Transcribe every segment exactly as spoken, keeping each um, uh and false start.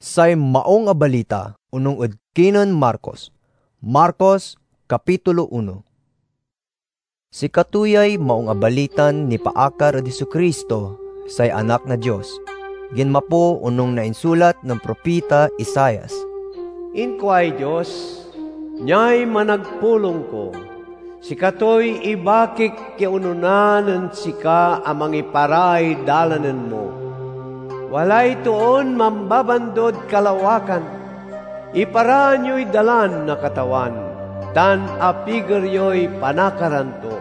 Say Maung a Balita onung ed kinen Marcos. Marcos, kapitulo uno. Sikato yay Maung a Balitan nipaakar ed Jesu-Cristo, say Anak na Dios, ginmapo onung na insulat nen propita Isaias. Inkuay Dios, "Niay managpulong ko, sikatoy ibakik ya onona nen sika a mangiparay dalanen mo. Walay toon mambabandod kalawakan. Iparaan yoy Dalan na Katawan, tan apiger yoy panakaran to."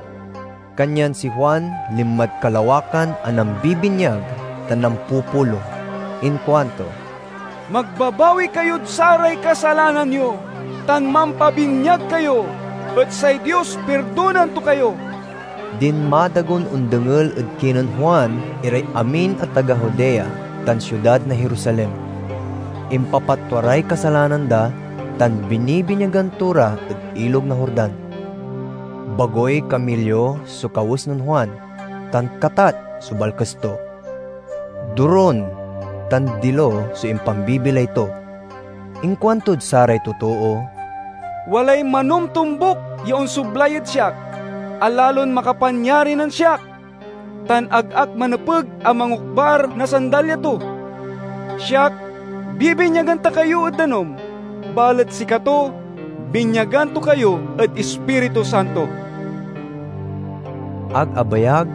Kanyan si Juan linmad kalawakan a nambibinyag tan nampupulong. Inkuanto, "Magbabawi kayod saray kasalanan yo, tan mampabinyag kayo, et say Dios pirdonan to kayo." Dinmadagon ondengel ed kinen Juan iray amin a taga Judea tan siudad na Jerusalem. Impapatwa ray kasalanan da tan binibinyagan to ra ed Ilog na Jordan. Bagoy kamilyo so kawes nen Juan, tan katat so balkes to. Duron tan dilo so impambibilay to. Inkuantod saray totoo, "Walay manomtombuk ya onsoblay ed siak a lalon makapanyari nen siak, tan ag ak manepeg a mangokbar na sandalya to. Siak, bibinyagan ta kayo ed danum, balet sikato, binyagan to kayo ed Ispiritu Santo." Ag abayag,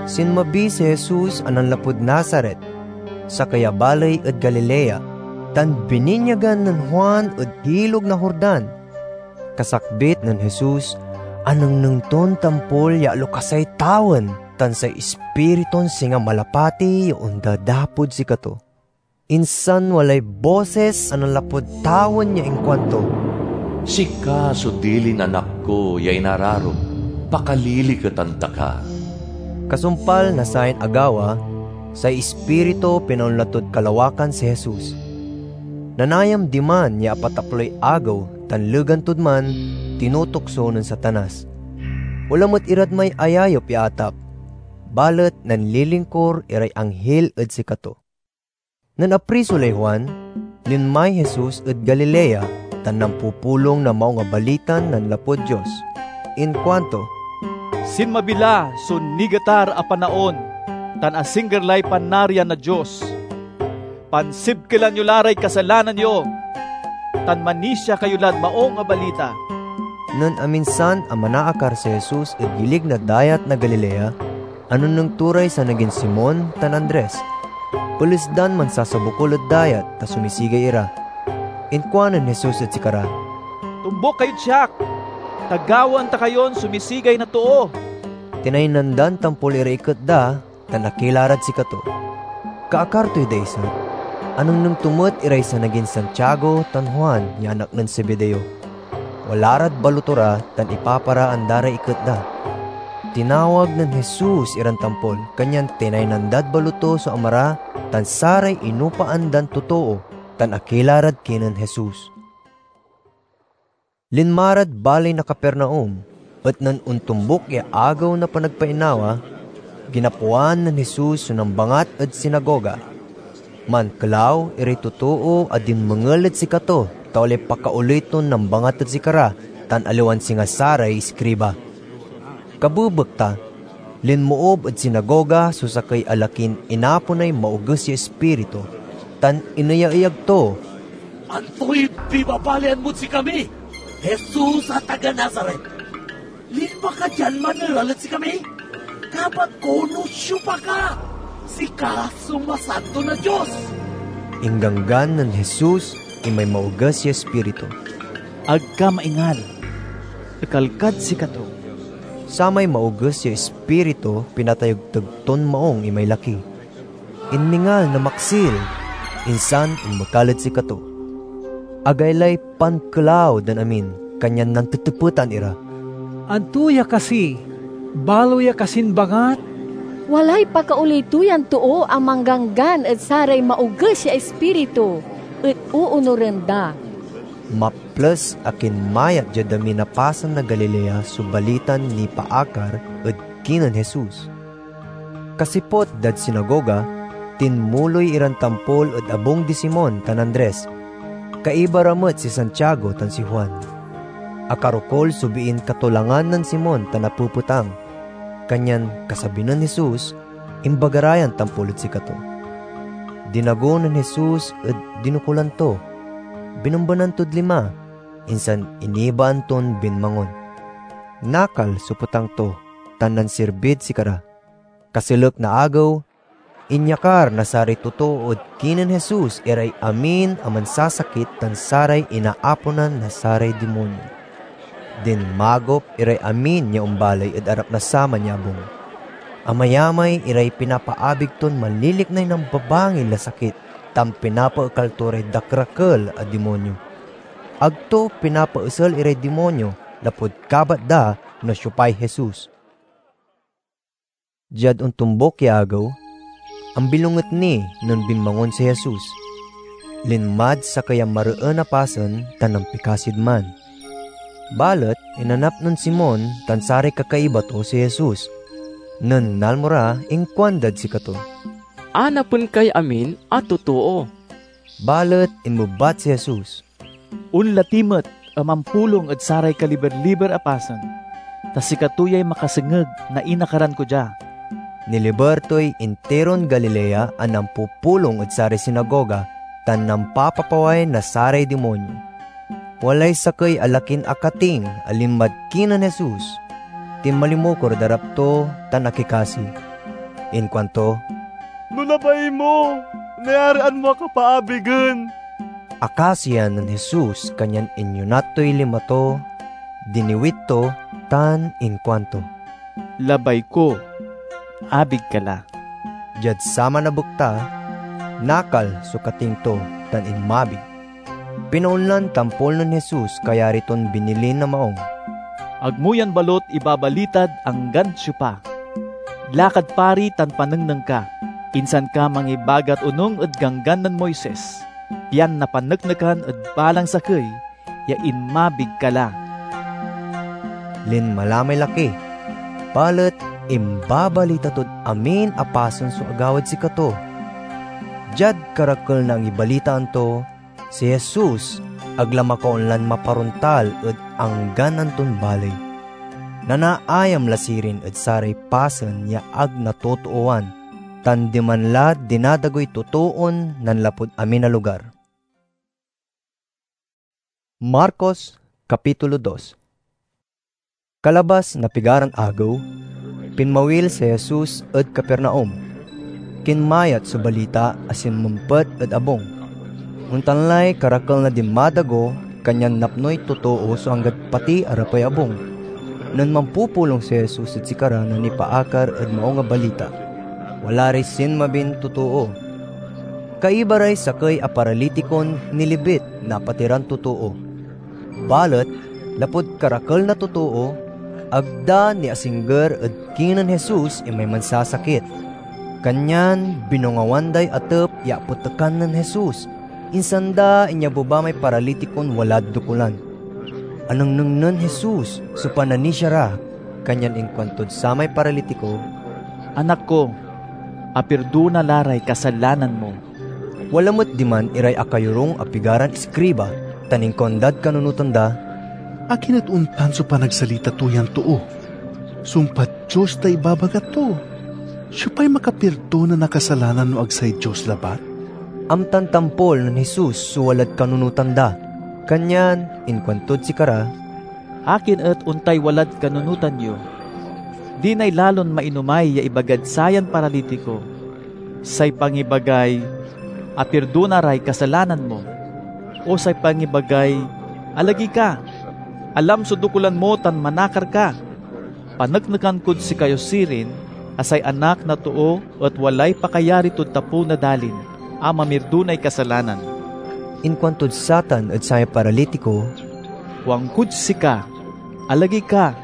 sinmabi si Jesus a nanlapud Nazaret, sakey a baley ed Galilea, tan bininyagan nen Juan ed Ilog na Jordan. Kasakbit nen Jesus, anengneng ton tampol ya alokasay tawen tan say Ispiritun singa malapati ya ondadapod sikato. Insan walay bosis a nanlapud tawen ya inkuanto, "Sika so dilin Anak ko ya inararom, pakaliliketan ta ka." Kasumpal na sayan agawa, say Ispiritu pinaonla tod kalawakan si Jesus. Nanayam diman ya apataploy agew tan legan tod man, tinutukso nen Satanas. Wala met irad may ayayep ya atap, balet nanlilingkor iray anghil ed sikato. Nen apriso lay Juan, linmay Jesus ed Galilea tan nampupulong na Maung a Balitan nanlapud Dios. Inkuanto, "Sinmabi la so nigetar a panaon tan asingger lay Panarian na Dios. Pansibkelan yo la ray kasalanan yo, tan manisia kayo lad Maung a Balita." Nen aminsan a manaakar si Jesus ed gilig na Dayat na Galilea, anengneng to ray sanagin Simon tan Andres. Peles dan mansasabukol ed dayat ta sumisigay ira. Inkuanen Jesus ed sikara, "Tombuk kayod siak, ta gawaen ta kayon sumisigay na too." Tinaynan dan tampol iray iket da, tan akila rad sikato. Kaakar toy daiset, anengneng to met iray sanagin Santiago tan Juan ya anak nen Zebedeo. Wala rad baloto ra tan ipaparaan da ray iket da. Tinawag nen Jesus iran tampol, kanyan tinaynan dad baloto so ama ra tan saray inupaan dan totoo, tan akila rad kinen Jesus. Linma rad baley na Capernaum, et nen ontombuk ya Agew na Panagpainawa, ginapoan nen Jesus so nambangat ed sinagoga. Mankelaw iray totoo a dinmengel ed sikato ta walay pakaoley ton nambangat ed sikara tan aliwan singa saray iskriba. Kabebekta, linmoob ed sinagoga so sakey a lakin inaponay maoges ya ispiritu, tan ineyayag to, "Antoy pibabalian mod sikami, Jesus a taga Nazaret? Linma ka dian maneral ed sikami, kabat ko no siopa ka! Sika so Masanto na Dios!" Ingganggan nen Jesus imay maoges ya ispiritu, "Ag ka maingal! Ekal kad sikato!" Samay maoges ya ispiritu pinatayegteg ton maung imay laki. Inmingal na maksil, insan inmekal ed sikato. Agaylay pankelaw dan amin, kanyan nantetepetan ira, "Anto ya kasi? Balo ya kasin bangat?" "Walay pakaoley to yan too a mangganggan ed saray maoges ya ispiritu, et oonuren da." Maples a kinmayat diad amin a pasen na Galilea so balitan nipaakar ed kinen Jesus. Kasiput dad sinagoga, tinmuloy iran tampol ed abung di Simon tan Andres. Kaiba ra met si Santiago tan si Juan. Akarokol so biin katolangan nen Simon tan napepetang, kanyan kasabi nen Jesus, imbaga ra yan tampol ed sikato. Dinago nen Jesus ed dinokulan to, binembenan tod lima, insan inibaan ton binmangon. Nakal so petang to, tan nansirbid sikara. Kaselek na agew, inyakar na saray totoo ed kinen Jesus iray amin a mansasakit tan saray inaaponan na saray dimonyo. Dinmagop iray amin ya ombaley ed arap na saman ya abung. Amayamay iray pinapaabig ton manliliknay nambabangil a sakit tan pinapaekal to ray dakerakel a dimonyo. Ag to pinapaesel iray dimonyo lapud kabat da no siopay Jesus. Diad ontombok ya agew, ambilonget ni nen binmangon si Jesus. Linmad sakey a mareen a pasen tan nampikasid man. Balet inanap nen Simon tan saray kakaiba to si Jesus. Nen nalmo ra, inkuandad sikato, "Anapen kay amin a totoo." Balet inmebat si Jesus, "Onla ti met a mampulong ed saray kaliber-liber a pasen, ta sikato yay makasengeg na inakaran ko dia." Niliber toy intiron Galilea a nampupulong ed saray sinagoga tan nampapapaway na saray dimonyo. Walay sakey a lakin akating a linmad kinen Jesus. Tinmalimukor ed arap to tan akikasi. Inkuanto, "No labay mo, nayarian mo ak a paabigen." Akasian nen Jesus, kanyan inyonat toy lima to, diniwit to, tan inkuanto, "Labay ko, abig ka la." Diad saman a bekta, nakal so kating to tan inmabig. Pinaonlan tampol nen Jesus kayari ton binilin na maong, "Agmo yan balot ibabalitad anggan siopa. Lakad pari tan panengneng ka, insan ka mangibagat onung ed Ganggan nen Moises, pian napaneknekan ed balang sakey ya inmabig ka la." Linma la may laki, balet imbabalita tod amin a pasen so agawad sikato. Diad karakel na angibalitaan to, si Jesus ag la makaonlan maparontal ed anggan anton baley. Nanaayam la sirin ed saray pasen ya ag natotooan, tan diman la dinadagoy totoon nanlapud amin a lugar. Marcos, Kapitulo dos. Kalabas na pigaran agew, pinmawil si Jesus ed Capernaum. Kinmayat so balita a sinmempet ed abung. Ontan lay karakel na dinmadago, kanyan napnoy totoo so anggad pati arapey abung. Nen mampupulong si Jesus ed sikara na nipaakar ed Maung a Balita, wala ray sinmabin totoo. Kaiba ray sakey a paralitikon nilibit na apatiran totoo. Balet lapud karakel na totoo, ag da niasingger ed kinen Jesus imay mansasakit. Kanyan binongawan day atep ya apetekan nen Jesus, insan da inyabeba may paralitikon walad dokulan. Anengneng nen Jesus so pananisia ra, kanyan inkuantod samay paralitiko, "Anak ko, apirdona la ray kasalanan mo." Wala met diman iray akayorung a pigaran iskriba, tan inkuandad kanunotan da, "Akin et ontan so panagsalita to yan too? Sumpad Dios tay ibabaga to. Siopay makapirdona na kasalanan no ag say Dios labat?" Amtan tampol nen Jesus so walad kanunotan da, kanyan inkuantod sikara, "Akin et ontay walad kanunotan yo? Dinay lalon mainomay ya ibagad sayan paralitiko, say pangibagay, 'Apirdona ray kasalanan mo,' o say pangibagay, 'Alagey ka, alam so dokulan mo tan manakar ka'? Paneknekan kod sikayo sirin a say Anak na Too et walay pakayari tod tapew na dalin a mamirdonay kasalanan." Inkuantod satan ed samay paralitiko, "Kuankod sika, alagey ka,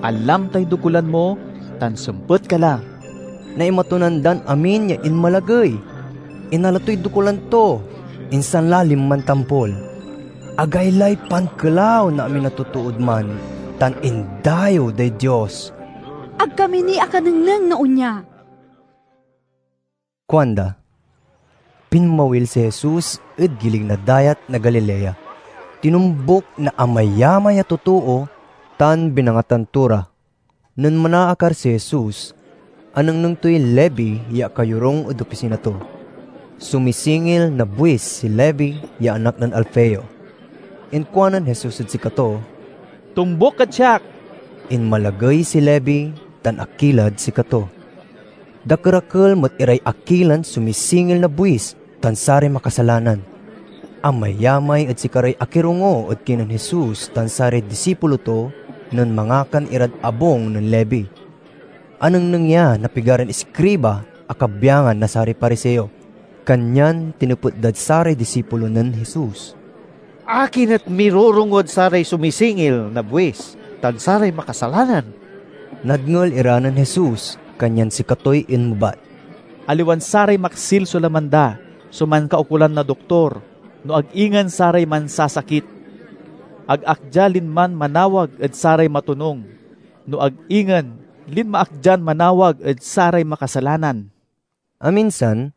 alam tay dokulan mo, tan sempet ka la." Naimatonan dan amin ya inmalagey. Inala toy dokulan to, insan la linman tampol. Agaylay pankelaw na amin a totood man, tan indayew day Dios. "Ag kami ni akanengneng na onya," kuanda. Pinmawil si Jesus ed gilig na Dayat na Galilea. Tinumbok na amayamay a totoo tan binangatan to ra. Nen manaakar si Jesus, anengneng toy Levi ya akayorung ed opisina to. Sumisingil na buis si Levi ya anak nen Alfeo. Inkuanen Jesus ed sikato, "Tumbok kad siak!" Inmalagey si Levi tan akilad sikato. Dakerakel met iray akilan sumisingil na buis tan saray makasalanan. Amayamay ed sikaray akirongo ed kinen Jesus tan saray disipulo to nen mangakan irad abung nen Levi. Anengneng ya na pigaran iskriba a kabyangan na saray Pariseo, kanyan tinepet dad saray disipulo nen Jesus, "Akin et mirorongod saray sumisingil na buis tan saray makasalanan?" Nadngel ira nen Jesus, kanyan sikatoy inmebat, "Aliwan saray maksil so laman da so mankaukolan na doktor, no ag ingen saray mansasakit. Ag ak dia linman manawag ed saray matonung, no ag ingen linma ak dian manawag ed saray makasalanan." Aminsan,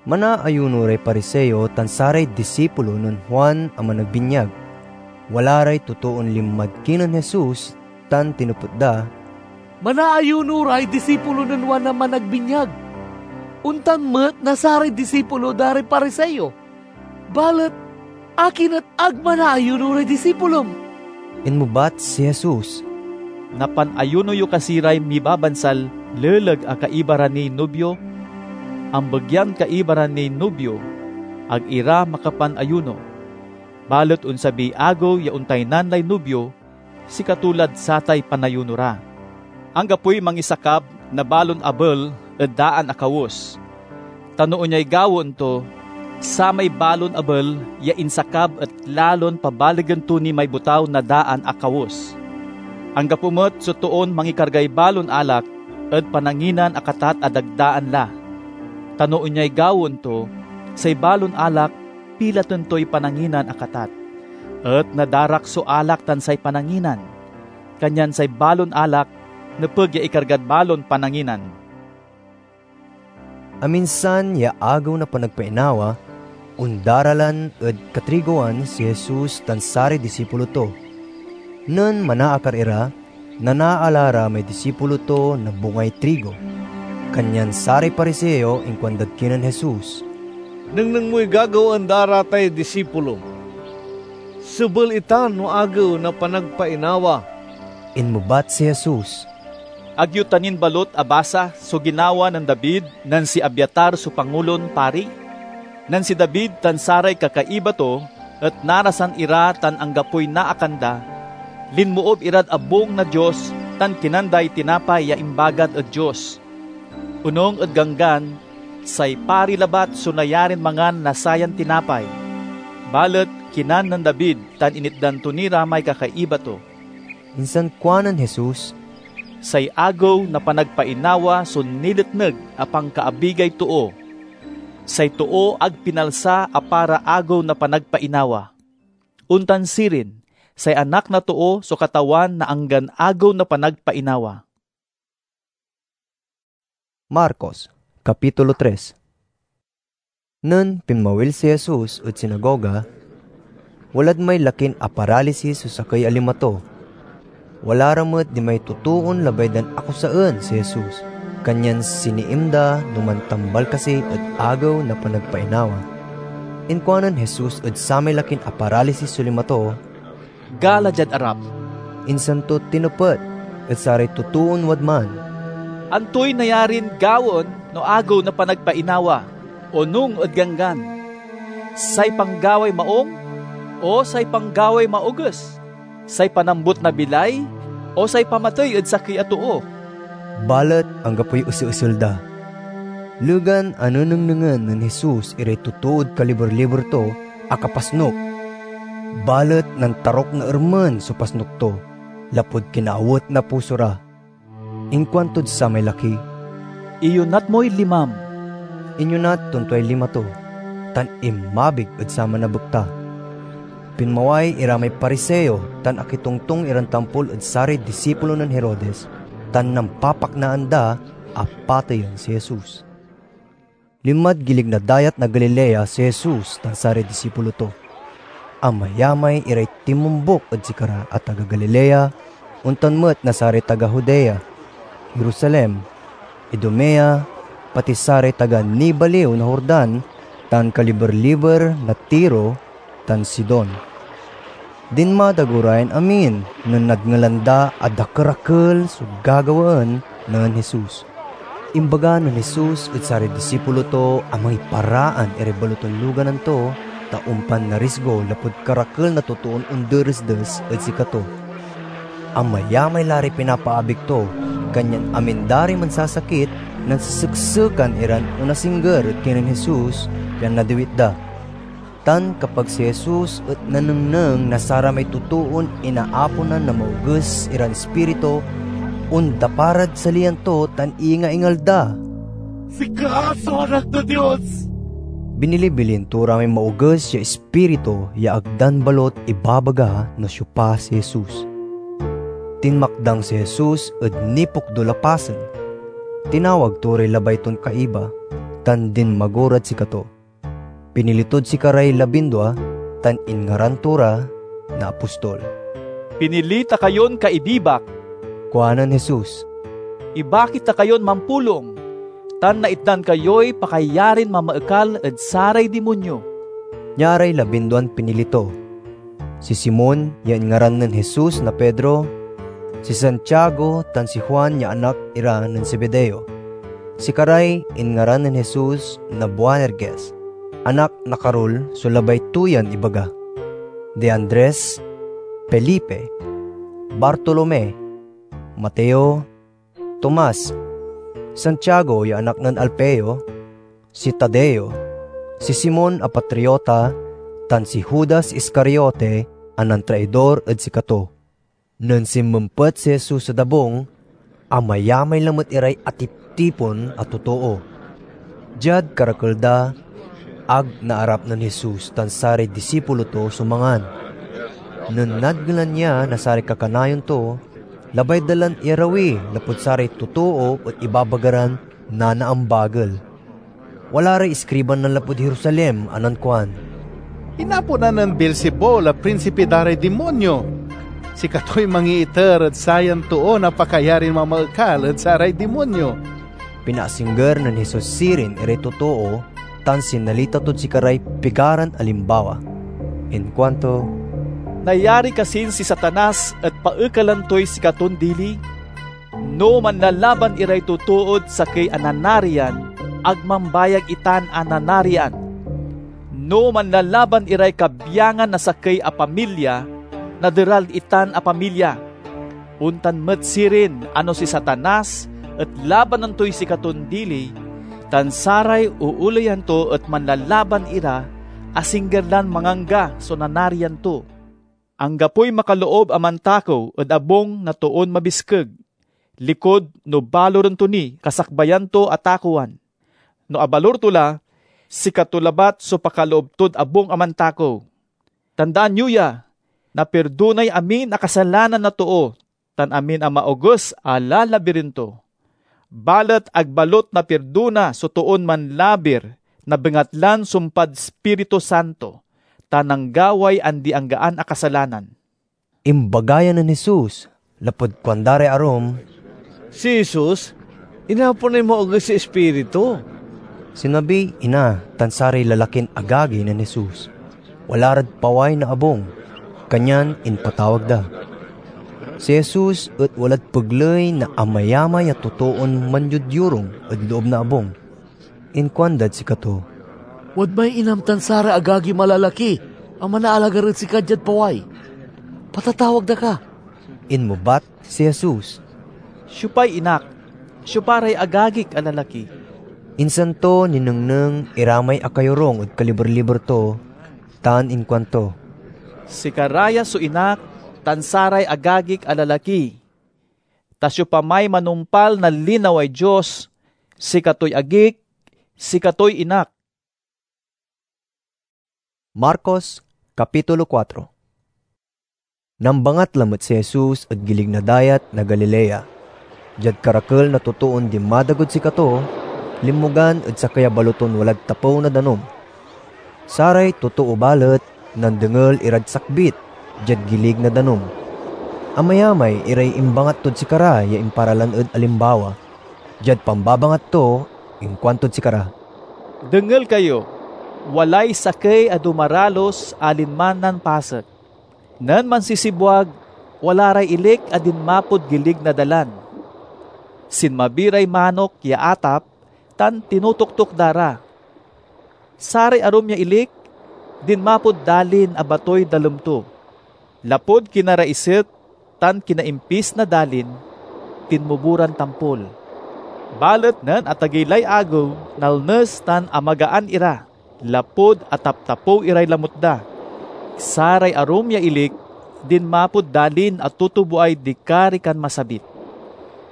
manaayuno ray Pariseo tan saray disipulo nen Juan a Managbinyag. Wala ray totoon linmad kinen Jesus tan tinepet da, "Manaayuno ray disipulo nen Juan a Managbinyag, ontan met na saray disipulo da ray Pariseo. Balet akin et ag manaayuno ray disipulom?" Inmebat si Jesus, "Napanayuno yo kasi ray mibabansal leleg a kaiba ra niy nubio? Ambegyan kaiba ra niy nubio, ag ira makapanayuno. Balet onsabiy agew ya ontaynan lay nubio, sikato lad satay panayuno ra. Anggapoy mangisakab na balon abel ed daan a kawes, ta no onyay gawaen to, samay balon abel ya insakab et lalon pabaligen to ni may botaw na daan a kawes. Anggapo met so toon mangikargay balon alak ed pananginan a katat a dagdaan la, ta no onyay gawaen to, say balon alak pilaten toy pananginan a katat, et nadarak so alak tan say pananginan. Kanyan say balon alak nepeg ya ikargad balon pananginan." Aminsan ya Agew na Panagpainawa, ondaralan ed katrigoan si Jesus tan saray disipulo to. Nen manaakar ira, nanaala ra may disipulo to na bungay trigo. Kanyan saray Pariseo inkuandad kinen Jesus, "Nengneng moy gagawaen da ra tay disipulom. Sebel itan no Agew na Panagpainawa." Inmebat si Jesus, "Ag yo ta nin balot abasa so ginawa nen David nen si Abiatar so Pangulon Pari? Nen si David tan saray kakaiba to et narasan ira tan anggapoy naakan da, linmoob irad abung na Dios tan kinan day tinapay ya imbagat ed Dios. Onung ed Ganggan, say pari labat so nayarin mangan na sayan tinapay. Balet kinan nen David tan initdan to ni ra may kakaiba to." Insan kuanen Jesus, "Say Agew na Panagpainawa so niletneg a pankaabigay too. Say too ag pinalsa a para Agew na Panagpainawa. Ontan sirin, say Anak na Too so Katawan na anggan Agew na Panagpainawa." Marcos, Kapitulo tres. Nen pinmawil si Jesus ed sinagoga, walad may lakin aparalisis so sakey a lima to. Wala ra met dimay totoon labay dan akusaen si Jesus, kanyan siniim da no mantambal kasi ed Agew na Panagpainawa. Inkuanen Jesus ed samay lakin aparalisis so lima to, "Gala diad arap." Insan to tinepet ed saray totoon wadman, "Antoy nayarin gawaen no Agew na Panagpainawa, onung ed Ganggan? Say panggaway maung, o say panggaway maoges? Say panambut na bilay, o say pamatey ed sakey a too?" Balet anggapoy eseesel da. Legan a nenengnengen nen Jesus iray totood kaliber-liber to, akapasnok. Balet nantarok na ermen so pasnok to, lapud kinaawet na puso ra. Inkuantod samay laki, "Iyonat moy limam." Inyonat ton tuay lima to, tan inmabig ed saman a bekta. Pinmaway ira may Pariseo tan akitongtong iran tampol ed saray disipulo nen Herodes, tan nampapaknaan da a pateyen si Jesus. Linmad gilig na Dayat na Galilea si Jesus tan saray disipulo to. Amayamay iray tinmombuk ed sikara a taga Galilea, ontan met na saray taga Judea, Jerusalem, Idumea, pati saray taga nibaliw na Jordan tan kaliber-liber na Tiro tan Sidon. Dinmadago ra yan amin nen nadngelan da a dakerakel so gagawaen nen Jesus. Imbaga nen Jesus ed saray disipulo to a mangiparaan iray balotan luganan to, ta ompan narisgo lapud karakel na totoon onderesdes ed sikato. Amayamay la ray pinapaabig to, kanyan amin da ray mansasakit, nansesek-sekan iran onasingger ed kinen Jesus, pian nadiwit da. Tan kapag si Jesus et nanengneng na saramay totoon inaaponan na maoges iran ispiritu, ondapa rad saliyan to tan iingaingal da, "Sika so Anak na Dios!" Binilibilin to ra may maoges ya ispiritu ya ag dan balot ibabaga no siopa si Jesus. Tinmakdang si Jesus ed nipokdul a pasen. Tinawag to ray labay ton kaiba, tan dinmago rad sikato. Pinili tod sikaray labindua tan inngaran to ra na apostol. "Pinili ta kayon kaibibak," kuanen Jesus. "Ibaki ta kayon mampulong, tan naitdan kayoy pakayarin mamaekal ed saray dimonyo." Nia ray labinduan pinili to: si Simon ya inngaran nen Jesus na Pedro, si Santiago tan si Juan ya anak ira nen Zebedeo. Sikaray inngaran nen Jesus na Boanerges, anak na karul so labay to yan ibaga: di Andres, Felipe, Bartolome, Mateo, Tomas, Santiago ya anak nen Alfeo, si Tadeo, si Simon a Patriota, tan si Judas Iscariote a nantraidor ed sikato. Nen sinmempet si Jesus ed abung, amayamay lamet iray atiptipon a totoo. Diad karakel da, ag naarap nen Jesus tan saray disipulo to so mangan. Nen nadngelan ya na saray kakanayon to, labay da lan iyarawi lapud saray totoo et ibabaga ran nanaambagel. Wala ray iskriban nanlapud Jerusalem a nankuan, "Inaponan nen Beelzebul a prinsipi da ray dimonyo! Sikatoy mangiiter ed sayan toon a pakayarin mamaekal ed saray dimonyo!" Pinaasingger nen Jesus sirin iray totoo tan sinalita tod sikaray pigaran alimbawa. Inkuanto, "Nayari kasin si Satanas et paekalen toy sikaton dili? No manlalaban iray totood sakey a nanarian, ag mambayag itan a nanarian. No manlalaban iray kabyangan na sakey a pamilya, naderal itan a pamilya. Ontan met sirin a no si Satanas et labanan toy sikaton dili, tan saray ooleyan to et manlalaban ira, asingger lan mangangga so nanarian to. Anggapoy makaloob a mantakew ed abung na toon mabiskeg, likud no baloren to ni kasakbayan to a takewan. No abalor to la, sikato labat so pakaloob tod abung a mantakew. Tandaan yo ya, napirdonay amin a kasalanan na too, tan amin a maoges a lalabiren to. Balet ag balot napirdona so toon manlabir na bengatlan sumpad Ispiritu Santo, ta nanggaway andi-anggaan a kasalanan." Imbaga ya nen Jesus, lapud kuanda ray arum, "Si Jesus, inaponay maoges ya ispiritu." Sinabiy ina tan saray lalakin agagi nen Jesus. Wala rad paway na abung, kanyan impatawag da. Si Jesus et walad pegley na amayamay a totoon manyodyorung ed loob na abung. Inkuandad sikato, "Wadmay inam tan saray agagim a lalaki a manaalagar ed sika diad paway. Patatawag da ka." Inmebat si Jesus, "Siopay inak? Siopa ray agagik a lalaki?" Insan to ninengneng ira may akayorung ed kaliber-liber to, tan inkuanto, "Sikara ya so inak tan saray agagik a lalaki. Ta siopamay manumpal na linaway Dios, sikatoy agik, sikatoy inak." Marcos, Kapitulo kuatro. Nambangat lamet si Jesus ed gilig na Dayat na Galilea. Diad karakel na totoon dinmadagod sikato, linmogan ed sakey a baloton walad tapew na danum. Saray totoo balet nandengel irad sakbit diad gilig na danum. Amayamay iray imbangat tod sikara ya imparalan ed alimbawa. Diad pambabangat to, inkuantod sikara, "Dengel kayo! Walay sakey a dumaralus a linma nen pasek. Nen mansisibwag, wala ray ilik a dinmapod gilig na dalan. Sinmabi ray manok ya atap tan tinotoktok da ra. Saray arum ya ilik dinmapod dalin a batoy dalem to. Lapud kinaraiset tan kinaimpis na dalin, tinmubo ran tampol. Balet nen atagey lay agew, nalnes tan amagaan ira, lapud ataptapew iray lamut da. Saray arum ya ilik dinmapod dalin a tutuboay dikarikan masabit.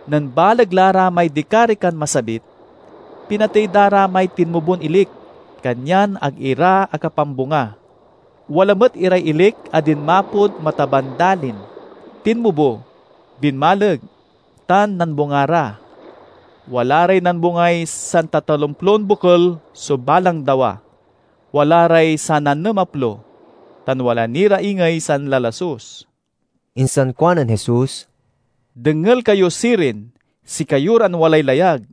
Nen baleg la ra may dikarikan masabit, pinatey da ra may tinmubon ilik, kanyan ag ira akapambunga. Wala met iray ilik a dinmapod mataban dalin, tinmubo, binmaleg, tan nanbunga ra. Wala ray nanbungay santatalomplon bokel so balang dawa. Wala ray sananemaplo, tan wala ni ra ingey sanlalasus." Insan kuanen Jesus, "Dengel kayo sirin, sikayo ran walay layag."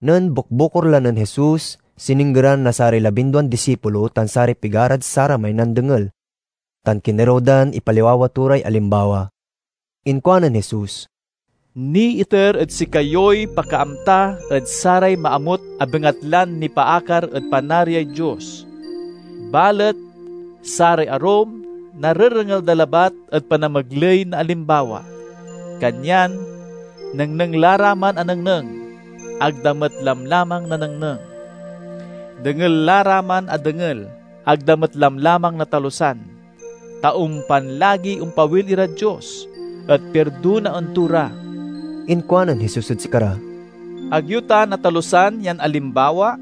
Nen bukbukor la nen Jesus, sininggeran na saray labinduan disipulo tan saray pigarad saramay nandengel, tan kinerew dan ipaliwawa to ray alimbawa. Inkuanen Jesus, "Niiter ed sikayoy pakaamta ed saray maamut a bengatlan nipaakar ed Panariay Dios. Balet saray arum narerengel da labat ed panamegley na alimbawa. Kanyan nengneng la ra man a nengneng, ag da met lamlamang nanengneng. Dengel la ra man a dengel, ag da met lamlamang natalusan, ta ompan lagiy ompawil irad Dios, et pirdonaen to ra." Inkuanen Jesus ed sikara, "Ag yo ta natalusan yan alimbawa?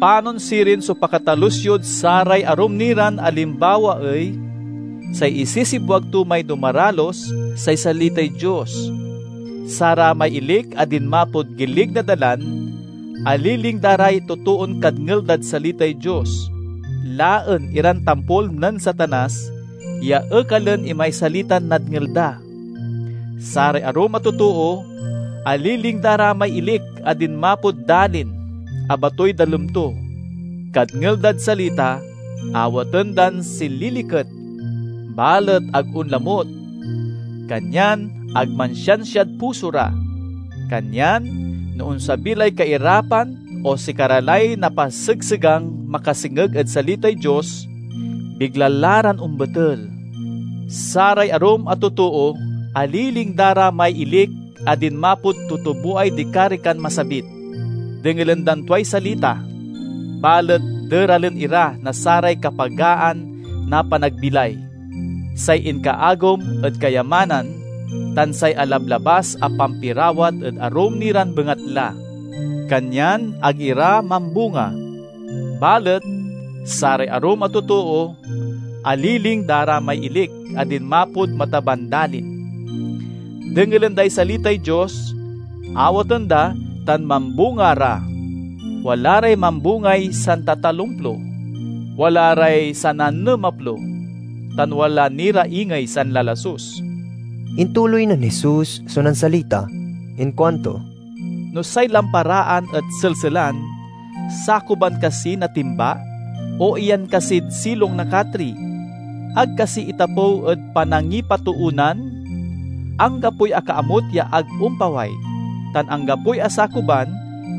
Panon sirin so pakatalus yod saray arum ni ran alimbawa ey? Say isisibwag to may dumaralus, say salitay Dios. Saramay ilik a dinmapod gilig na dalan, aliling da ray totoon kadngel dad salitay Dios, laen iran tampol nen Satanas, ya ekalen imay salitan nadngel da. Saray arum a totoo, aliling da ra may ilik a dinmapod dalin a batoy dalem to. Kadngel dad salita, awaten dan sililiket, balet ag onlamut. Kanyan ag mansiansiad puso ra. Kanyan no onsabi lay kairapan o sikara lay napasegsegang makasengeg ed salitay Dios, bigla la ran ombetel. Saray arum a totoo, aliling da ra may ilik a dinmapod tutuboay dikarikan masabit. Dengelen dan tuay salita, balet deralen ira na saray kapagaan na panagbilay, say inkaagom ed kayamanan, tan say alablabas a pampirawat ed arum ni ran bengatla. Kanyan ag ira mambunga. Balet saray arum a totoo, aliling da ra may ilik a dinmapod mataban dalin. Dengelen day salitay Dios, awaten da, tan mambunga ra. Wala ray mambungay santatalumplo, wala ray sananemaplo, tan wala ni ra ingey sanlalasus." Intuloy nen Jesus so nansalita. Inkuanto, "No say lamparaan et selselan, sakuban kasi na timba, o iyan kasid silong na katri? Ag kasi itapew ed panangipatoonan? Anggapoy akaamut ya ag ompaway, tan anggapoy asakuban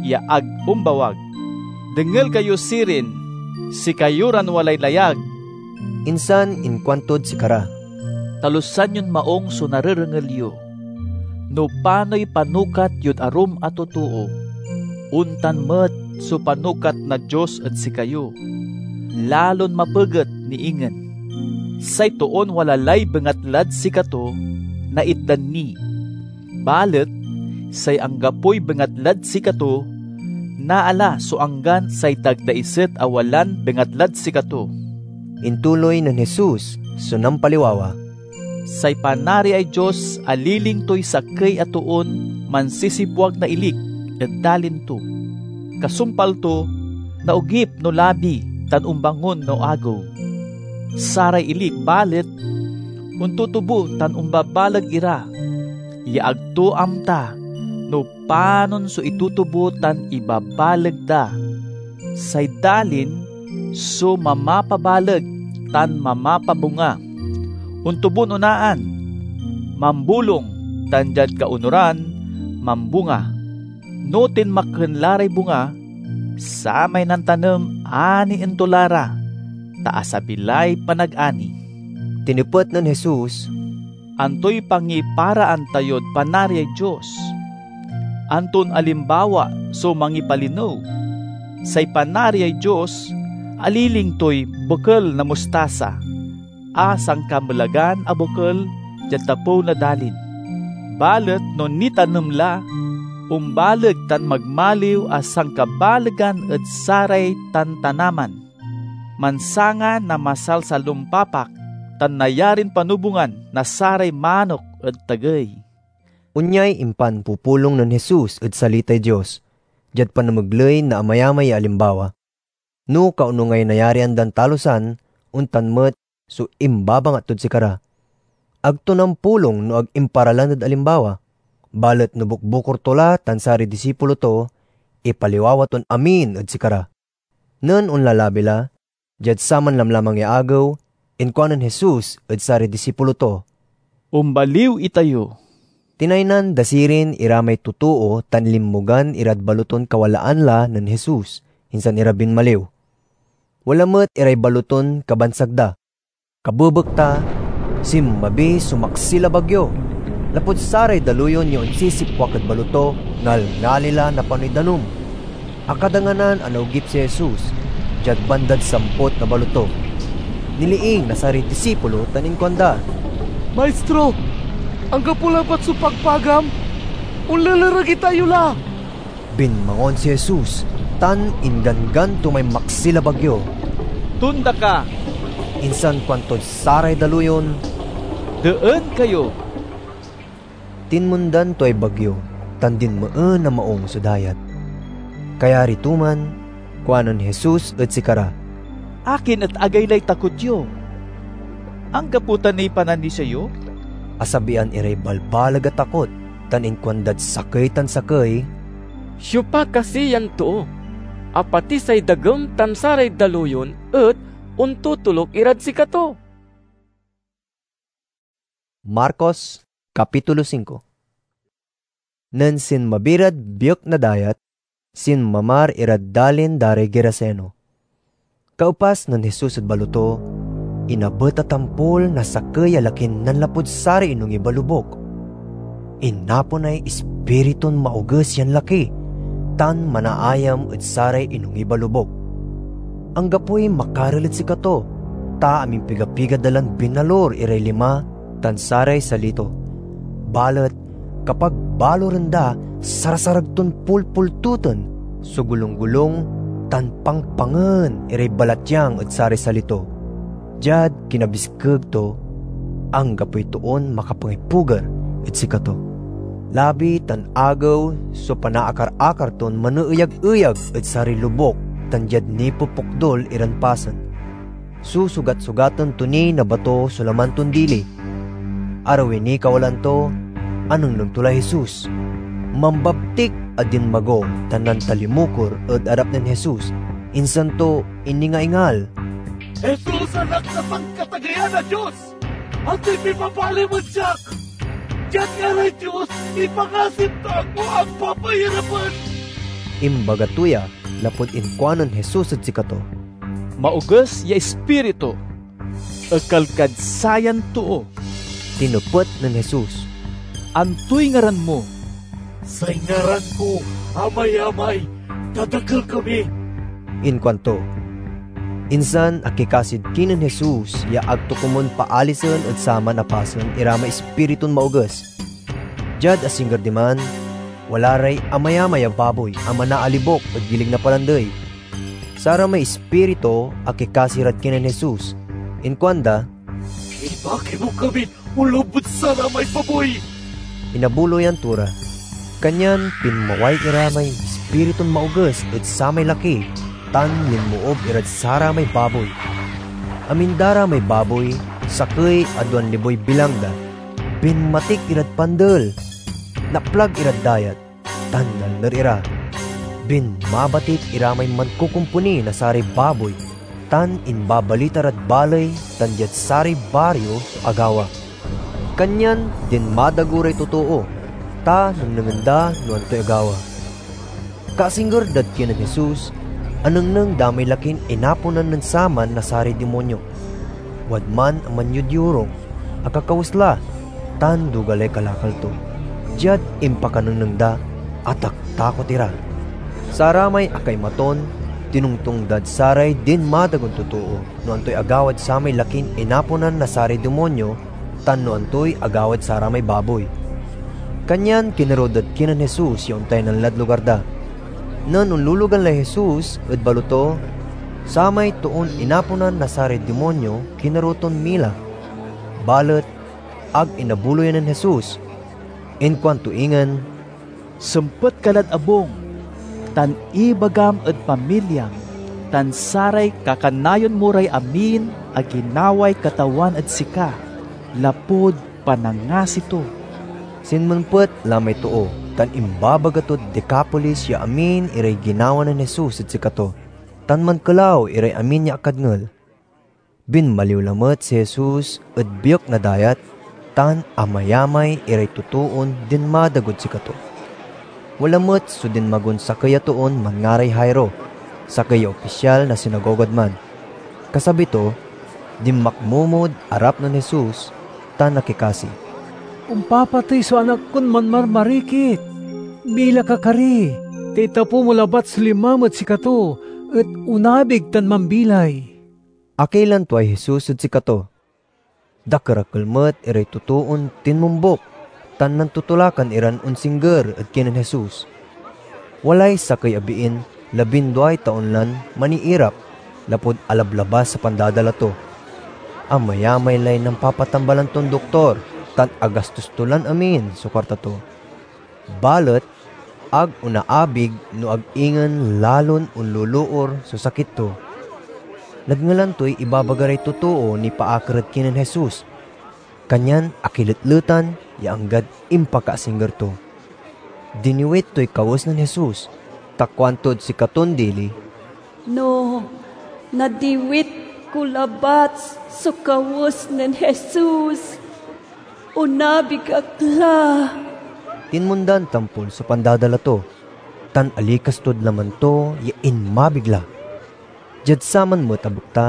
ya ag ombawag. Dengel kayo sirin, sikayo ran walay layag." Insan inkuantod sikara, "Talusan yon maung so narerengel yo. No panoy panukat yod arum a totoo, ontan met so panukat na Dios ed sikayo, lalon mapeget ni ingen. Say toon wala lay bengatlad sikato, naitdan ni. Balet say anggapoy bengatlad sikato, naala so anggan say dagdaiset a walan bengatlad sikato." Intuloy nen Jesus so nampaliwawa, "Say Panariay Dios aliling toy sakey a toon mansisibwag na ilik, ed dalin to. Kasumpal to, naogip no labi tan ombangon no agew. Saray ili, balet, ontutubo tan ombabaleg ira, ya ag to amta no panon so itutubo tan ibabaleg da. Say dalin so mamapabaleg tan mamapabunga. Ontubon onaan, mambolong, tan diad kaonuran, mambunga. No tinmaken la ray bunga, samay nantanem anien to la ra, ta asabi lay panagani. Tinepet nen Jesus, "Antoy pangiparaan tayod Panariay Dios? Anton alimbawa so mangipalinew? Say Panariay Dios aliling toy bekel na mustasa a sankamelagan a bekel diad tapew na dalin. Balet no nitanem la, ombaleg tan magmaliw a sankabalegan ed saray tantanaman, mansanga na masalsalompapak, tan nayarin panubongan na saray manok ed tagey." Onyay impanpupulong nen Jesus ed salitay Dios diad panamegley na amayamay ya alimbawa. No kaonungay nayarian dan talusan, ontan met so imbabangat tod sikara. Ag to nampulong no ag imparalan ed alimbawa, balet no bukbukor to la tan saray disipulo to, ipaliwawa ton amin ed sikara. Nen onlalabi la, diad saman lamlamang ya agew, inkuanen Jesus ed saray disipulo to, "Ombaliw itayo." Tinaynan da sirin iramay totoo tan linmogan irad baloton kawalaan la nen Jesus, insan ira binmaliw. Wala met iray baloton kabansag da. Kabebekta, sinmabi so maksil a bagyo. Lapud saray daluyon ya onsisipwak ed baloto, ngalngali la napanoy danum. Akadanganan a naogip si Jesus diad bandad sampot na baloto. Niliing na saray disipulo tan inkuanda, "Maistro, anggapo labat so pagpagam? Onlelereg itayo la!" Binmangon si Jesus tan ingganggan to may maksil a bagyo. "Tonda ka!" Insan kuantod saray daluyon, "Deen kayo!" Tinmondan toy bagyo tan dinmeen a maung so dayat. Kayari to man, kuanen Jesus ed sikara, "Akin et agaylay takot yo? Anggapo ta niy pananisia yo?" Asabian iray balbaleg a takot tan inkuandad sakey tan sakey, "Siopa kasi yan too, a pati say dagem tan saray daluyon et ontotoluk irad sikato?" Marcos, Kapitulo singko. Nen sinmabi rad biek na dayat, sinmamar irad dalin da ray Geraseno. Kaepas nen Jesus ed baloto, inabet a tampol na sakey a lakin nanlapud saray inongib a lobuk. Inaponay ispiritun maoges yan laki tan manaayam ed saray inongib a lobuk. Anggapoy makarel ed sikato, ta amimpiga-piga da lan binalor iray lima tan saray sali to. Balet kapag baloren da, sarasarag ton pulpultuten so golunggolung tan pangpangen iray balatyang ed saray sali to. Diad kinabiskeg to, anggapoy toon makapangipuger ed sikato. Labi tan agew so panaakar-akar ton maneeyag-eyag ed saray lobuk tan diad nipupokdul iran pasen. Susugat-sugaten to ni na bato so laman ton dili. Arawi niy kawalaan to, anengneng to lay Jesus. Mambabtik a dinmago tan nantalimukor ed arap nen Jesus, insan to iningaingal, "Jesus, Anak na Sankatageyan a Dios! Antoy pipapalim ed siak? Diad ngaray Dios, ipangasim ta agmo ak papairapen!" Imbaga to ya lapud inkuanen Jesus ed sikato, "Maoges ya ispiritu, ekel kad sayan too." Tinepet nen Jesus, "Antoy ngaran mo?" "Say ngaran ko Amayamay, ta dakel kami," inkuanto. Insan akikasid kinen Jesus ya ag to komon paalisen ed saman a pasen iramay ispiritun maoges. Diad asingger diman, wala ray amayamay a baboy a manaalibok ed gilig na palandey. Saramay ispiritu akikasi rad kinen Jesus. Inkuanda, "Ibaki mo kamin onloob ed saramay baboy!" Inabuloyan to ra. Kanyan pinmaway ira may ispiritun maoges ed samay laki tan linmoob irad saramay baboy. Amin da ra may baboy, sakey a duan liboy bilang da. Binmatik irad pandel, naplag irad dayat, tan nalner ira. Binmabatik ira may mankokomponi na saray baboy, tan imbabalita rad baley tan diad saray bario so agawa. Kanyan dinmadago ray totoo, ta nengnengen da no antoy agawa. Kaasingger dad kinen Jesus, anengneng da may lakin inaponan nen saman na saray dimonyo. Wadman a manyodyorong, akakawes la, tan duga lay kalakal to. Diad impakanengneng da, ataktakot ira. Saramay akaimaton, tinongtong dad saray dinmadagon totoo no antoy agawad samay lakin inaponan na saray dimonyo tan no antoy agawad saramay baboy. Kanyan kinerew dad kinen Jesus ya ontaynan lad lugar da. Nen onlulugan lay Jesus ed baloto, samay toon inaponan na saray dimonyo kinerew ton mila. Balet ag inabuloyan nen Jesus. Inkuanto ingen, "Sempet ka lad abung, tan ibagam ed pamilyam tan saray kakanayon mo ray amin a ginaway Katawan ed sika, lapud panangasi to." Sinmempet la may too, tan imbabaga tod Decapolis ya amin iray ginawa nen Jesus ed sikato, tan mankelaw iray amin ya akadngel. Binmaliw lamet si Jesus ed biek na dayat, tan amayamay iray totoon dinmadagod sikato. Wala met so dinmagon sakey a toon manngaray Jairo, sakey ya opisyal na sinagogad man. Kasabi to, dinmakmomod arap nen Jesus tan akikasi, "Ompapatey so anak kon manmarmarikit! Bilak, akari, ta itapew mo labat so limam ed sikato et onabig tan mambilay." Akailan tuay Jesus ed sikato. Dakerakel met iray totoon tinmombuk tan nantotolakan iran onsingger ed kinen Jesus. Walay sakey a biin labinduay taon lan maniirap lapud alablabas a pandadala to. Amayamay lay nampapatambalan ton doktor tan agastos to lan amin so kuarta to. Balet ag onaabig no ag ingen lalon onloloor so sakit to. Nadngelan toy ibabaga ray totoo nipaakar ed kinen Jesus, kanyan akiletletan ya anggad impakaasingger to. Diniwit toy kawes nen Jesus, ta kuantod sikaton dili, "No nadiwit ko labat so kawes nen Jesus, onabig ak la." Tinmondan tampol so pandadala to, tan alikas tod laman to ya inmabig la. Diad saman met a bekta,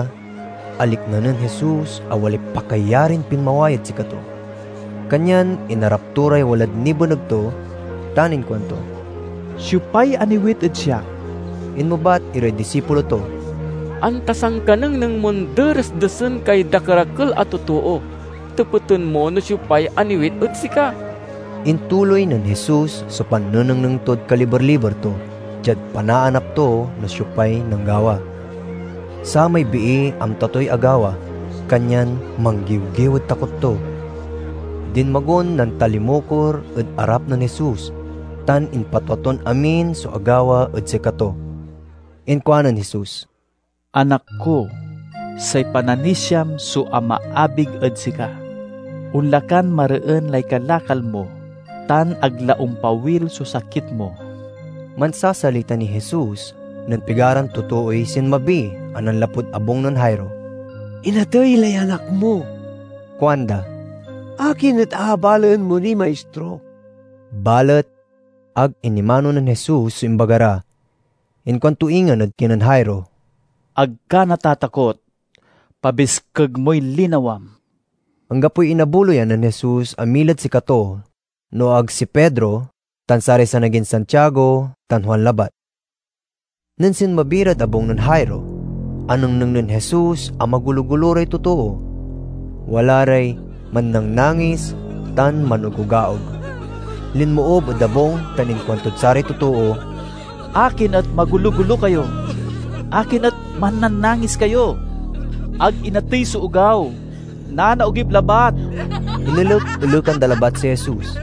alikna nen Jesus a walay pakayarin pinmaway ed sikato. Kanyan inarap to ray walad nibeneg to, tan inkuanto, "Siopay aniwit ed siak?" Inmebat iray disipulo to, "Anta sankanengneng mon deresdesen kay dakerakel a totoo, tepeten mo no siopay aniwit ed sika?" Intuloy nen Jesus so pannenengneng tod kaliber-liber to, diad panaanap to no siopay nanggawa. Samay bii amta toy agawa, kanyan manggiwgiw ed takot to. Dinmagon nantalimukor ed arap nen Jesus, tan impatua ton amin so agawa ed sikato. Inkuanen Jesus, "Anak ko, say pananisiam so amaabig ed sika. Onla kan mareen lay kalakal mo, tan ag la ompawil so sakit mo." Mansasalita ni Jesus nen pigaran totooy sinmabi a nanlapud abung nen Jairo. "Inatey lay anak mo," kuanda. "Akin et abalaen mo ni, Maistro?" Balet ag inimano nen Jesus so imbaga ra. Inkuanto ingen ed kinen Jairo, "Ag ka natatakot. Pabiskeg moy linawam." Anggapoy inabuloyan nen Jesus a milad sikato, no ag si Pedro tan saray sanagin Santiago tan Juan labat. Nen sinmabi rad abung nen Jairo, anengneng nen Jesus a magulo-gulo ray totoo. Wala ray mannangnangis tan manugogaog. Linmoob ed abung tan inkuantod saray totoo, "Akin et magulo-gulo kayo? Akin et mannanangis kayo? Ag inatey so ogaw, nanaogip labat!" Inelek-elekan da labat si Jesus.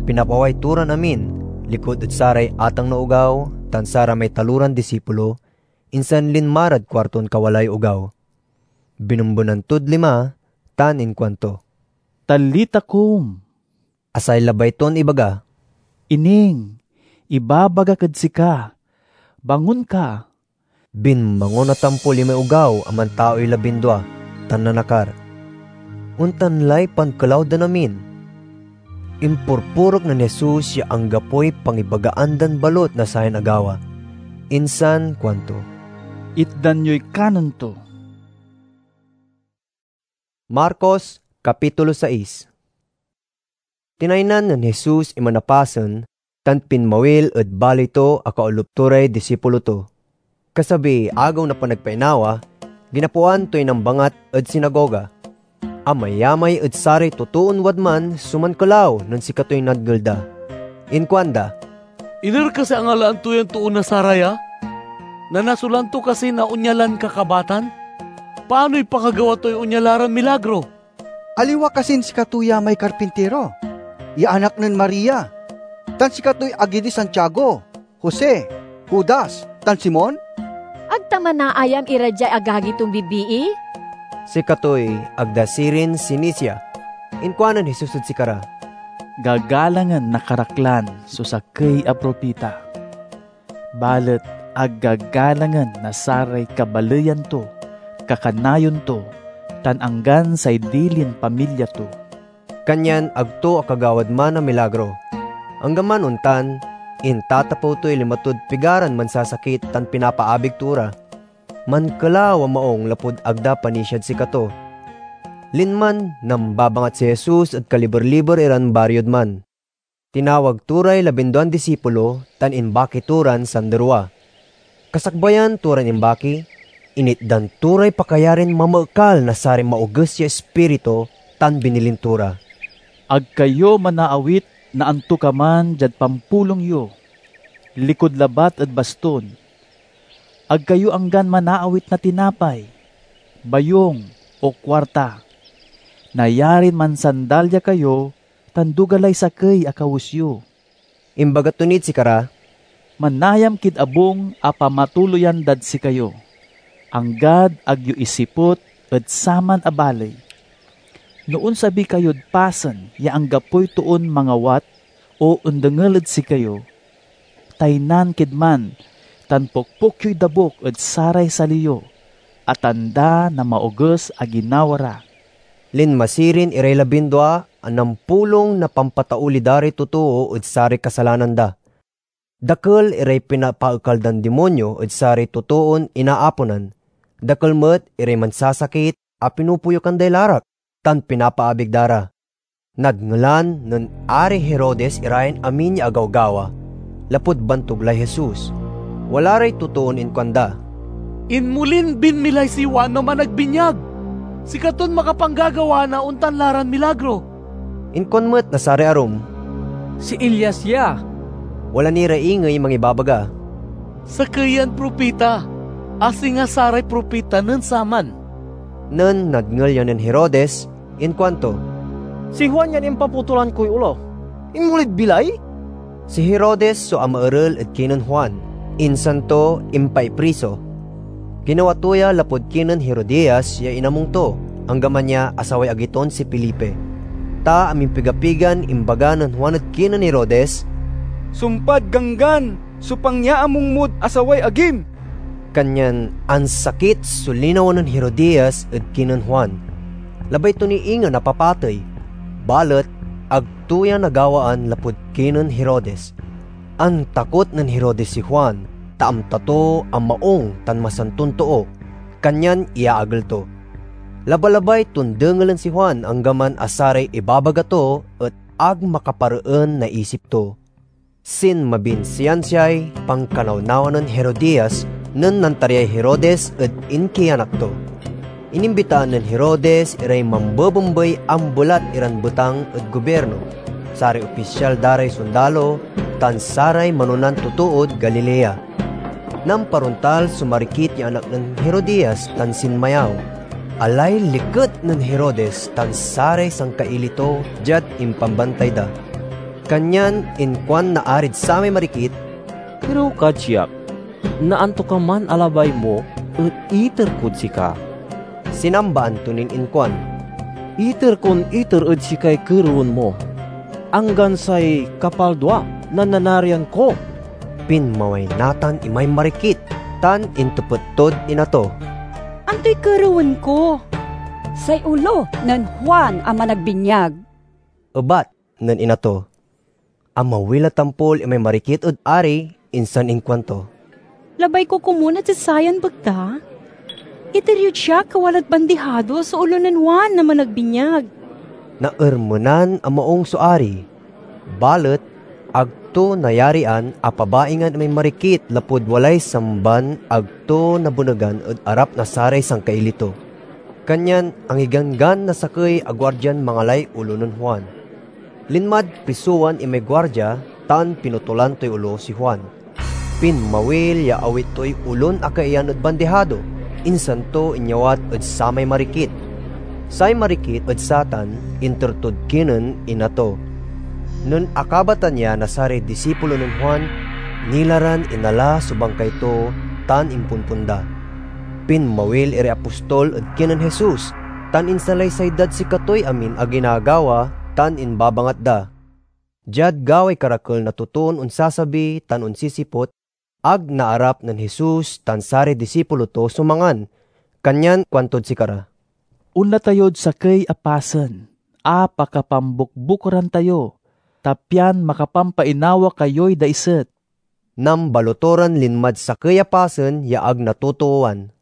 Pinapaway to ran amin, likud ed saray atang na ogaw tan saramay taloran disipulo, insan linma rad kuarton kawalaay ogaw. Binembenan tod lima tan inkuanto, "Talita kum," a say labay ton ibaga, "Ining, ibabagak ed sika, bangon ka." Binmangon a tampol imay ogaw a mantaoy labindua tan nanakar. Ontan lay pankelaw dan amin. Impurpurek nen Jesus ya anggapoy pangibagaan dan balot na sayan agawa, insan kuanto, "Itdan yoy kanen to." Marcos, Kapitulo sais. Tinaynan nen Jesus iman a pasen tan pinmawil ed baley to a kaolup to ray disipulo to. Kasabiy Agew na Panagpainawa, ginapoan toy nambangat ed sinagoga. Amayamay ed saray totoon wadman so mankelaw nen sikatoy nadngel da. Inkuanda, "Iner kasi a ngalaan to yan toon Nazaraya? Nanasolan to kasi na onya lan kakabatan? Panoy pakagawa toy onya la ran milagro? Aliwa kasin sikato ya may karpintiro, ya anak nen Maria, tan sikatoy agi di Santiago, Jose, Judas, tan Simon?" Ag ta manaayam ira diay agagi ton bibii? Sikatoy ag da sirin sinisia. Inkuanen Jesus ed sikara, "Gagalangen na karaklan so sakey a propita, balet ag gagalangen na saray kabaleyan to, kakanayon to, tan anggan say dilin pamilya to." Kanyan ag to akagawad man a milagro. Anggaman ontan, intatapew toy lima tod pigaran mansasakit tan pinapaabig to ra. Mankelaw a maung lapud ag da panisiad sikato. Linman nambabangat si Jesus ed kaliber-liber iran bariod man. Tinawag to ray labinduan disipulo tan imbaki to ran sanderwa. Kasakbayan to ran imbaki, initdan to ray pakayarin mamaekal na saray maoges ya ispiritu tan binilin to ra, "Ag kayo manaawit na antokaman diad pampulong yo, likud labat ed baston. Ag kayo anggan manaawit na tinapay, bayung, o kuarta. Nayarin mansandalya kayo tan duga lay sakey a kawes yo." Imbaga to nid sikara, "Manayam kid abung a pamatuloyan dad sikayo, anggad ag yo isiput ed saman a baley. No onsabi kayod pasen ya anggapoy toon mangawat o ondengel ed sikayo, taynan kid man tan pokpok yoy dabuk ed saray sali yo a tanda na maoges a ginawa ra." Linma sirin iray labindua a nampulong na pampatauli da ray totoo ed saray kasalanan da. Dakel iray pinapaekal dan dimonyo ed saray totoon inaaponan. Dakel met iray mansasakit a pinupuyokan day larak tan pinapaabig da ra. Nadngelan nen Ari Herodes irayan amin ya agawgawa, lapud bantug lay Jesus. Wala ray totoon inkuanda, "Inmolin binmilay si Juan no Managbinyag! Sikaton makapanggagawa na ontan la ran milagro!" Inkuan met na saray arum, "Si Elias ya." Wala ni ra ingey mangibabaga, "Sakey yan propita, a singa saray propita nen saman." Nen nadngel ya nen Herodes, inkuanto, "Si Juan yan impaputolan koy ulo. Inmolid bilay?" Si Herodes so amaerel ed kinen Juan, insan to impaipriso. Ginawa to ya lapud kinen Herodias ya inamong to, anggaman ya asaway agi ton si Felipe. Ta amimpiga-pigan imbaga nen Juan ed kinen Herodes, "Sumpad Ganggan so pangyaamong mod asaway agim!" Kanyan ansakit so linawa nen Herodias ed kinen Juan. Labay to ni ingen a papatey, balet ag to ya nagawaan lapud kinen Herodes. Antakot nen Herodes si Juan, ta amta to a maung tan masanton too, kanyan iyaagel to. Labalabay ton dengelen si Juan anggaman a saray ibabaga to et ag makapareen na isip to. Sinmabin siansiay pankanawnawa nen Herodias nen nantariay Herodes ed inkianak to. Inimbitaan nen Herodes iray mambebembey a ambelat iran betang ed gobirno, saray opisyal da ray sondalo, tan saray manonan totood Galilea. Namparontal so marikit ya anak nen Herodias tan sinmayaw. Alay liket nen Herodes tan saray sangkaili to diad impambantay da. Kanyan inkuan na arid samay marikit, "Kerew kad siak. Naantokaman a labay mo et iter kod sika." Sinambaan to nin inkuan, "Iter kon iter ed sikay kerewen mo, anggan say kapaldua na nanarian ko." Pinmaway natan imay marikit tan intepet tod ina to, "Antoy kerewen ko?" "Say olo nen Juan a Managbinyag," ebat nen ina to. Amawil a tampol imay marikit ed ari, insan inkuanto, "Labay ko komun ed sasayan bekta? Iter yod siak a walad bandihado so olo nen Juan a Managbinyag." Naermenan a maung so ari, balet ag to nayarian a pabaingan imay marikit lapud walay samban ag to nabenegan ed arap na saray sangkaili to. Kanyan angiganggan na sakey a guardian mangalay olo nen Juan. Linmad prisowan imay guardia tan pinutolan toy olo si Juan. Pinmawil ya awit toy olon akaiyan ed bandihado, insan to inyawat ed samay marikit. Say marikit ed satan inter tod kinen ina to. Nen akabatan ya na saray disipulo nen Juan, nila ran inala so bangkay to tan imponpon da. Pinmawil iray apostol ed kinen Jesus, tan insalaysay dad sikatoy amin a ginagawa tan imbabangat da. Diad gaway karakel na totoon onsasabi tan onsisiput, ag naarap nen Jesus tan saray disipulo to so mangan, kanyan kuantod sikara, "Onla tayod sakey a pasen a pakapambukbukoran tayo, ta pian makapampainawa kayoy daiset." Nambaloto ran linmad sakey a pasen ya ag natotoowan.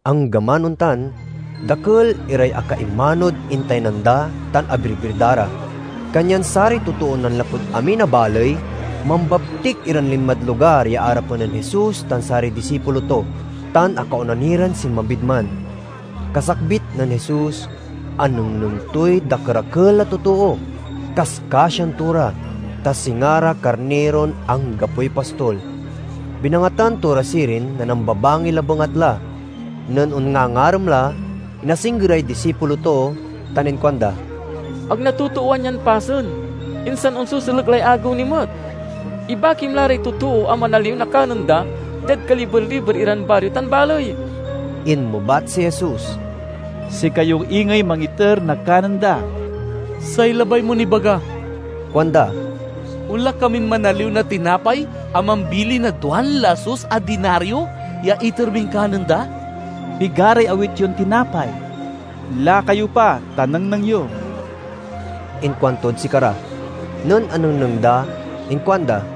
Anggaman ontan, dakel iray akaimanod intaynan da tan abirbir da ra. Kanyan saray totoon nanlapud amin a baley, mambabtik iran linmad lugar ya arapen nen Jesus tan saray disipulo to, tan akaona ni ran sinmabid man. Kasakbit nen Jesus, anengneng toy dakerakel a totoo. Kaskasian to ra, ta singa ra karniron anggapoy pastol. Binangatan to ra sirin na nambabangil a bengatla. Nen onngangarem la, inasingger ray disipulo to tan inkuanda, "Ag natotoowan yan pasen, insan onseselek lay agew ni met. Ibakim la ray totoo a manaliw na kanen da diad kaliber-liber iran bario tan baley." Inmebat si Jesus, "Sikayo ingey mangiter na kanen da." "Say labay mon ibaga," kuanda, "onla kamin manaliw na tinapay a mambilin na duan lasus a dinario ya iter min kanen da?" "Pigaray awit yon tinapay? Laka yo pa, ta nengneng yo." Inkuantod sikara. Nen anengneng da, inkuanda,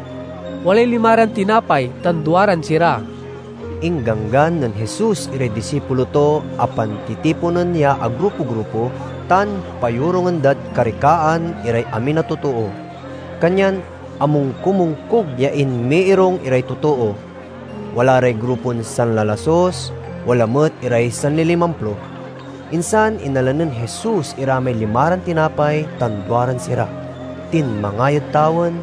"Walay lima ran tinapay tan duaran sira." Ingganggan nen Jesus iray disipulo to a pantitiponen ya agrupo-grupo tan payorungen dad karikaan iray amin a totoo. Kanyan amongkomongkog ya inmiirung iray totoo. Wala ray grupon sanlalasus, wala met iray sanlilimamplo. Insan inala nen Jesus ira may lima ran tinapay tan duaran sira. Tinmangay ed tawen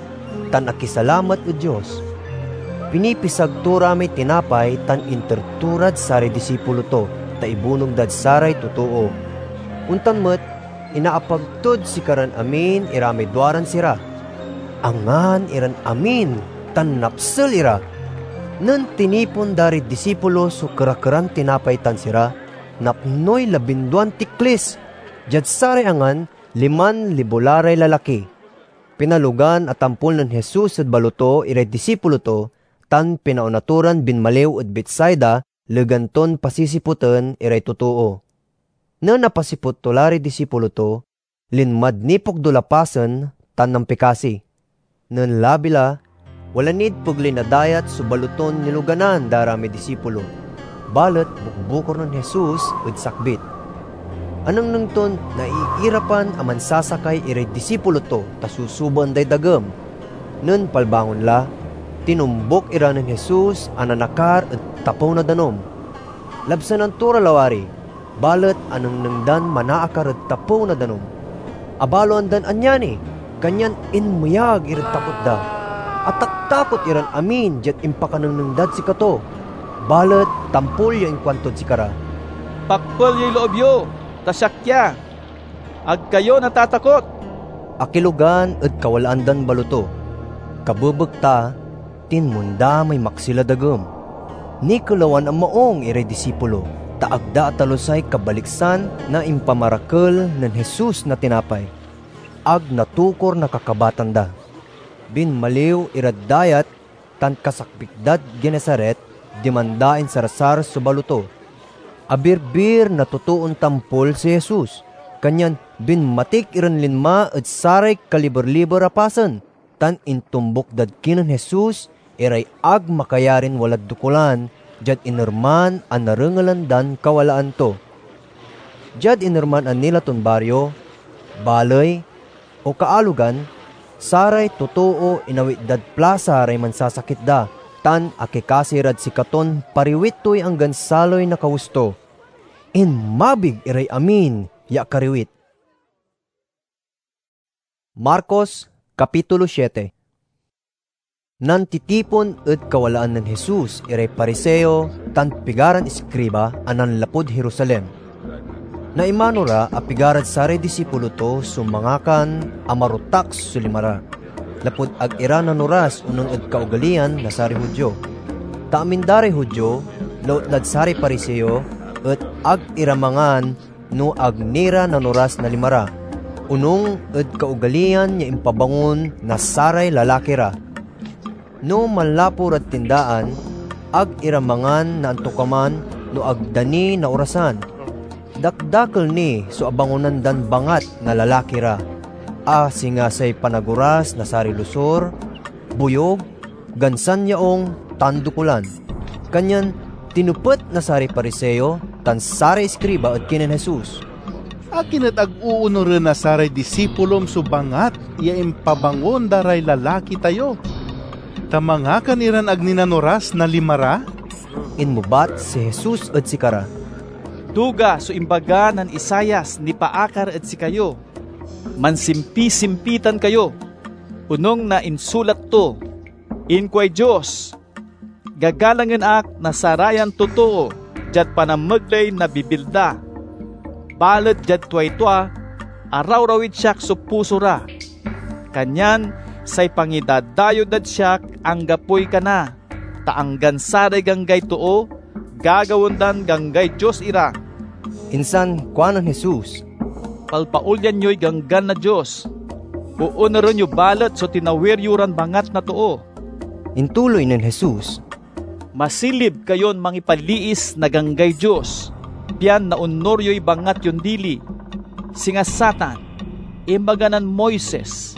tan akisalamat ed Dios. Pinipisag to ra may tinapay tan inter to rad saray disipulo to, ta ibunog dad saray totoo. Ontan met, inaapag tod sikaran amin ira may duaran sira. Angan iran amin tan napsel ira. Nen tinipon da ray disipulo so kerakeran tinapay tan sira, napnoy labinduan tiklis. Diad saray angan, liman libo la ray lalaki. Pinalogan a tampol nen Jesus ed baloto iray disipulo to, tan pinaona to ran binmaliw ed Betsaida, legan ton pasisipoten iray totoo. Nen apasipot to la ray disipulo to, linmad nipokdul a pasen tan nampikasi. Nen labi la, wala nid pegley na dayat so baloton niloganan da ra may disipulo, balet bukbukor nen Jesus ed sakbit. Anengneng ton naiirapan a mansasakay iray disipulo to ta susubaen day dagem. Nen palbangon la, tinumbok ira nen Jesus a nanakar ed tapew na danum. Labsanan to ra lawari, balet anengneng dan manaakar ed tapew na danum. Abaloan dan ania ni, kanyan inmeyag irad takot da. Ataktakot iran amin diad impakanengneng dad sikato. Balet tampol ya inkuantod sikara, "Pakpel yoy loob yo, ta siak ya. Ag kayo natatakot!" Akilogan ed kawalaan dan baloto. Kabebekta, tinmonda may maksil a dagem. Nikelawan a maong iray disipulo, ta ag da atalusay kabaliksan na impamarakel nen Jesus na tinapay. Ag natukor na kakabatan da. Binmaliw irad dayat tan kasakbit dad Genesaret, diman da insarsar so baloto. Abirbir na totoon tampol si Jesus, kanyan binmatik iran linma ed saray kaliber-liber a pasen, tan intombuk dad kinen Jesus iray ag makayarin walad dokulan diad inerman a narengelan dan kawalaan to. Diad inerman a nila ton bario, baley, o kaalogan, saray totoo inawit dad plasa ray mansasakit da, tan akikasi rad sikaton pariwit toy anggan saloy na kawes to. Inmabig iray amin ya akariwit. Marcos, Kapitulo siete. Nantitipon ed kawalaan nen Jesus iray Pariseo tan pigaran iskriba a nanlapud Jerusalem. Naimano ra a pigarad saray disipulo to so mangakan a marutaks so lima ra, lapud ag ira nanoras onung ed kaogaliyan na saray Judio. Ta amin da ray Judio, lautnad saray Pariseo, et ag ira mangan no ag ni ra nanoras na lima ra, onung ed kaogaliyan ya impabangon na saray lalaki ra. No manlapu rad tindaan, ag ira mangan na antokaman no ag da ni naorasan. Dakdakel ni so abangonan dan bangat na lalaki ra, a singa say panagoras na saray losur, boyog, gansan yaung, tan dokulan. Kanyan tinepet na saray Pariseo tan saray iskriba ed kinen Jesus, "Akin et ag oonuren na saray disipulom so bangat ya impabangon da ray lalaki tayo, ta mangakan iran ag ni nanoras na lima ra?" Inmebat si Jesus ed sikara, "Duga so imbaga nen Isaias nipaakar ed sikayo, 'Mansimpisimpitan kayo,' onung na insulat to. Inkuay Dios, 'Gagalangen ak na sarayan totoo diad panamegley na bibil da.' Balet diad tuay tua, arawrawid siak so puso ra. Kanyan say pangidadayew dad siak anggapoy kana, ta anggan saray ganggay too, gagawaen dan ganggay dios ira." Insan kuanen Jesus, "Palpaolyan yoy Ganggan na Dios. Oonuren yo balet so tinawir yo ran bangat na too." Intuloy nen Jesus, "Masilib kayon mangipaliis na ganggay dios, pian naonur yoy bangat yon dili. Singa satan, imbaga nen Moises,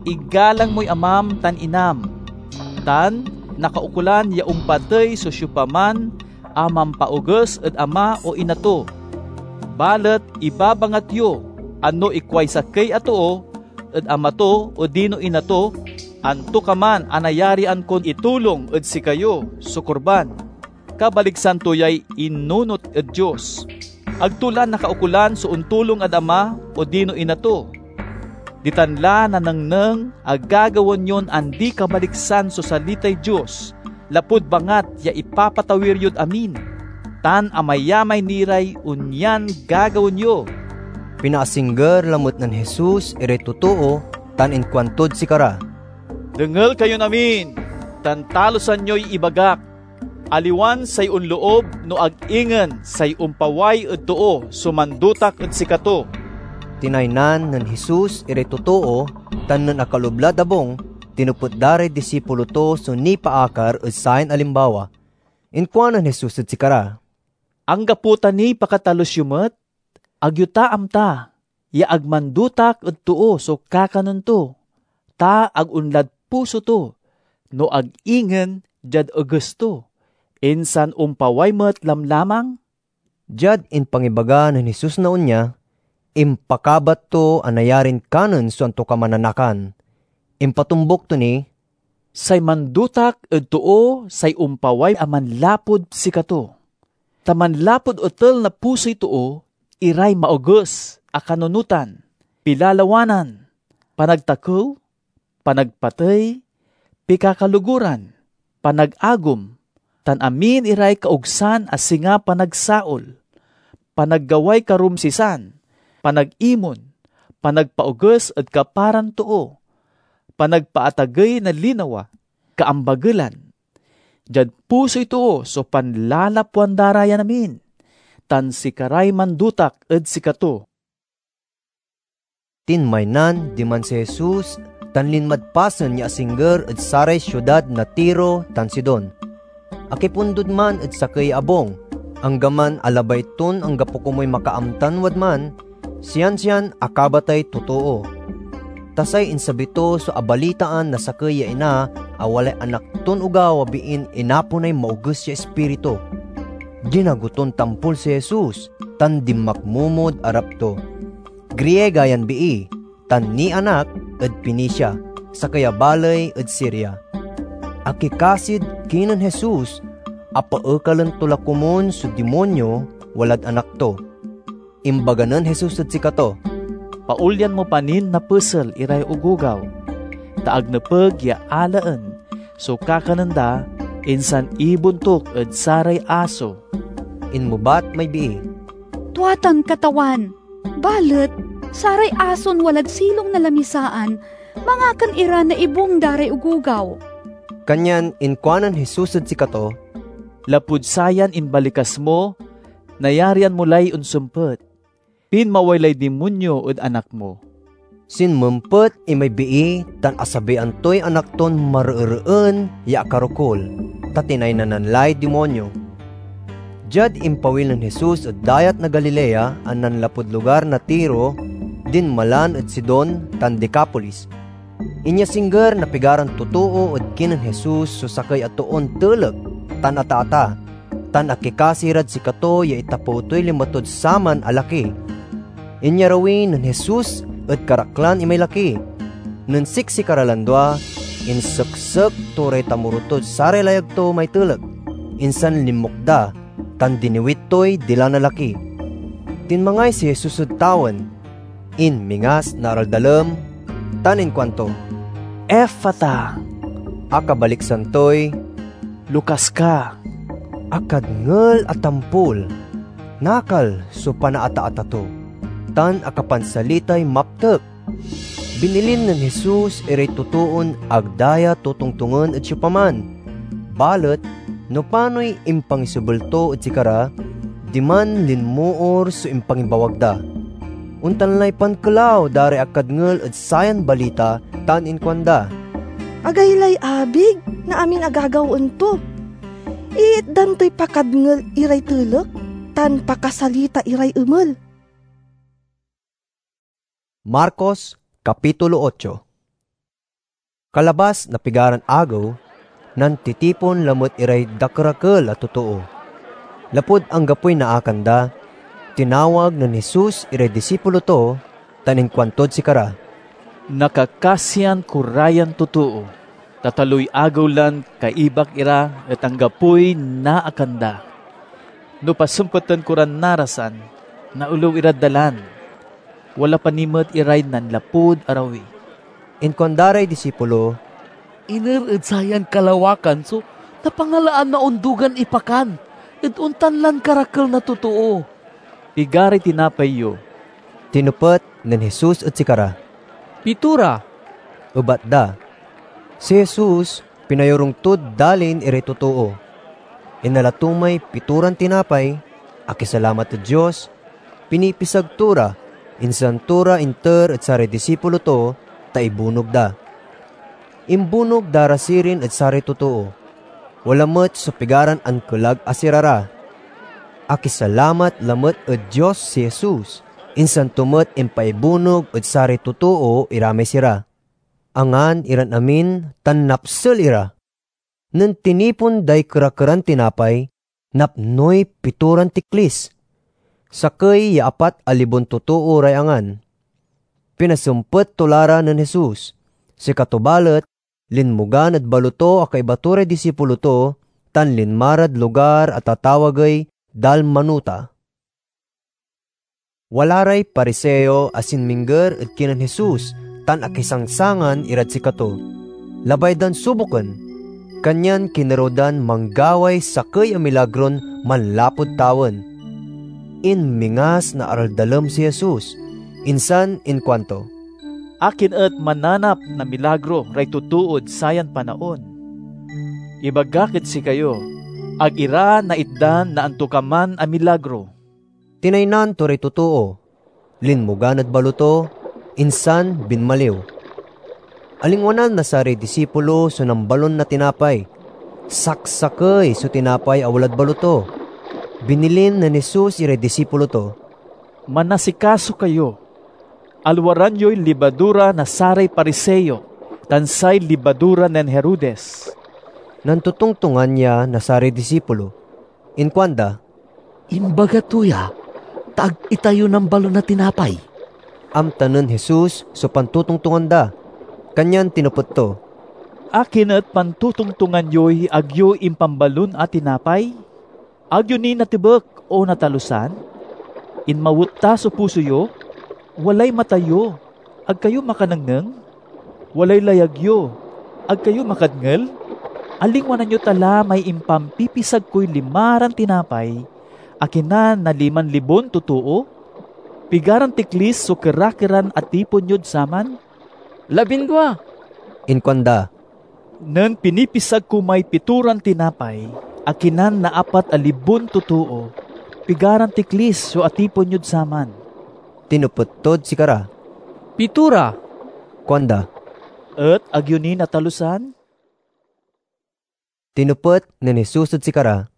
'Igalang moy amam tan inam,' tan nakaukolan ya ompatey so siopaman a mampaoges ed ama o ina to. Balet ibabangat yo a no ikuay sakey a too ed ama to odino ina to, 'Antokaman a nayarian kon itulong ed sikayo so kurban,' kabaliksan to yay inunot ed Dios. Ag to la nakaukolan so ontulong ed ama odino ina to. Ditan la nanengneng a gagawaen yon andi-kabaliksan so salitay Dios, lapud bangat ya ipapatawir yod amin, tan amayamay ni ray onyan gagawaen yo." Pinaasingger lamet nen Jesus iray totoo tan inkuantod sikara, "Dengel kayon amin, tan talusan yoy ibagak. Aliwan say onloob no ag ingen say ompaway ed too so mandotak ed sikato." Tinaynan nen Jesus iray totoo, tan nen akaloob lad abung, tinepet da ray disipulo to so nipaakar ed sayan alimbawa. Inkuanen Jesus ed sikara, "Anggapo ta niy pakatalus yo met? Ag yo ta amta ya ag mandotak ed too so kakanen to, ta ag onlad puso to, no ag ingen diad eges to, insan ompaway met lamlamang?" Diad impangibaga nen Jesus na onya, impakabat to a nayarin kanen so antokaman a nakan. Impatombuk to ni, "Say mandotak ed too say ompaway a manlapud sikato. Ta manlapud etel na pusoy too iray maoges a kanunotan, pilalawanan, panagtakew, panagpatey, pikakaloguran, panagagom, tan amin iray kaogsan a singa panagsaol, panaggaway karumsisan, panagimon, panagpaoges ed kaparan too, panagpaatagey na linawa, kaambagelan. Diad pusoy too so panlalapwan da ra yan amin, tan sikaray mandotak ed sikato. Tinmaynan diman si Jesus tan linmad pasen ya asingger ed saray siudad na Tiro tan Sidon. Akipundod man ed sakey ya abung, anggaman a labay ton anggapo komoy makaamtan wadman, siansian akabatay totoo. Ta say insabi to so abalitaan na sakey ya ina a walay anak ton ogaw a biin inaponay maoges ya ispiritu. Ginago ton tampol si Jesus tan dinmakmomod arap to. Griega yan bii, tan nianak ed Fenicia, sakey a baley ed Siria. Akikasid kinen Jesus a paekalen to la komun so dimonyo walad anak to. Imbaga nen Jesus ed sikato, "Paolyan mo pa nin napesel iray ogogaw, ta ag nepeg ya alaen so kakanen da, insan ibontuk ed saray aso." Inmebat may bii, "Tua tan, Katawan, balet saray ason walad silong na lamisaan mangakan ira na ibung da ray ogogaw." Kanyan inkuanen Jesus ed sikato, "Lapud sayan imbalikas mo, nayarian mo lay onsempet. Pinmaway lay dimonyo ed anak mo." Sinmempet imay bii tan asabian toy anak ton mareereen ya akarokul, ta tinaynanan lay dimonyo. Diad impawil nen Jesus ed Dayat na Galilea a nanlapud lugar na Tiro, dinmalan ed Sidon tan Decapolis. Inyasingger na pigaran totoo ed kinen Jesus so sakey a toon telek tan ataata, tan akikasi rad sikato ya itapew toy lima tod saman a laki. Inyarawi nen Jesus ed karaklan imay laki. Nen siksikara lan dua, inseksek to ray tamoro tod saray layag to may telek, insan linmok da, tan diniwit toy dila na laki. Tinmangay si Jesus ed tawen, inmingas na araldalem, tan inkuanto, "Efata!" Akabaliksan toy, "Lukas ka!" Akadngel a tampol, nakal so panaataata to, tan akapansalitay maptek. Binilin nen Jesus iray totoon ag da ya totongtongen ed siopaman. Balet no panoy impangisebel to ed sikara, diman linmoor so impangibawag da. Ontan lay pankelaw da ray akadngel ed sayan balita tan inkuanda, "Agaylay abig na amin a gagawaen to. Iitdan toy pakadngel iray telek tan pakasalita iray emel." Marcos, Kapitulo ocho. Kalabas na pigaran agew, nantitipon lamet iray dakerakel a totoo. Lapud anggapoy naakan da, tinawag nen Jesus iray disipulo to tan inkuantod sikara, "Nakakasian ko ra yan totoo, ta taloy agew lan kaibak ira et anggapoy naakan da. No pasempeten ko ran narasan, naolew irad dalan. Wala pa ni met iray nanlapud arawi." Inkuanda ray disipulo, "Iner ed sayan kalawakan so napangalaan na ondugan ipakan, et ontan lan karakel na totoo?" "Pigaray tinapay yo?" tinepet nen Jesus ed sikara. "Pitora," ebat da. Si Jesus, pinayorung tod dalin iray totoo. Inala to may pitoran tinapay, akisalamat ed Dios, pinipisag to ra, insan to ra inter ed saray disipulo to, ta ibunog da. Imbunog da ra sirin ed saray totoo. Wala met so pigaran ankelag a sirara. Akisalamat lamet ed Dios si Jesus, insan to met impaibunog ed saray totoo iramay sira. Angan iran amin tan napsel ira. Nen tinipon day kera-keran tinapay, napnoy pitoran tiklis. Sakey ya apat a libon totoo ray angan. Pinasempet to la ra nen Jesus. Sikato balet, linmogan ed balo to a kaiba to ray disipulo to, tan linma rad lugar a tatawagey Dalmanuta. Wala ray Pariseo a sinmingger ed kinen Jesus tan akisangsangan irad sikato. Labay dan suboken, kanyan kinerew dan manggaway sakey a milagron manlapud tawen. Inmingas na araldalem si Jesus, insan inkuanto, "Akin et mananap na milagro ray totood sayan panaon? Ibagak ed sikayo, ag ira naitdan na antokaman a milagro." Tinaynan to ray totoo, linmogan ed balo to, insan binmaliw. Alingwanan na saray disipulo so nambalon na tinapay. Saksakey so tinapay a walad balo to. Binilin nen Jesus iray disipulo to, "Manasikaso kayo. Alwaran yoy libadura na saray Pariseo tan say libadura nen Herodes." Nantotongtongan ya na saray disipulo. Inkuanda, "Imbaga to ya, ta ag itayo nambalon na tinapay." Amta nen Jesus so pantotongtongan da, kanyan tinepet to, "Akin et pantotongtongan yoy ag yo impambalon a tinapay? Ag yo ni natebek o natalusan? Inmawet ta so puso yo? Walay mata yo, ag kayo makanengneng? Walay layag yo, ag kayo makadngel? Alingwanan yo ta la may impampipisag koy limaran tinapay, akinan na liman libon totoo? Pigaran tiklis so kerakeran atipon yod saman?" "Labindua," inkuanda. "Nen pinipisag ko may pitoran tinapay, akinan na apat a libon totoo, pigaran tiklis so atipon yod saman?" Tinepet tod sikara, "Pitora," kuanda. "Et ag yo ni natalusan?" Tinepet nen Jesus ed sikara,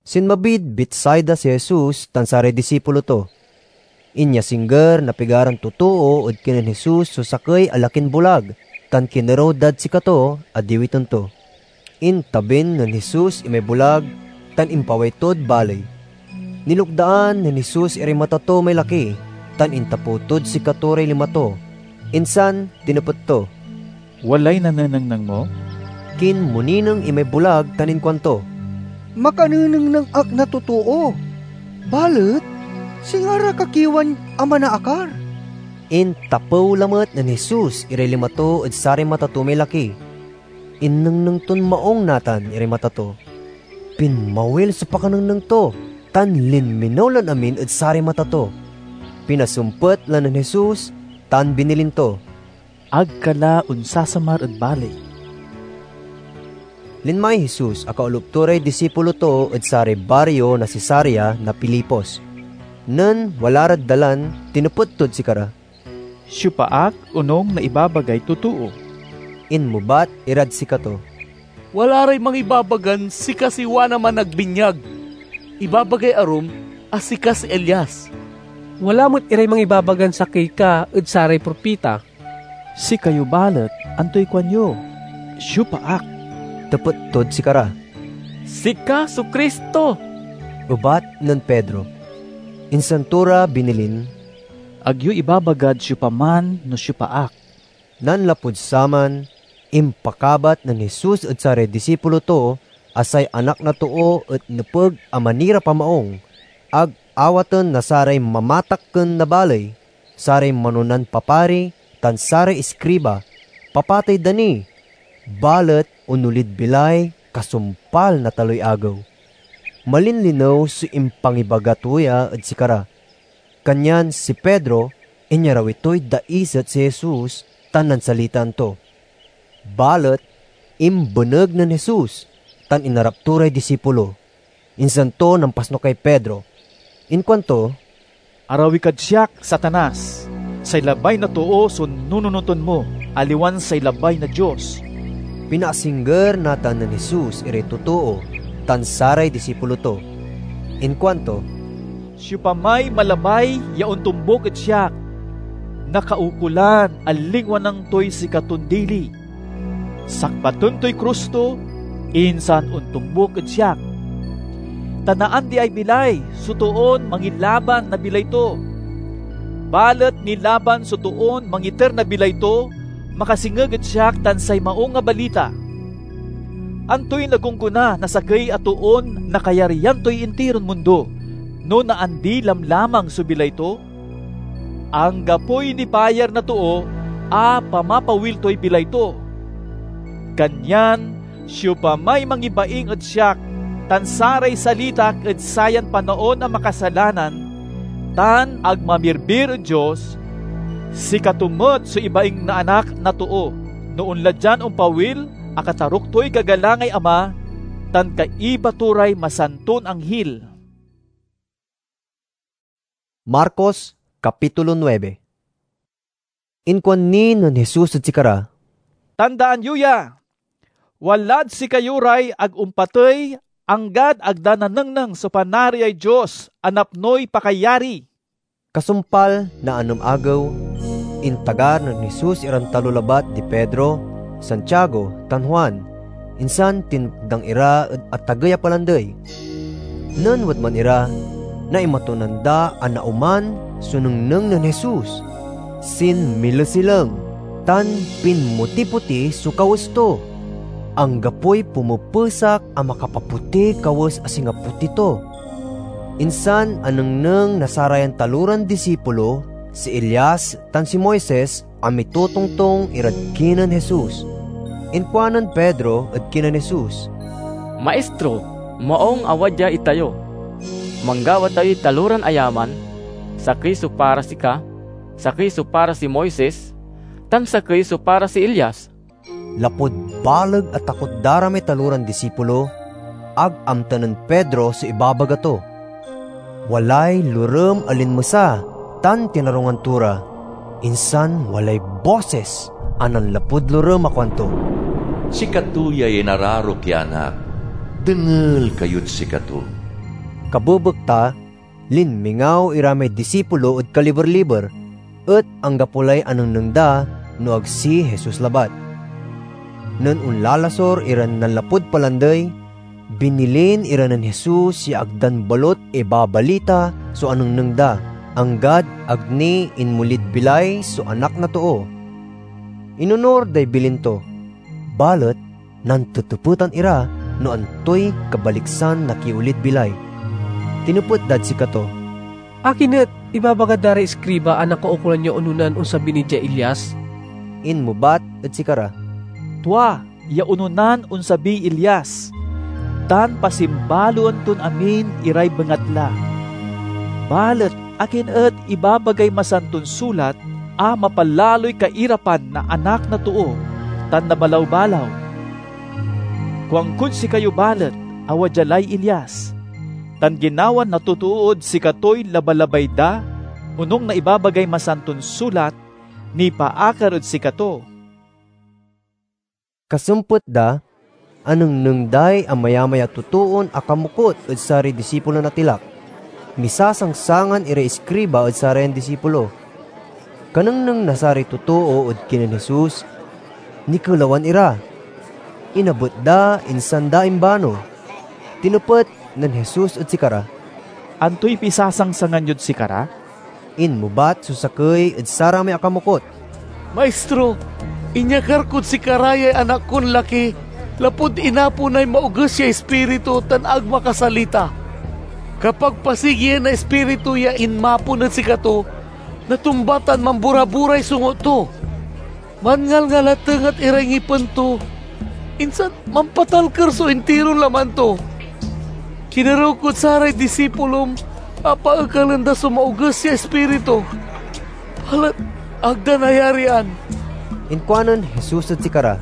Sinmabid Betsaida si Jesus tan saray disipulo to. Inyasingger na pigaran totoo ed kinen Jesus so sakey a lakin bulag, tan kinerew dad sikato a diwiten to. Intabin nen Jesus imay bulag tan impaway tod baley. Nilukdaan nen Jesus iray mata to may laki, tan intapew tod sikato ray lima to, insan tinepet to, "Walay nanenengneng mo?" Kinmonineng imay bulag tan inkuanto, "Makanenengneng ak na totoo, balet singa ra kakiwan a manaakar." Intapew lamet nen Jesus iray lima to ed saray mata to may laki. Innengneng ton maung natan iray mata to. Pinmawil so pakanengneng to, tan linminew lan amin ed saray mata to. Pinasempet la nen Jesus tan binilin to, "Ag ka la onsasamar ed baley." Linmay Jesus a kaolup to ray disipulo to ed saray bario na Cesarea na Filipos. Nen wala rad dalan, tinepet tod sikara, "Siopa ak onung na ibabagay totoo?" Inmebat irad sikato, "Wala ray mangibabagan sika si Juan a Managbinyag. Ibabagay arum a sika si Elias. Wala met iray mangibabagan sakey ka ed saray propita." "Sikayo balet, antoy kuanyo? Siopa ak?" tepet tod sikara. "Sika so Cristo," ebat nen Pedro. Insan to ra binilin, "Ag yo ibabagad siopaman no siopa ak." Nanlapud saman, impakabat nen Jesus ed saray disipulo to a say Anak na Too et nepeg a manirap a maung, ag awaten na saray mamatakken na baley, saray manonan papari, tan saray iskriba. Papatey da ni, balet onolid bilay kasumpal na taloy agew. Malinlinew so impangibaga to ya ed sikara. Kanyan si Pedro, inyarawi toy daiset si Jesus tan nansalitaan to. Balet imbeneg nen Jesus tan inarap to ray disipulo. Insan to nampasnukay Pedro. Inkuanto, "Arawi kad siak, Satanas! Say labay na too so nununoten mo, aliwan say labay na Dios." Pinaasingger natan nen Jesus iray totoo tan saray disipulo to. Inkuanto, "Siopamay malabay ya ontombuk ed siak, nakaukolan a lingwanan toy sikaton dili. Sakbaten toy krus to, insan ontombuk ed siak. Ta naandiay bilay so toon mangilaban na bilay to. Balet nilaban so toon mangiter na bilay to, makasengeg ed siak tan say Maung a Balita. Antoy nagonggona na sakey a toon nakayarian toy intiron mundo, no naandi lamlamang so bilay to? Anggapoy nibayar na too a pamapawil toy bilay to. Kanyan siopamay mangibaing ed siak tan saray salitak ed sayan panaon a makasalanan, tan ag mamirbir ed Dios, sikato met so ibaing na Anak na Too, no onla dian ompawil a kataruk toy gagalangay Ama tan kaiba to ray masanton anghil. Marcos, Kapitulo nuebe. Inkuan ni nen Jesus ed sikara, "Tandaan yo ya! Walad sikayo ray ag ompatey anggad ag da nanengneng so Panariay Dios a napnoy pakayari." Kasumpal na anem agew, intagar nen Jesus iran talo labat di Pedro, Santiago, tan Juan, insan tinekdang ira ed atagey a palandey. Nen wadman ira, naimatonan da a naoman so nengneng nen Jesus. Sinmilesileng tan pinmoti-poti so kawes to. Anggapoy pumepesak a makapapotiy kawes a singa poti to. Insan anengneng na sarayan taloran disipulo si Elias tan si Moises a mitotongtong irad kinen Jesus. Inkuanen Pedro ed kinen Jesus, "Maistro, maung a wadya itayo. Manggawa tayoy taloran ayaman, sakey so para sika, sakey so para si Moises, tan sakey so para si Elias." Lapud baleg a takot da ra may taloran disipulo, ag amta nen Pedro so ibabaga to. Walay lorem a linmesa tan tinarungan to ra, insan walay bosis a nanlapud lorem a kuanto, "Sikato yay inararok ya Anak. Dengel kayod sikato." Kabebekta, linmingaw ira may disipulo ed kaliber-liber, et anggapo lay anengneng da no ag si Jesus labat. Nen onlalasor iran nanlapud palandey, binilin ira nen Jesus ya ag dan balut ibabalita so anengneng da, anggad ag ni inmolid bilay so Anak na Too. Inonor day bilin to, balet nantetepetan ira no antoy kabaliksan na kiolid bilay. Tinepet dad sikato, "Akin et ibabaga da ray iskriba a nakaukolan ya ononan onsabi ni diay Elias?" Inmebat ed sikara, "Tua ya ononan onsabiy Elias, tan pasimbaloen ton amin iray bengatla. Balet akin et ibabagay Masanton Sulat a mapalaloy kairapan na Anak na Too tan na balawbalaw? Kuankod sikayo balet a wadya lay Elias, tan ginawan na totood sikatoy labalabay da, onung na ibabagay Masanton Sulat nipaakar ed sikato." Kasempet da, anengneng day amayamay a totoon akamokot ed saray disipulon atilak. Misasangsangan iray iskriba ed sarayan disipulo. Kanengneng na saray totoo ed kinen Jesus, nikelawan ira. Inabet da, insan da imbano. Tinepet nen Jesus ed sikara, "Antoy pisasangsangan yod sikara?" Inmebat so sakey ed saramay akamokot, "Maistro, inyakar kod sikara yay anak kon laki lapud inaponay maoges ya ispiritu tan ag makasalita. Kapag pasigien na ispiritu ya inmapon ed sikato, natumba tan mambora-boray sungot to. Manngalngalateng et iray ngipen to, insan mampatalker so intiron laman to. Kinerew kod saray disipulom a paekalen da so maoges ya ispiritu, balet ag da nayarian." Inkuanen Jesus ed sikara,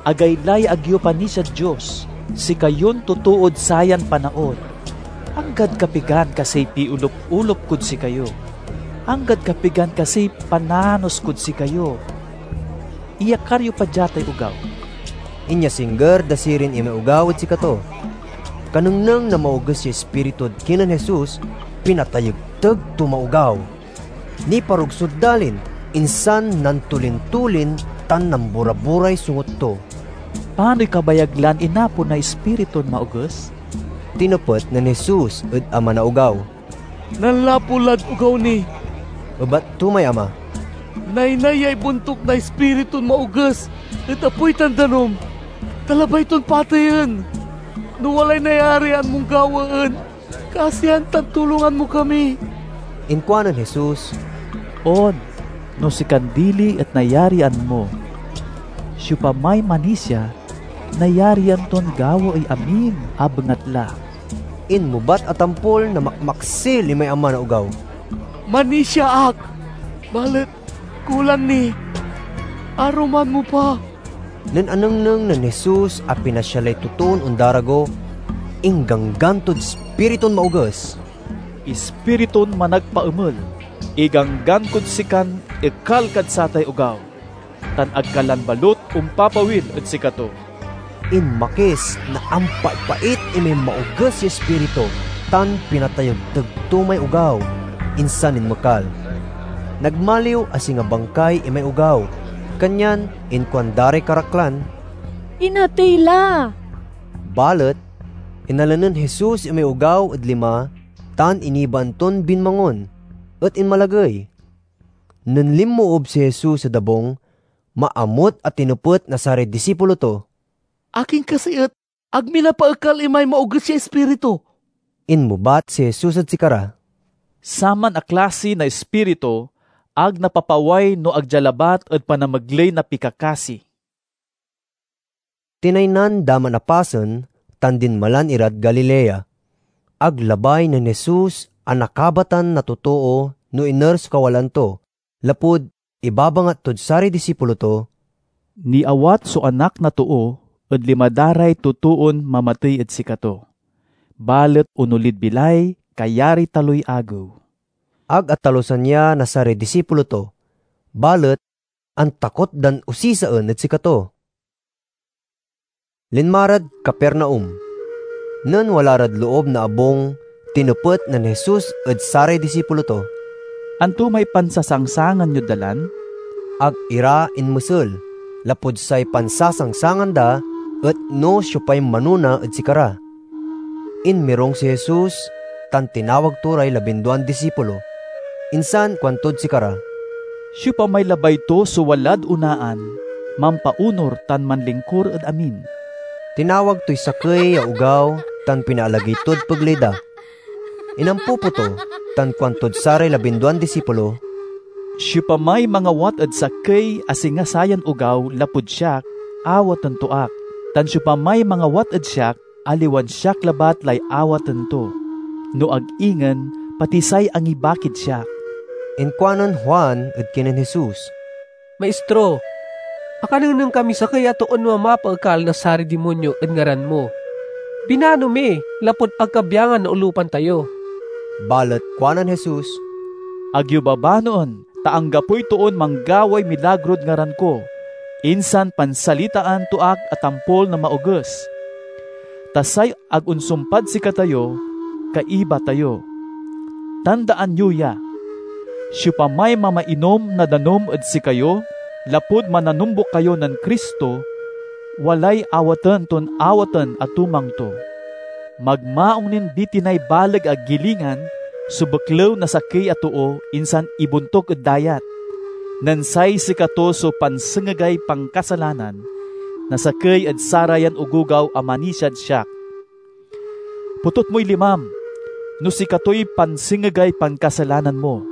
"Agaylay ag yo panisiad Dios, sikayon totood sayan panaon! Anggad kapigan kasiy piolup-olup kod sikayo? Anggad kapigan kasiy pananos kod sikayo? Iyakar yo pa dia tay ogaw." Inyasingger da sirin imay ogaw ed sikato. Kanengneng na maoges ya ispiritu ed kinen Jesus, pinatayegteg to may ogaw. Niparugsod dalin, insan nantulin-tulin tan nambora-boray sungot to. "Panoy kabayag lan inapon na ispiritun maoges?" tinepet nen Jesus ed ama na ogaw. "Nanlapu lad ogaw ni," ebat to may ama. "Naynay yay bontuk na ispiritun maoges ed apoy tan danum, ta labay ton pateyen. No walay nayarian mon gawaen, kasian tan tulongan mo kami." Inkuanen Jesus, "On, no sikan dili et nayarian mo. Siopamay manisia, nayarian ton gawaey amin a bengatla." Inmebat a tampol na makmaksil imay ama na ogaw. Panisia ak, balet kulang ni. Aruman mo pa. Nen anengneng nen Jesus a pinasialay totoon ondarago, ingganggan tod ispiritun maoges, "Ispiritun managpaemel, iganggan kod sikan ekal kad satay ogaw, tan ag ka lan balut ompapawil ed sikato." Inmakis na ampaipait imay maoges ya ispiritu tan pinatayegteg to may ogaw, insan inmekal. Nagmaliw a singa bangkay imay ogaw, kanyan inkuanda ray karaklan, "Inatey la!" Balet inala nen Jesus imay ogaw ed lima tan inibaan ton binmangon, et inmalagey. Nen linmoob si Jesus ed abung, maamut a tinepet na saray disipulo to, "Akin kasi et ag mi napaekal imay maoges ya ispiritu?" Inmebat si Jesus ed sikara, "Saman a klasi na ispiritu ag napapaway no ag dia labat ed panamegley na pikakasi." Tinaynan da man a pasen tan dinmalan irad Galilea. Ag labay nen Jesus a nakabatan na totoo no iner so kawalaan to, lapud ibabangat tod saray disipulo to, "Niawat so Anak na Too ed lima da ray totoon mamatey ed sikato, balet onolid bilay kayariy taloy agew." Ag atalusan ya na saray disipulo to, balet antakot dan osisaen ed sikato. Linma rad Capernaum. Nen wala rad loob na abung, tinepet nen Jesus ed saray disipulo to, "Anto may pansasangsangan yod dalan?" Ag ira inmesel, lapud say pansasangsangan da et no siopay manona ed sikara. Inmirong si Jesus tan tinawag to ray labinduan disipulo, insan kuantod sikara, "Siopamay labay to so walad onaan, mampaonor tan manlingkur ed amin." Tinawag toy sakey ya ogaw tan pinaalagey tod pegley da. Inampupo to, tan kuantod saray labinduan disipulo, "Siopamay mangawat ed sakey a singa sayan ogaw lapud siak, awaten to ak, tan siopamay mangawat ed siak, aliwan siak labat lay awaten to, no ag ingen pati say angibakid siak." Inkuanen Juan ed kinen Jesus, "Maistro, akanengneng kamiy sakey a toon mamapaekal na saray dimonyo ed ngaran mo. Binano mi, lapud ag kabiangan naolupan tayo." Balet kuanen Jesus, "Ag yo babanoen, ta anggapoy toon manggaway milagrod ngaran ko, insan pansalitaan to ak a tampol na maoges. Ta say ag onsumpad sikatayo, kaiba tayo. Tandaan yo ya: siopamay mamainom na danum ed sikayo lapud mananombuk kayo nen Cristo, walay awaten ton awaten a tumang to. Magmaung nin bitinay baleg a gilingan so beklew na sakey a too insan ibontuk ed dayat, nen say sikato so pansengegay pankasalanan na sakey ed sarayan ogogaw a manisiad siak. Potot moy limam, no sikatoy pansengegay pankasalanan mo.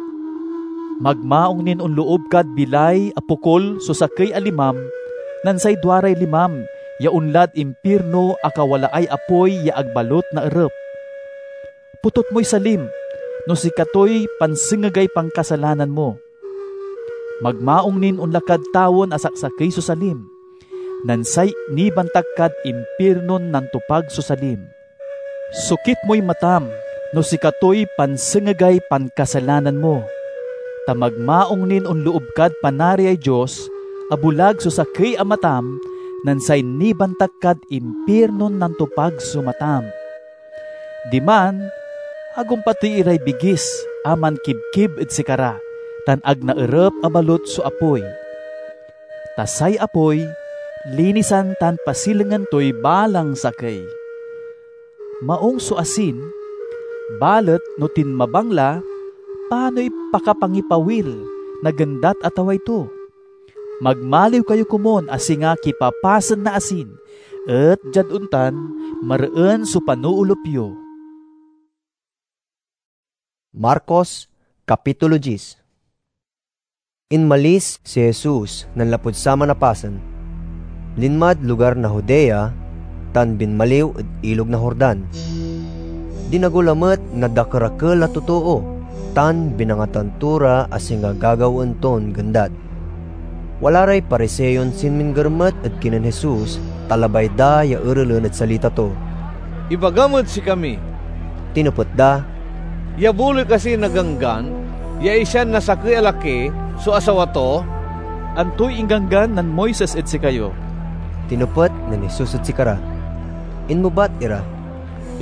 Magmaung nin onloob kad bilay a pokol so sakey a limam, nen say duaray limam ya onlad impirno a kawalaay apoy ya ag balut naerep. Potot moy salim, no sikatoy pansengegay pankasalanan mo. Magmaung nin onla kad tawen a saksakey so salim, nen say nibantak kad impirnon nantopag so salim. Sokit moy matam, no sikatoy pansengegay pankasalanan mo, ta magmaung nin onloob kad Panariay Dios a bulag so sakey a matam, nen say nibantak kad impirnon nantopag so matam. Diman, ag ompatey iray bigis a mankibkib ed sikara, tan ag naerep a balut so apoy. Ta say apoy, linisan tan pasilengen toy balang sakey. Maung so asin, balet no tinmabang la, panoy pakapangipawil na gendat a taway to? Magmaliw kayo komun a singa kipapasen na asin, et diad ontan, mareen so panoolup yo. Marcos, Kapitulo dies. Inmalis si Jesus nanlapud saman a pasen, linmad lugar na Judea, tan binmaliw ed Ilog na Jordan. Dinago lamet na dakerakel a totoo, tan binangatan to ra a singa gagawaen ton gendat. Wala ray Pariseon sinmingger met ed kinen Jesus, ta labay da ya erelen ed salita to. "Ibagam ed sikami," tinepet da, "ya buloy kasi na Ganggan ya isian na sakey a laki so asawa to?" "Antoy ingganggan nen Moises ed sikayo?" tinepet nen Jesus ed sikara. Inmebat ira,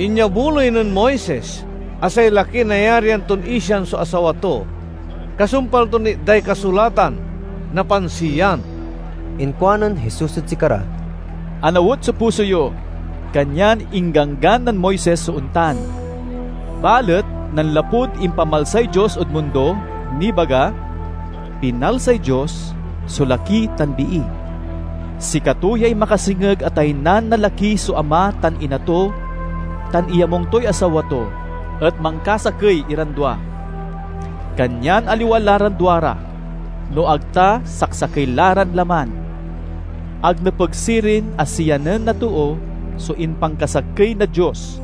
"Inyabuloy nen Moises a say laki nayarian ton isian so asawa to, kasumpal ton itday kasulatan na pansiyan." Inkuanen Jesus ed sikara, "Anawet so puso yo, kanyan ingganggan nen Moises so ontan. Balet nanlapud impamalsay Dios ed mundo, nibaga, 'Pinalsay Dios so laki tan bii. Sikato yay makasengeg a taynan na laki so ama tan ina to, tan iyamung toy asawa to, et mankasakey iran dua. Kanyan aliwa la ran duara, no ag ta saksakey la ran laman. Ag nepeg sirin a siyanen na too so impankasakey na Dios."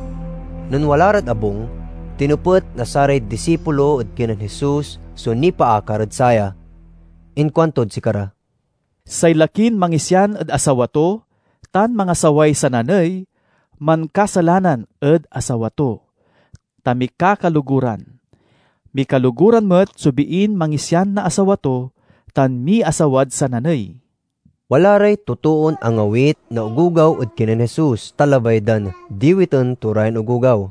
Nen wala rad abung, tinepet na saray disipulo ed kinen Jesus so nipaakar ed saya. Inkuantod sikara, "Say lakin mangisian ed asawa to tan mangasaway sananey, mankasalanan ed asawa to, ta mikakaloguran. Mikaloguran met so biin mangisian na asawa to tan miasawad sananey." Wala ray totoon angawit na ogogaw ed kinen Jesus, ta labay dan diwiten to rayan ogogaw.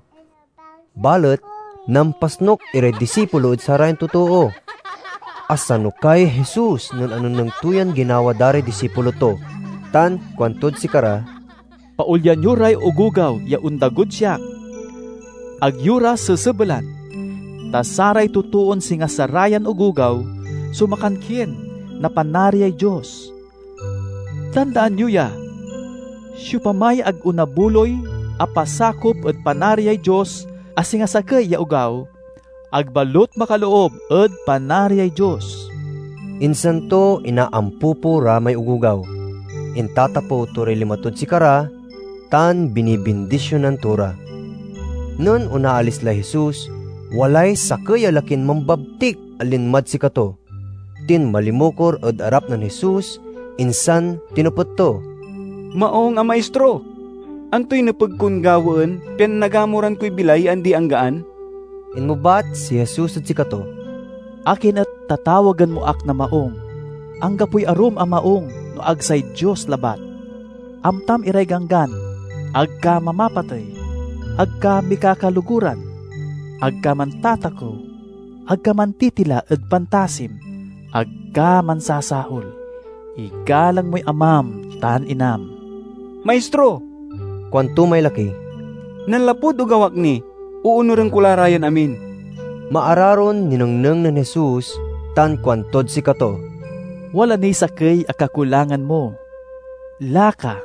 Balet nampasnok iray disipulo ed sarayan totoo. Asanukay Jesus nen anengneng to yan ginawa da ray disipulo to, tan kuantod sikara, "Paolyan yo ray ogogaw ya ondagod siak. Ag yo ra sesebelan, ta saray totoon singa sarayan ogogaw so makankien na Panariay Dios. Tandaan yo ya: siopamay ag onabuloy a pasakop ed Panariay Dios a singa sakey ya ogaw, ag balut makaloob ed Panariay Dios." Insan to inaampupo ra may ogogaw. Intatapew to ray lima tod sikara, tan binibindisionan to ra. Nen onaalis lay Jesus, walay sakey a lakin mambabtik a linmad sikato. Tinmalimukor ed arap nen Jesus, insan tinepet to, "Maong a Maistro, antoy nepeg kon gawaen pian nagamuran koy bilay ya andi-anggaan?" Inmebat si Jesus ed sikato, "Akin et tatawagen mo ak na maong? Anggapoy arum a maong no ag say Dios labat. Amtam iray ganggan: ag ka mamapatey, ag ka mikakaloguran, ag ka mantatakew, ag ka mantitila ed pantasim, ag ka mansasahol. Igalang moy amam tan inam." "Maistro," kuanto may laki, "nanlapud ogaw ak ni, oonuren ko la ra yan amin." Maararon ninengneng nen Jesus tan kuantod sikato, "Wala niy sakey a kakulangan mo. Laka,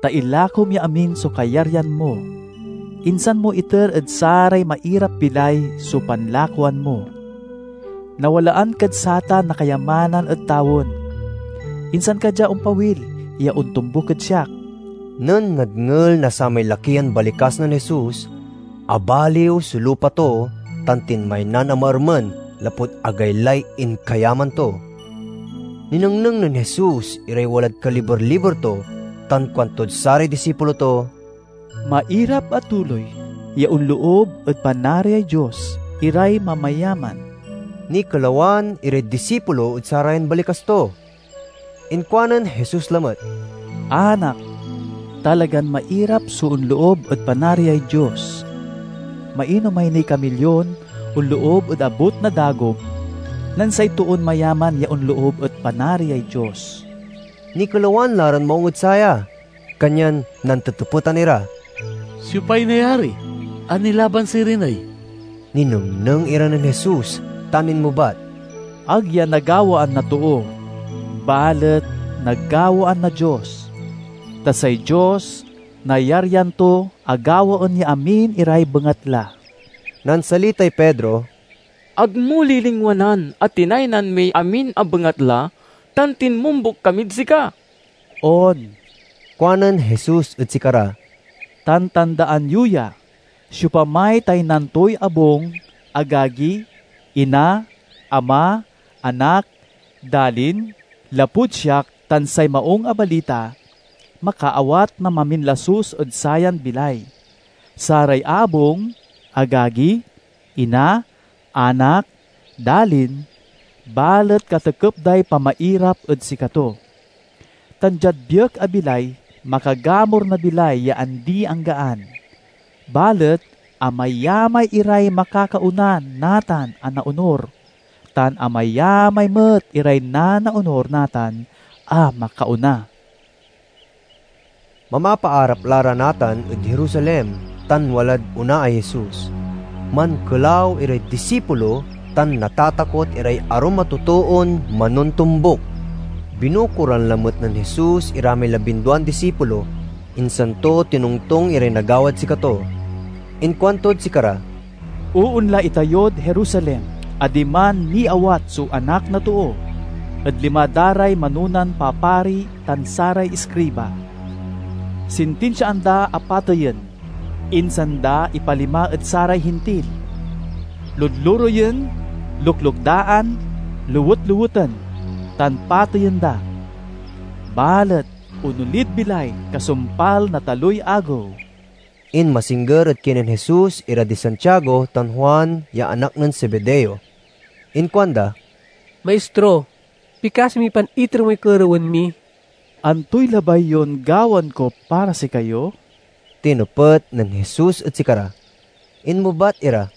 ta ilakom ya amin so kayaryan mo, insan mo iter ed saray mairap-bilay so panlakoan mo. Nawalaan kad satan na kayamanan ed tawen, insan ka dia ompawil ya ontombuk ed siak." Nen nadngel na samay laki yan balikas nen Jesus, abaliw so lupa to tan tinmaynan a maermen lapud agaylay inkayaman to. Ninengneng nen Jesus iray walad kaliber-liber to tan kuantod saray disipulo to, "Mairap a tuloy ya onloob ed Panariay Dios iray mamayaman." Nikelawan iray disipulo ed sarayan balikas to. Inkuanen Jesus lamet, "Anak, talagan mairap so onloob ed Panariay Dios. Mainomay niy kamilyon onloob ed abut na dagom, nen say toon mayaman ya onloob ed Panariay Dios." Nikelawan la ran maong ed saya, kanyan nantetepetan ira, "Siopay nayari a nilaban sirin ey?" Ninengneng ira nen Jesus tan inmebat, "Ag ya nagawaan na too, balet nagawaan na Dios, ta say Dios nayarian to a gawaen ya amin iray bengatla." Nansalitay Pedro, "Ag mo lilingwanan a tinaynan miy amin a bengatla tan tinmombuk kamid sika." "On," kuanen Jesus ed sikara, "tan tandaan yo ya, siopamay taynan toy abung, agagi, Ina, Ama, Anak, Dalin, lapud siak tan say Maung a Balita, makaawat na maminlasus ed sayan bilay. Saray abung, agagi, ina, anak, dalin, balet katekep day pamairap ed sikato. Tan diad biek a bilay, makagamur na bilay ya andi-anggaan. Balet amayamay iray makakaona natan a naonur, tan amayamay met iray nanaonur natan a makaona. Mamapaarap la ra natan ed Jerusalem tan walad onaay Jesus. Mankelaw iray disipulo tan natatakot iray arum a totoon manontombuk. Binukoran lamet nen Jesus iramay labinduan disipulo, insan to tinongtong iray nagawad sikato. Inkuantod sikara, "Oonla itayod Jerusalem, a diman niawat so Anak na Too ed lima da ray manonan papari tan saray iskriba. Sintinsiaan da a pateyen, insan da ipalima ed saray Hintil. Ludluroyen, luklukdaan, lewet-leweten, tan pateyen da. Balet onolid bilay kasumpal na taloy agew." Inmasingger ed kinen Jesus ira di Santiago tan Juan ya anak nen Zebedeo. Inkuanda, "Maistro, pikasi mi pan iter moy kerewen mi." "Antoy labay yon gawaen ko para sikayo?" tinepet nen Jesus ed sikara. Inmebat ira,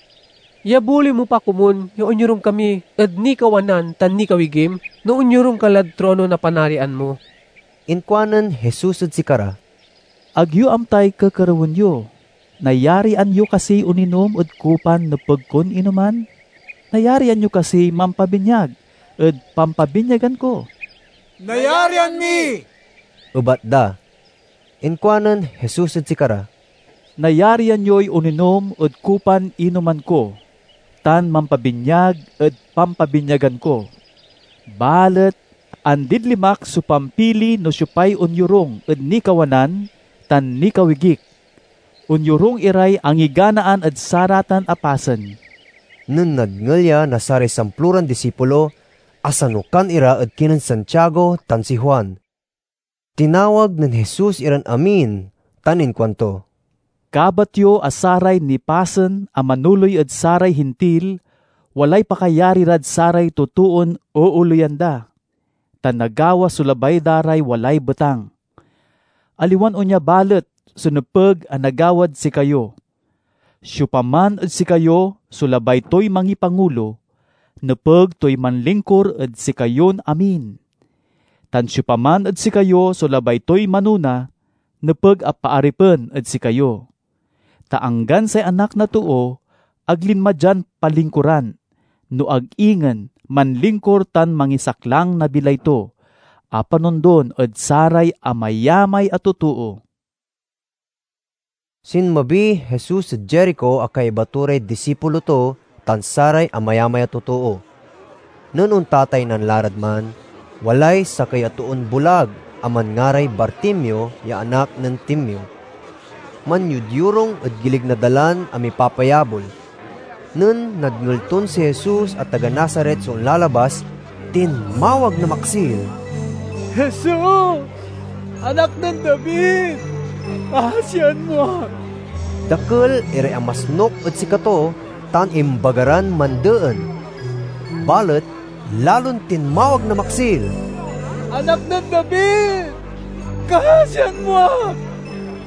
"Ya buley mo pa komun ya onyorung kami ed nikawanan tan nikawigim, no onyorung ka lad trono na Panarian mo?" Inkuanen Jesus ed sikara, "Ag yo amtay kekerewen yo. Nayarian yo kasiy oninom ed kupan nepeg kon inoman? Nayarian yo kasiy mampabinyag ed pampabinyagan ko?" "Nayarian mi," ebat da. Inkuanen Jesus ed sikara, "Nayarian yoy oninom ed kupan inoman ko, tan mampabinyag ed pampabinyagan ko. Balet andid limak so pampili no siopay onyorung ed nikawanan tan nikawigik. Onyorung iray angiganaan ed saratan a pasen." Nen nadngel ya na saray samploran disipulo, asanukan ira ed kinen Santiago tan si Juan. Tinawag nen Jesus iran amin tan inkuanto, "Kabat yo a saray nipasen a manoley ed saray Hintil walay pakayari rad saray totoon ooleyan da, tan nagawa so labay da ray walay betang. Aliwan onya balet so nepeg a nagawad sikayo. Siopaman ed sikayo so labay toy mangipangulo, nepeg toy manlingkur ed sikayon amin. Tan siopaman ed sikayo so labay toy manona, nepeg a paaripen ed sikayo. Ta anggan say Anak na Too, ag linma dian palingkuran, no ag ingen manlingkur tan mangisaklang na bilay to, a panondon ed saray amayamay a totoo." Sinmabiy Jesus ed Jerico a kaiba to ray disipulo to tan saray amayamay a totoo. Nen ontataynan la rad man, walay sakey a toon bulag a manngaray Bartimeo ya anak nen Timeo. Manyodyorung ed gilig na dalan a mipapayabol. Nen nadngel ton si Jesus a taga Nazaret so onlalabas, tinmawag na maksil, "Jesus, Anak nen David, kaasian mo ak!" Dakel iray amasnok ed sikato tan imbaga ran mandeen. Balet lalon tinmawag na maksil, "Anak nen David, kaasian mo ak!"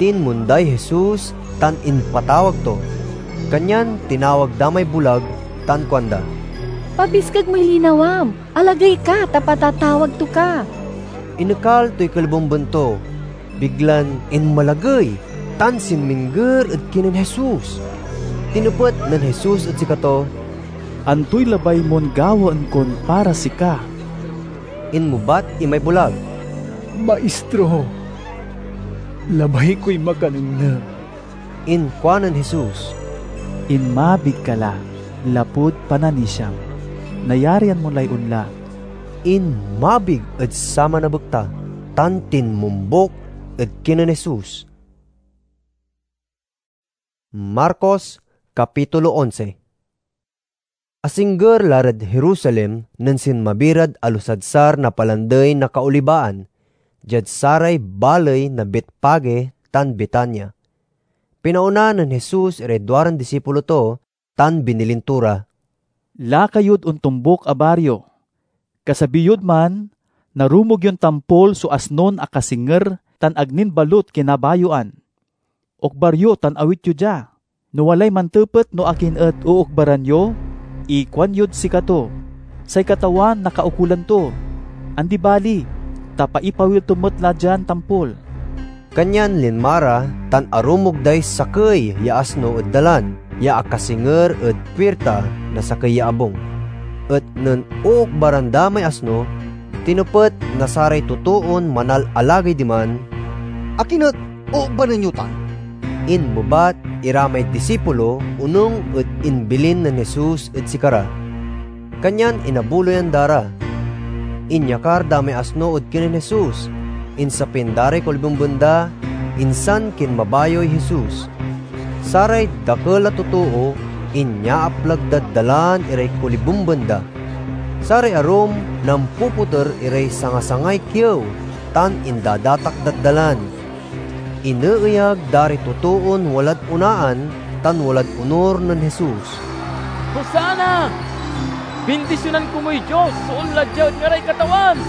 Tinmonday Jesus tan impatawag to. Kanyan tinawag da may bulag tan kuanda, "Pabiskeg moy linawam, alagey ka ta patatawag to ka." Inekal toy kalibemben to, biglan inmalagey tan sinmingger ed kinen Jesus. Tinepet nen Jesus ed sikato, "Antoy labay mon gawaen kon para sika?" Inmebat imay bulag, "Maistro, labay koy makanengneng." Inkuanen Jesus, "Inmabig ka la, lapud pananisiam. Nayarian mo lay onla." Inmabig ed saman a bekta tan tinmombuk ed kinen Jesus. Marcos, Kapitulo onse. Asingger la rad Jerusalem nen sinmabi rad alusadsar na Palandey na Kaolibaan, diad saray baley na Betfage tan Betania. Pinaona nen Jesus iray duaran disipulo to tan binilin to ra, "Laka yod ontombuk a bario. Kasabi yod man, narumog yon tampol so asnon akasinger tan ag nin balut kinabayoan. Okbar yo tan awit yo dia. No walay mantepet no akin et ookbaran yo, ikuanyod sikato, 'Say Katawan nakaukolan to.' Andi bali, ta paipawil to met la dian tampol." Kanyan linma ra tan arumog day sakey ya asno ed dalan ya akasinger ed puirta na sakey ya abung. Et nen ookbaran da may asno, tinepet na saray totoon manalalagey diman, "Akin et ookbanen yo tan?" Inmebat ira may disipulo onung ed imbilin nen Jesus ed sikara. Kanyan inabuloyan da ra. Inyakar da may asno ed kinen Jesus, insapin da ray kolibemben da, insan kinmabayoy Jesus. Saray dakel a totoo inyaaplag dad dalan iray kolibemben da. Saray arum nampupoter iray sangasangay kiew tan indadatak dad dalan. Ineeyag da ray totoon walad onaan tan walad onur nen Jesus. "Hosanna! Bindisionan komuy Dios so onla dia ed ngaray Katawan!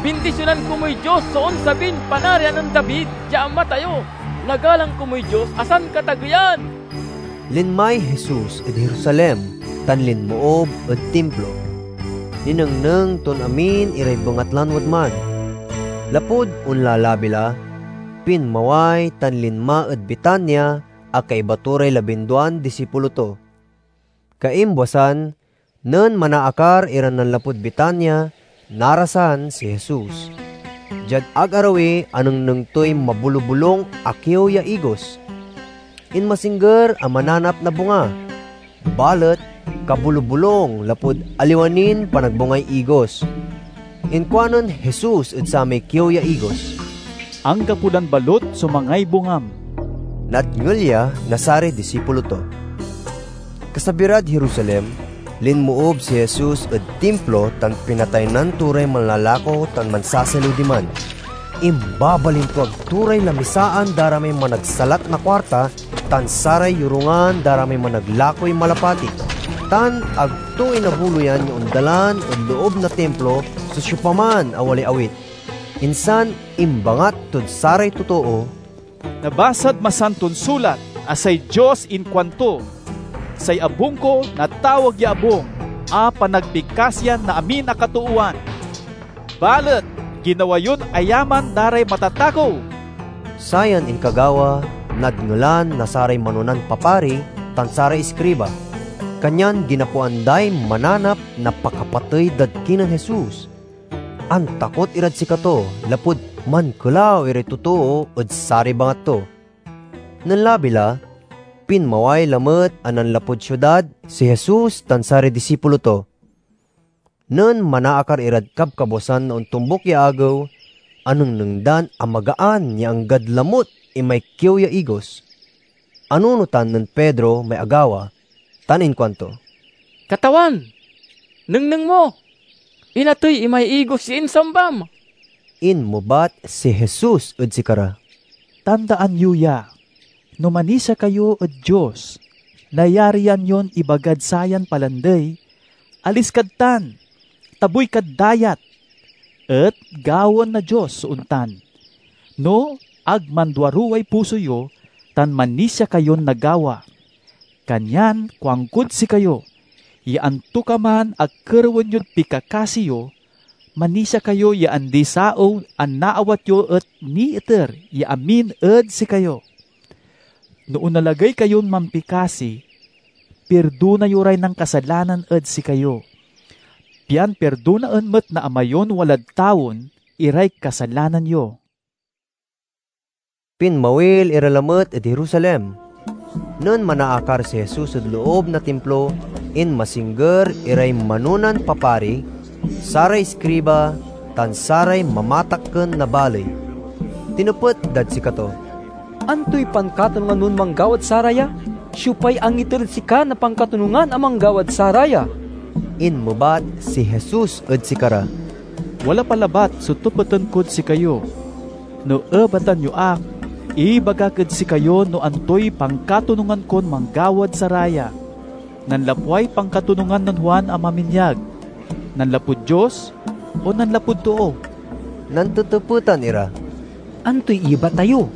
Bindisionan komuy Dios so onsabin Panarian nen David ya ama tayo! Nagalang komuy Dios a Sankatageyan!" Linmay Jesus ed Jerusalem tan linmoob ed Timplo. Ninengneng ton amin iray bengatlan wadman. Lapud onlalabi la, pinmaway tan linma ed Betania a kaiba to ray labinduan disipulo to. Kaimbuasan, nen manaakar iran nanlapud Betania, narasan si Jesus. Diad ag arawi, anengneng toy mabulobulong a kiew ya igos. Inmasingger a mananap na bunga, balet kabulobulong lapud aliwa nin panagbungay igos. Inkuanen Jesus ed samay kiew ya igos, "Anggapo lan balut so mangay bungam." Nadngel ya na saray disipulo to. Kasabi rad Jerusalem, linmoob si Jesus ed Timplo tan pinataynan to ray manlalako tan mansasaliw diman. Imbabalintuag to ray lamisaan da ra may managsalat na kuarta tan saray yorungan da ra may managlakoy malapati, tan ag to inabuloyan ya ondalan ed loob na Timplo so siopaman a walay awit. Insan imbangat tod saray totoo, "Nabasad Masanton Sulat a say Dios inkuanto, 'Say abung ko natawag ya abung a panagpikasian na amin a katoowan.' Balet ginawa yon ayaman da ray matatakew." Sayan inkagawa, nadngelan na saray manonan papari tan saray iskriba. Kanyan ginapoan day mananap na pakapatey dad kinen Jesus. Antakot irad sikato lapud mankelaw iray totoo ed saray bangat to. Nen labi la, pinmaway lamet a nanlapud siudad si Jesus tan saray disipulo to. Nen manaakar irad kabkabuasan na ontombuk ya agew, anengneng dan amagaan ya anggad lamut imay kiew ya igos. Anunotan nen Pedro may agawa, tan inkuanto, "Katawan, nengneng mo! Inatey imay igos ya insambam!" Inmebat si Jesus ed sikara, "Tandaan yo ya! No manisia kayo ed Dios, nayarian yon ibagad sayan palandey, 'Alis kad tan! Tabuy kad dayat!' Et gawaen na Dios so ontan, no ag manduaruway puso yo tan manisia kayon nagawa. Kanyan kuankod sikayo, ya antokaman a kerewen yod pikakasi yo, manisia kayo ya andi-saew a naawat yo et niiter ya amin ed sikayo. No onalagey kayon mampikasi, pirdona yo ray nankasalanan ed sikayo, pian pirdonaen met na Ama yon walad tawen iray kasalanan yo." Pinmawil ira lamet ed Jerusalem. Nen manaakar si Jesus ed loob na Timplo, inmasingger iray manonan papari, saray iskriba, tan saray mamatakken na baley. Tinepet dad sikato, "Antoy pankatanongan mon manggawad saraya?" "Siopay angiter ed sika na pankatonungan a manggawad saraya?" Inmebat si Jesus ed sikara, "Wala pa labat so tepeten kod sikayo. No ebatan yo ak, ibagak ed sikayo no antoy pankatonungan kon manggawad saraya. Nanlapway pankatonungan nen Juan a Maminyag, nanlapud Dios o nanlapud too?" Nantetepetan ira, "Antoy iyebat tayo?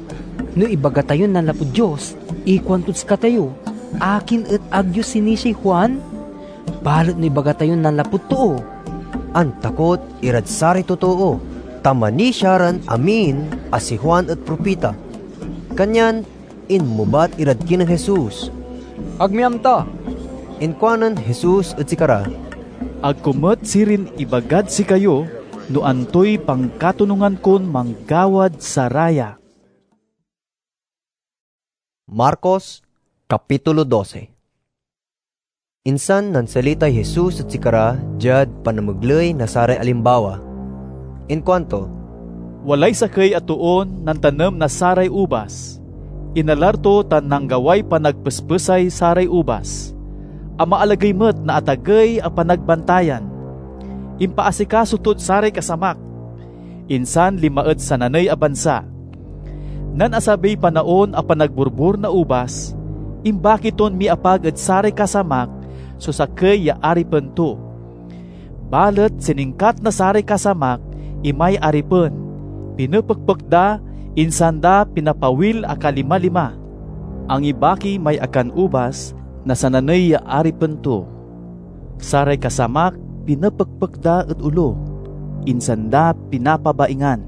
No ibaga tayon nanlapud Dios, ikuantod sikatayo, 'Akin et ag yo sinisiay Juan?' Balet no ibaga tayon nanlapud too," antakot irad saray totoo, ta manisia ran amin a si Juan et propita. Kanyan inmebat irad kinen Jesus, "Ag mi amta." Inkuanen Jesus ed sikara, "Ag ko met sirin ibagad sikayo no antoy pankatonungan kon manggawad saraya." Marcos, Kapitulo dose. Insan nansalitay Jesus ed sikara diad panamegley na saray alimbawa. Inkuanto, "Walay sakey a toon nantanem na saray ubas. Inalar to tan nanggaway panagpespesay saray ubas. Amaalagey met na atagey a panagbantayan. Impaasikaso tod saray kasamak, insan linma ed sananey a bansa. Nen asabiy panaon a panagborbor na ubas, imbaki ton miapag ed saray kasamak so sakey ya aripen to. Balet siningkat na saray kasamak imay aripen, pinepekpek da, insan da pinapawil a kalima-lima. Angibaki may akan ubas na sananey ya aripen to. Saray kasamak pinepekpek da ed olo, insan da pinapabaingan.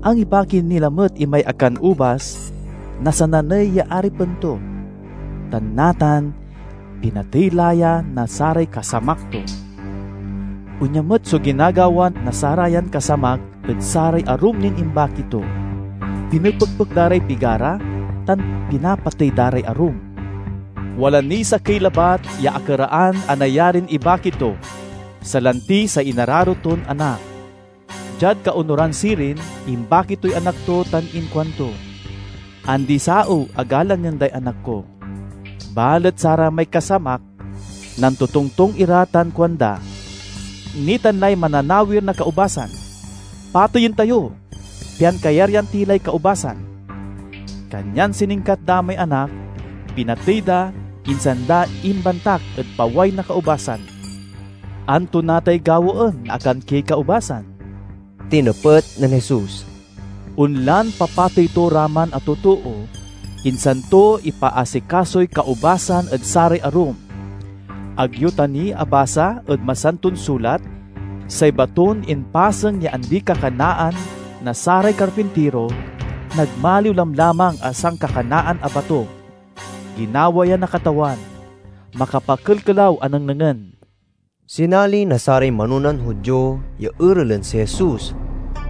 Angibaki ni lamet imay akan ubas na sananey ya aripen to, tan natan pinatey la ya na saray kasamak to. Onya met so ginagawa na sarayan kasamak ed saray arum nin imbaki to. Pinepekpek da ray pigara tan pinapatey da ray arum. Wala niy sakey labat ya akeraan a nayarin ibaki to, salanti say inararo ton anak. Diad kaonuran sirin, imbaki toy anak to tan inkuanto, 'Andi-saew a galangen day anak ko.' Balet saramay kasamak nantotongtong ira tan kuanda, 'Nitan lay mananawir na kaubasan. Pateyen tayo, pian kayaryan ti lay kaubasan.' Kanyan siningkat da may anak, pinatey da, insan da imbantak ed paway na kaubasan. Anto natay gawaen na akankiay kaubasan?" Tinepet nen Jesus, "Onlan papatey to ra man a totoo, insan to ipaasikasoy kaubasan ed saray arum. Ag yo ta ni abasa ed Masanton Sulat, 'Say baton impaseng ya andi-kakanaan na saray karpintiro, nagmaliw lamlamang a sankakanaan a bato'? Ginawa ya na Katawan, makapakelkelaw a nengnengen." Sinali na saray manonan Judio ya erelen si Jesus,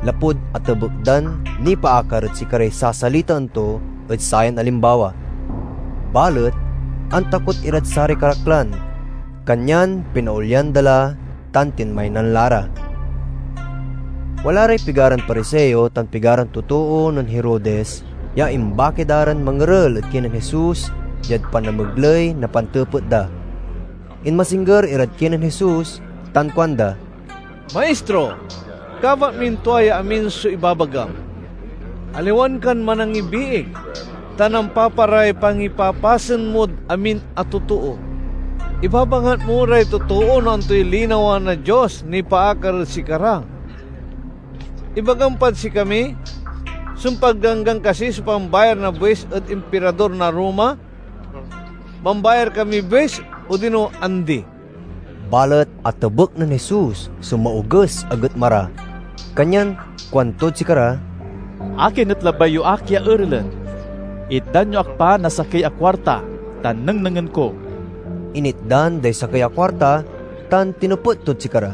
lapud atebek dan nipaakar ed sikaray sasalitaan to ed sayan alimbawa. Balet antakot irad saray karaklan, kanyan pinaolyan da la tan tinmaynan la ra. Wala ray pigaran Pariseo tan pigaran totoo nen Herodes ya imbaki da ran mangerel ed kinen Jesus diad panamegley na pantepet da. Inmasingger irad kinen Jesus tan kuanda, "Maistro, kabat min tua ya amin so ibabagam. Aliwan kan manangibiig, ta nampaparay pangipapasen mod amin a totoo. Ibabangat mo ray totoo no antoy linawa na Dios nipaakar ed sikara. Ibagam pad sikami, sumpad ganggan kasi so pambayar na buis ed Impirador na Roma? Mambayar kami buis, odino andi?" Balet atebek nen Jesus so maoges a getma ra, kanyan kuantod sikara, "Akin et labay yo ak ya erelen? Itdan yo ak pa na sakey a kuarta tan nengnengen ko." Initdan day sakey a kuarta tan tinepet tod sikara,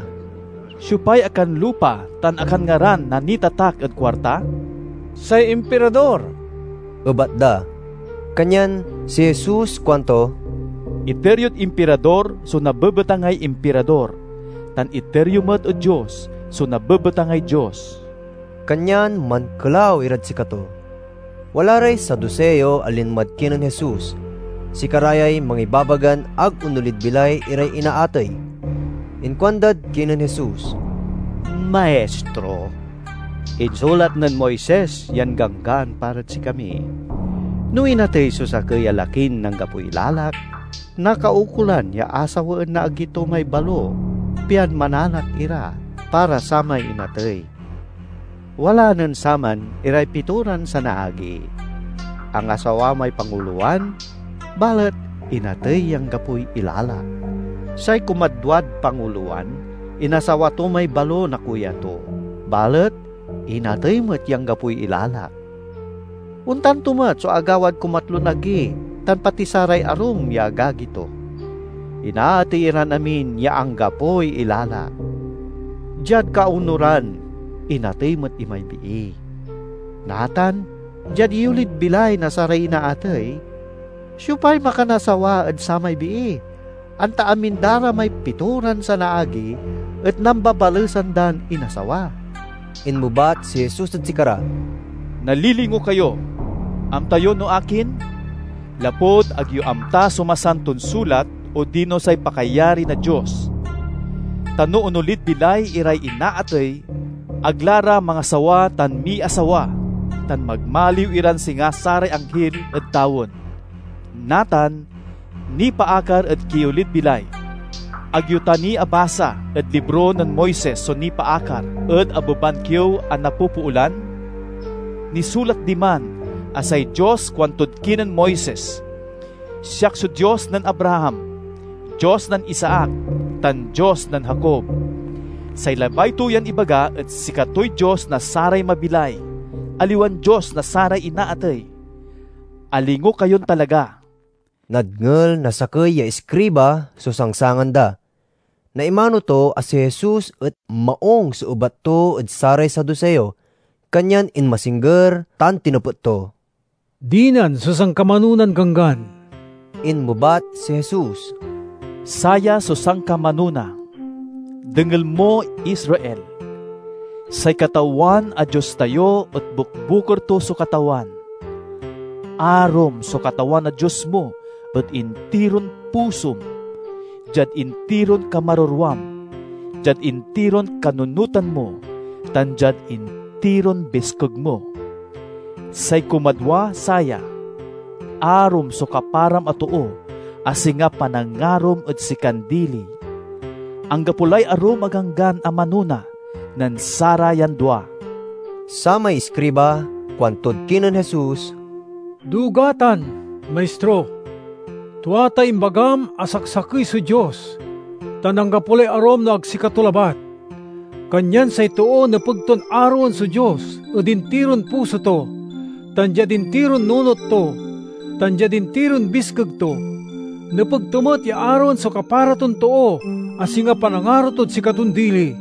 "Siopay akanlupa tan akanngaran na nitatak ed kuarta?" "Say Impirador," ebat da. Kanyan si Jesus kuanto, "Iter yod Impirador so nabebetangay Impirador, tan iter yo met ed Dios so nabebetangay Dios." Kanyan mankelaw irad sikato. Wala ray Saduseo a linmad kinen Jesus, Sikara yay mangibabagan ag onolid bilay iray inaatey. Inkuandad kinen Jesus, "Maistro, insulat nen Moises yan ganggan parad sikami. No inatey so sakey a lakin anggapoy ilalak, nakaukolan ya asawaen na agi to may balo, pian manalak ira para samay inatey. Wala nen saman iray pitoran sanaagi. Angasawa may pangulowan, balet inatey ya anggapoy ilalak. Say kumadwad pangulowan, inasawa to may balo na kuya to, balet inatey met ya anggapoy ilalak. Ontan to met so agawad kumatlon agi tan pati saray arum ya agagi to. Inaatey iran amin ya anggapoy ilalak. Diad kaunoran, inatey met imay bii. Natan, diad iyolid bilay na saray inaatey, siopay makanasawa ed samay bii? Anta amin da ra may pitoran sanaagi et nambabalesan dan inasawa." Inmebat si Jesus ed sikara, "Nalilingo kayo! Amta yo no akin? Lapud ag yo amta so Masanton Sulat odino say pakayari na Dios. Ta no onolid bilay iray inaatey, ag la ra mangasawa tan miasawa, tan magmaliw iran singa saray anghil ed tawen. Natan, nipaakar ed kiyolid bilay. Ag yo ta ni abasa ed libro nen Moises so nipaakar ed abeban kiew a napopoolan? Nisulat diman a say Dios kuantod kinen Moises, 'Siak so Dios nen Abraham, Dios nen Isaac, tan Dios nen Jacob.' Say labay to yan ibaga et sikatoy Dios na saray mabilay, aliwan Dios na saray inaatey. Alingo kayon talaga!" Nadngel na sakey ya iskriba so sangsangan da. Naimano to a si Jesus et maung so ebat to ed saray Saduseo, kanyan inmasingger tan tinepet to, "Dinan so sankamanonan Ganggan?" Inmebat si Jesus, "Saya so sankamanona. Dengel mo, Israel. Say Katawan a Dios tayo et bukbuker to so Katawan. Arom so Katawan a Dios mo ed intiron pusom, diad intiron kamarorwam, diad intiron kanunotan mo, tan diad intiron biskeg mo. Say kumadwa saya: arom so kaparam a too a singa panangarom ed sikan dili. Anggapo lay arum a ganggan a manona nen sarayan dua." Samay iskriba kuantod kinen Jesus, "Duga tan, Maistro! Tua tay imbagam a saksakey so Dios, tan anggapo lay arum no ag sikato labat. Kanyan say too nepeg ton aroen so Dios ed intiron puso to, tan diad intiron nunot to, tan diad intiron biskeg to. Nepeg to met ya aroen so kapara ton too a singa panangaro tod sikaton dili.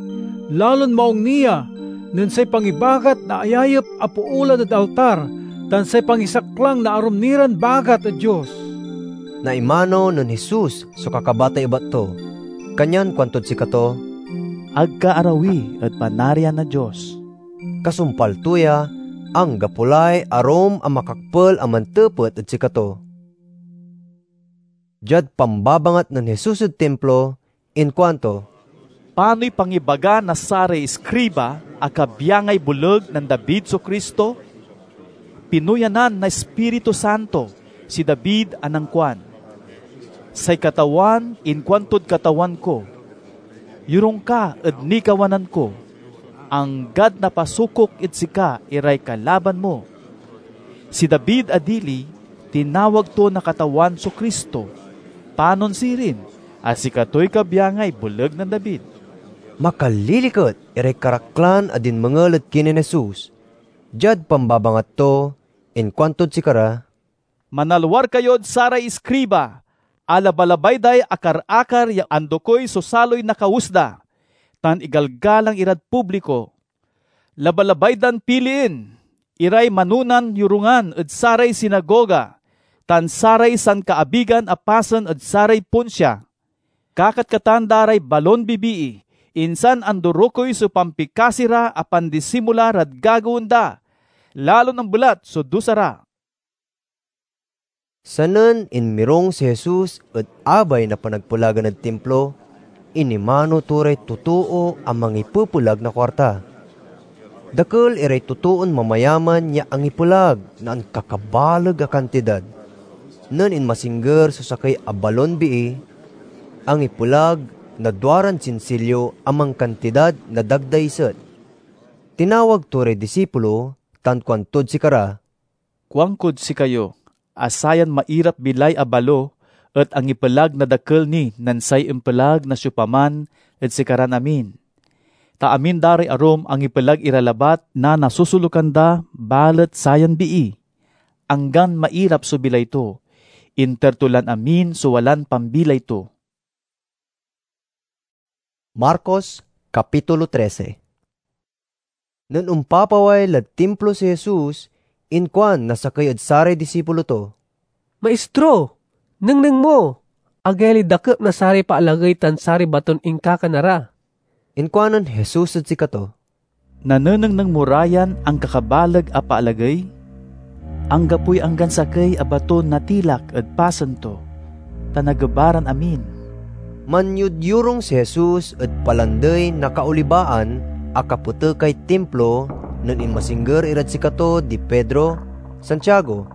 Lalon maung ni ya nen say pangibagat na ayayep a poolan ed altar tan say pangisaklang na arum ni ran bagat ed Dios." Naimano nen Jesus so kakabatan ebat to, kanyan kuantod sikato, "Ag ka arawi ed Panarian na Dios." Kasumpal to ya, anggapo lay arum a makakpel a mantepet ed sikato. Diad pambabangat nen Jesus ed Timplo, inkuanto, "Panoy pangibaga na saray iskriba a kabyangay boleg nen David so Cristo? Pinuyanan na Ispiritu Santo si David a nankuan, 'Say Katawan inkuantod Katawan ko: Yorung ka ed nikawanan ko, anggad napasukok ed sika iray kalaban mo.' Si David a dili, tinawag to na Katawan so Cristo. Panon sirin, a sikatoy kabyangay boleg nen David." Makaliliket iray karaklan a dinmengel ed kinen Jesus. Diad pambabangat to, inkuantod sikara, "Manalwar kayod saray iskriba a labalabay day akar-akar ya andokoy so saloy na kawes da, tan igalgalang irad publiko. Labalabay dan pilien iray manonan yorungan ed saray sinagoga tan saray sankaabigan a pasen ed saray ponsia. Kakatkatan da ray balon bibii, insan andorokoy so pampikasi ra a pandisimula rad gagawaen da, lalon ambelat so dusa ra." Sanen inmirong si Jesus ed abay na panagpelagan ed Timplo, inimano to ray totoo a mangipepelag na kuarta. Dakel iray totoon mamayaman ya angipelag na ankakabaleg a kantidad. Nen inmasingger so sakey a balon bii, angipelag na duaran sinsilyo a mankantidad na dagdaiset. Tinawag to ray disipulo tan kuantod sikara, "Kuankod sikayo a sayan mairap-bilay a balo et angipelag na dakel ni nen say impelag na siopaman ed sikaran amin. Ta amin da ray arum angipelag ira labat na nasusulukan da, balet sayan bii, anggan mairap so bilay to, inter to lan amin so walan pambilay to." Marcos, Kapitulo trese. Nen ompapaway lad Timplo si Jesus, inkuan na sakey ed saray disipulo to, "Maistro, nengneng mo! Agayalay dakep na saray paalagey tan saray baton inkakana ra." Inkuanen Jesus ed sikato, "Nanenengneng mo ra yan ankakabaleg a paalagey? Anggapoy anggan sakey a baton natilak ed pasen to, ta nagebaran amin." Manyudyurong si Jesus ed Palandey na Kaolibaan a kapetekay Timplo nen inmasingger irad sikato di Pedro, Santiago,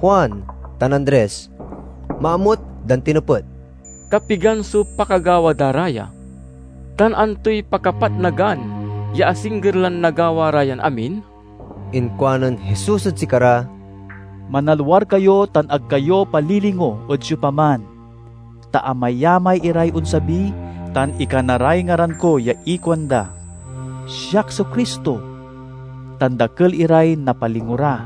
Juan, tan Andres. Maamut dan tinepet, "Kapigan so pakagawa da ra ya? Tan antoy pakapatnagan ya asingger lan nagawa ra yan amin?" Inkuanen Jesus ed sikara, "Manalwar kayo tan ag kayo palilingo ed siopaman, ta amayamay iray onsabi tan ikana ray ngaran ko ya ikuanda, 'Siak so Cristo,' tan dakel iray napalingo ra.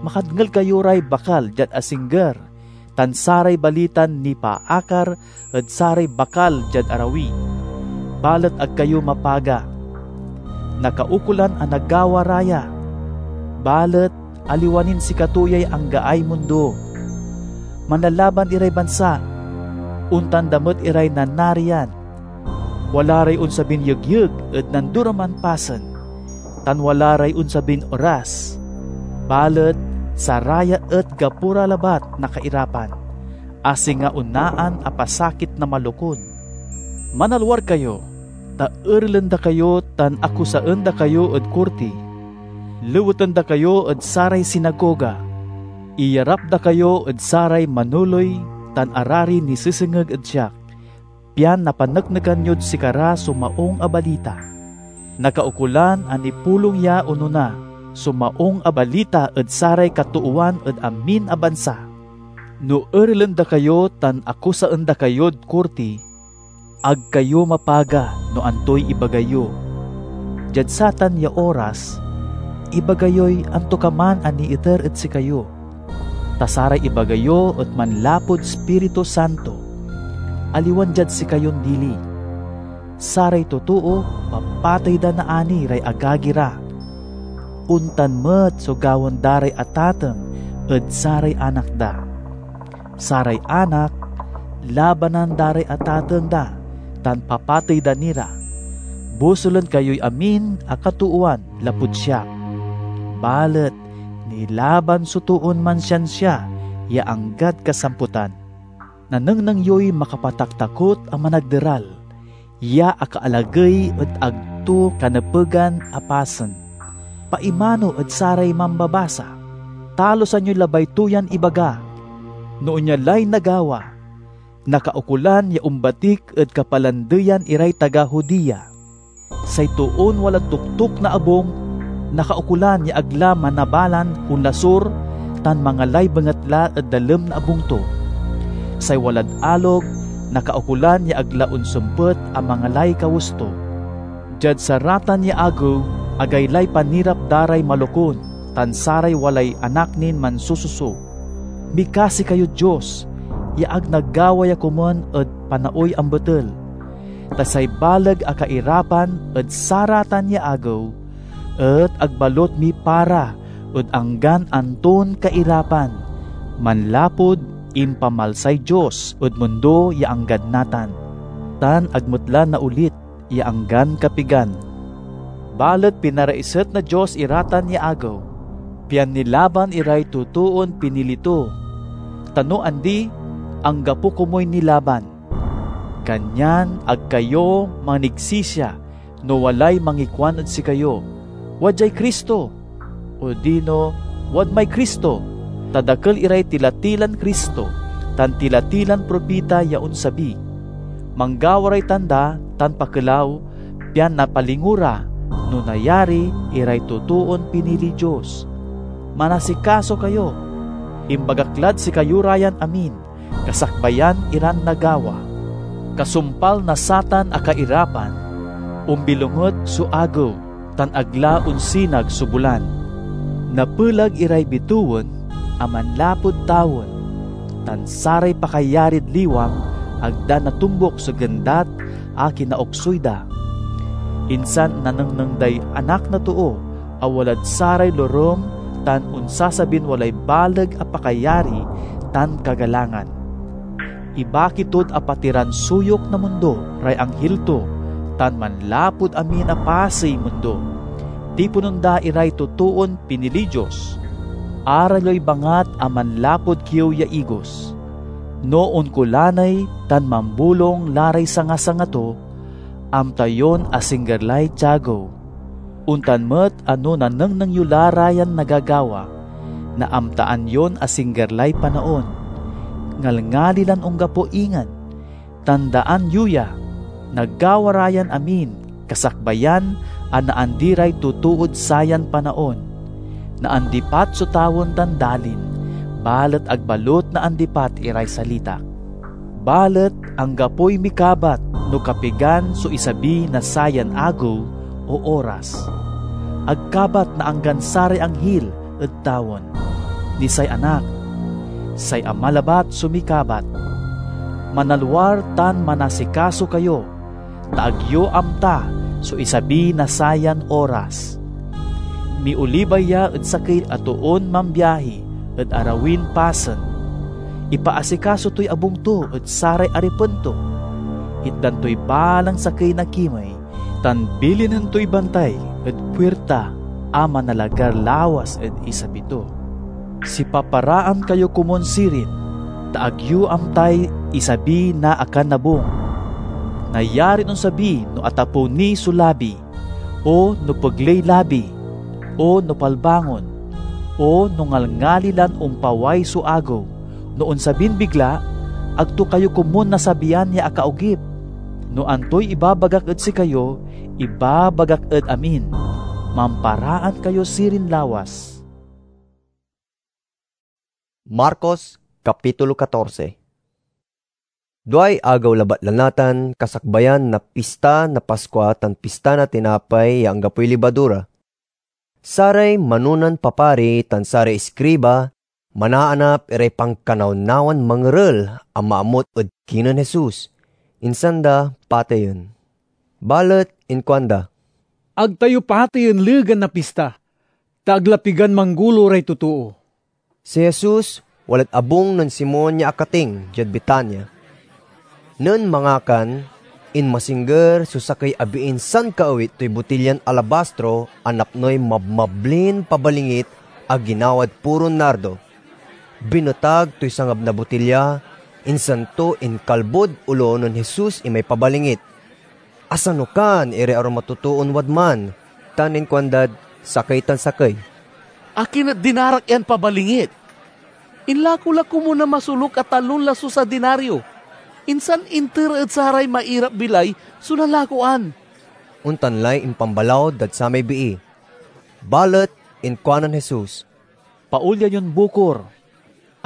Makadngel kayo ray bakal diad asingger, tan saray balitan nipaakar ed saray bakal diad arawi, balet ag kayo mapaga. Nakaukolan a nagawa ra ya, balet aliwa nin sikato yay anggaay mundo. Manlalaban iray bansa, ontan da met iray nanarian. Wala ray onsabin yegyeg ed nandoraman pasen, tan wala ray onsabin oras. Balet saraya et gapo ra labat na kairapan, a singa onaan a pasakit na malokun. Manalwar kayo, ta erelen da kayo tan akusaen da kayo ed korti. Leweten da kayo ed saray sinagoga. Iyarap da kayo ed saray manoley tan ararin nisesengeg ed siak, pian napaneknekan yod sikara so Maung a Balita. Nakaukolan a nipulong ya onona so Maung a Balita ed saray katoowan ed amin a bansa. No erelen da kayo tan akusaen da kayod korti, ag kayo mapaga no antoy ibaga yo. Diad satan ya oras, ibaga yoy antokaman a niiter ed sikayo, ta saray ibaga yo et manlapud Ispiritu Santo, aliwan diad sikayon dili. Saray totoo, papatey da naani ray agagi ra. Ontan met so gawaen da ray atateng ed saray anak da. Saray anak, labanan da ray atateng da tan papatey da ni ra. Bosulen kayoy amin a katoowan lapud siak. Balet nilaban so toon mansiansia ya anggad kasamputan. Nanengneng yoy makapataktakot a managderal ya akaalagey et ag to kanepegan a pasen. Paimano ed saray mambabasa, talusan yoy labay to yan ibaga. No onia lay nagawa, nakaukolan ya ombatik ed kapalandeyan iray taga Judea. Say toon walad toktok na abung, nakaukolan ya ag la manabalan onlasur tan mangalay bengatla ed dalem na abung to. Say walad alog, nakaukolan ya ag la onsempet a mangalay kawes to. Diad saratan ya agew, agaylay panirap da ray malokun tan saray walay anak nin mansususo. Mikasi kayod Dios ya ag nagawa ya komon ed panaoy ambetel, ta say baleg a kairapan ed saratan ya agew et ag balot mipara ed anggan anton kairapan, manlapud impamalsay Dios ed mundo ya anggad natan, tan ag met la naolit ya anggan kapigan. Balet pinaraiset na Dios iratan ya agew, pian nilaban iray totoon pinili to, Ta no andi, anggapo komuy nilaban. Kanyan ag kayo manigsisia no walay mangikuan ed sikayo, "Wadyay Cristo," odino, "Wadmay Cristo," ta dakel iray tila-tilan Cristo tan tila-tilan propita ya onsabi. Manggawa ray tanda tan pakelaw, pian napalingo ra, no nayari, iray totoon piniliy Dios. Manasikaso kayo. Imbagak lad sikayo ra yan amin, kasakbayan iran nagawa. Kasumpal na satan a kairapan, ombilonget so agew, tan ag la onsinag so bulan. Napelag iray bitewen a manlapud tawen, tan saray pakayarid liwang ag da natombok so gendat a kinaoksuy da. Insan nanengneng day Anak na Too a walad saray lorem tan onsasabin walay baleg a pakayari tan kagalangan. Ibaki tod apatiran suyok na mundo ray anghil to, tan manlapud amin a pasey mundo, tiponen da iray totoon piniliy Dios. Ara yoy bangat a manlapud kiew ya igos. No onkulaney tan mambolong la ray sanga-sanga to, amta yon asingger lay tiagew. Ontan met a no nanengneng yo la ra yan nagagawa, naamtaan yon asingger lay panaon. Ngalngali lan onggapo ingen. Tandaan yo ya, nagawa ra yan amin, kasakbayan a naandi ray totood sayan panaon. Naandipat so tawen tan dalin, balet ag balut naandipat iray salitak. Balet anggapoy mikabat no kapigan so isabi na sayan agew o oras. Ag kabat na anggan saray anghil ed tawen, ni say Anak, say Ama labat so mikabat. Manalwar tan manasikaso kayo, ta ag yo amta so isabi na sayan oras. Miolibay ya ed sakey a toon mambiahi ed arawin pasen. Ipaasikaso toy abung to ed saray aripen to. Itdan toy balang sakey na kimey, tan bilinen toy bantay ed puirta a manalagar lawas ed isabi to. Sipaparaan kayo komun sirin, ta ag yo amtay isabi na akanabung. Nayarin onsabi no atapew ni so labi, o no pegley labi, o no palbangon, o no ngalngali lan ompaway so agew. No onsabin bigla, ag to kayo komun nasabian ya akaogip. No antoy ibabagak ed sikayo, ibabagak ed amin. Mamparaan kayo sirin lawas. Marcos, Kapitulo catorce. Duay agew labat la natan, kasakbayan na Pista na Paskua tan Pista na Tinapay ya Anggapoy Libadura. Saray manonan papari tan saray iskriba manaanap iray pankanawnawan mangerel a maamut ed kinen Jesus, insan da pateyen. Balet inkuanda, "Ag tayo pateyen legan na pista, ta ag la pigan manggulo ray totoo." Si Jesus walad abung nen Simon ya akating diad Betania. Nen mangakan, inmasingger so sakey a biin sankaawit toy botilyan alabastro a napnoy mabmablin pabalingit a ginawad puron nardo. Binetag toy sangab na botilya, insan to inkalbod olo nen Jesus imay pabalingit. Asanukan iray arum a totoon wadman tan inkuandad sakey tan sakey, "Akin et dinarak yan pabalingit? Inlako la komun a masoluk a talon lasus a dinario, insan inter ed saray mairap-bilay so nalakoan." Ontan lay impambalaw dad samay bii. Balet inkuanen Jesus, "Paolya yon bukor.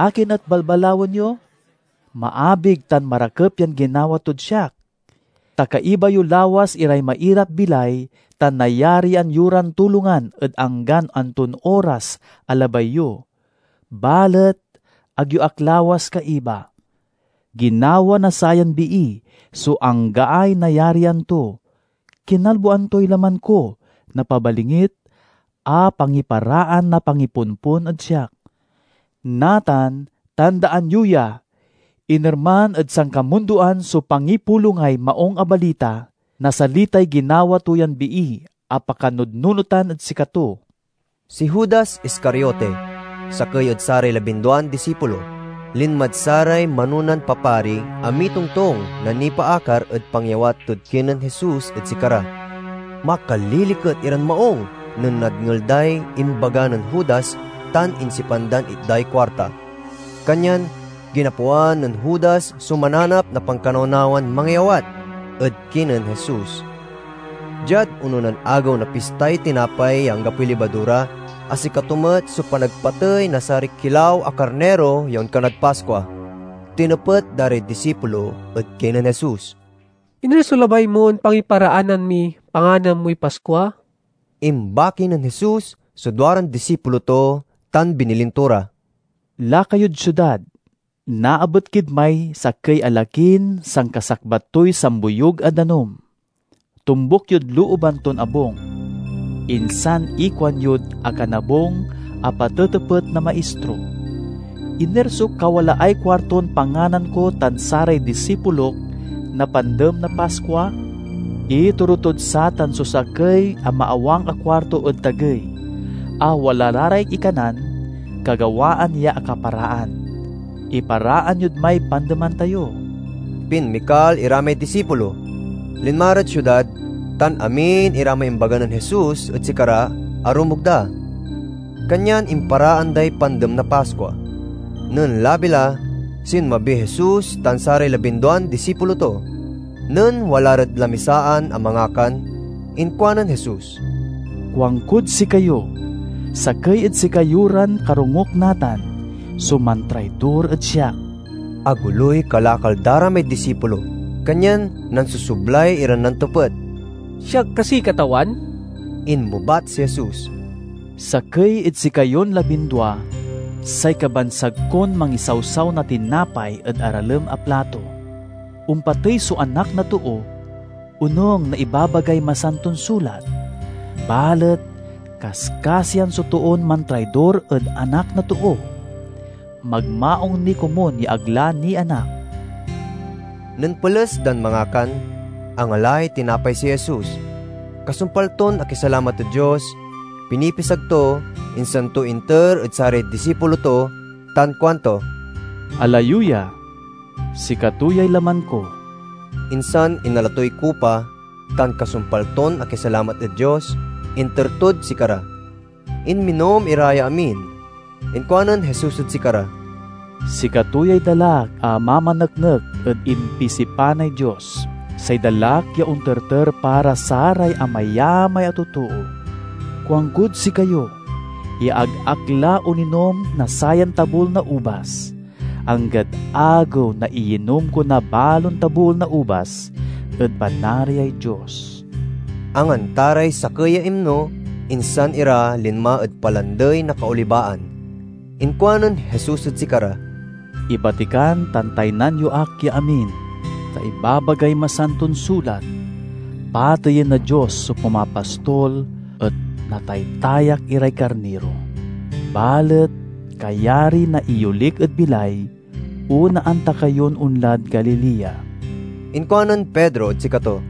Akin et balbalawen yo? Maabig tan marakep yan ginawa tod siak. Ta kaiba yo lawas iray mairap-bilay tan nayarian yo ran tulongan ed anggan anton oras a labay yo. Balet ag yo ak lawas kaiba. Ginawa na sayan bii so anggaay nayarian to. Kinalboan toy laman ko na pabalingit a pangiparaan na pangiponpon ed siak. Natan, tandaan yo ya, inerman ed sankamundoan so pangipulongay Maung a Balita na salitay ginawa to yan bii a pakanudnunotan ed sikato." Si Judas Iscariote, sakey ed saray labinduan disipulo, Linmad saray manonan papari a mitongtong na nipaakar ed pangyawat tod kinen Jesus ed sikara. Makaliliket iran maong nen nadngel day imbaga nen Judas tan insipan dan itday kuarta. Kanyan ginapoan nen Judas so mananap na pankanawnawan mangiyawat ed kinen Jesus. Diad ononan agew na Pistay Tinapay ya Anggapoy Libadura, a sikato met so panagpatey na saray kilaw a karniro ya onkanad Paskua, tinepet da ray disipulo ed kinen Jesus. "Iner so labay mon pangiparaanan miy panganan moy Paskua?" Imbaki nen Jesus so duaran disipulo to tan binilin to ra, "Laka yod siudad. Naabet kid may sakey a lakin sankasakbat toy samboyug a danum. Tombuk yod looban ton abung, insan ikuanyod akanabung a patetepet na Maistro, 'Iner so kawalaay kuarton panganan ko tan saray disipulok na Pandem na Paskua?' Itoro tod satan so sakey a maawang a kuarto ed tagey, a wala la ray ikanan, kagawaan ya akaparaan. Iparaan yod may pandeman tayo." Pinmikal ira may disipulo, linma rad siudad, tan amin ira may imbaga nen Jesus ed sikara arumog da. Kanyan imparaan day Pandem na Paskua. Nen labi la, sinmabiy Jesus tan saray labinduan disipulo to. Nen wala rad lamisaan a mangakan, inkuanen Jesus, "Kuankod sikayo, sakey ed sikayo ran karongok natan so mantraidor ed siak." Agoloy kalakal da ra may disipulo, kanyan nansusublay iran nantepet. "Siak kasi, Katawan?" Inmebat si Jesus, "Sakey ed sikayon labindua, say kabansag kon mangisawsaw na tinapay ed aralem a plato. Ompatey so Anak na Too, onung na ibabagay Masanton Sulat. Balet kaskasian so toon mantraidor ed Anak na Too. Magmaung ni komun ya ag la nianak." Nen peles dan mangakan, angalay tinapay si Jesus. Kasumpal ton akisalamat ed Dios, pinipisag to, insan to inter ed saray disipulo to, tan kuanto, "Alayo ya, sikato yay laman ko." Insan inala toy kupa, tan kasumpal ton akisalamat ed Dios, inter tod sikara. Inminom ira ya amin. Inkuanen Jesus ed sikara, "Sikato yay dalak a mamaneknek ed impisipanay Dios, say dalak ya onterter para saray amayamay a totoo. Kuankod sikayo ya ag ak la oninom na sayan tabol na ubas, anggad agew na iyinom ko na balon tabol na ubas ed Panariay Dios." Anganta ray sakey ya imno, insan ira linma ed Palandey na Kaolibaan. Inkuanen Jesus ed sikara, "Ibatikan tan taynan yo ak ya amin, ta ibabagay Masanton Sulat, 'Pateyen na Dios so pumapastol et nataytayak iray karniro.' Balet kayari na iyolik ed bilay, onaan ta kayon onlad Galilea." Inkuanen Pedro ed sikato,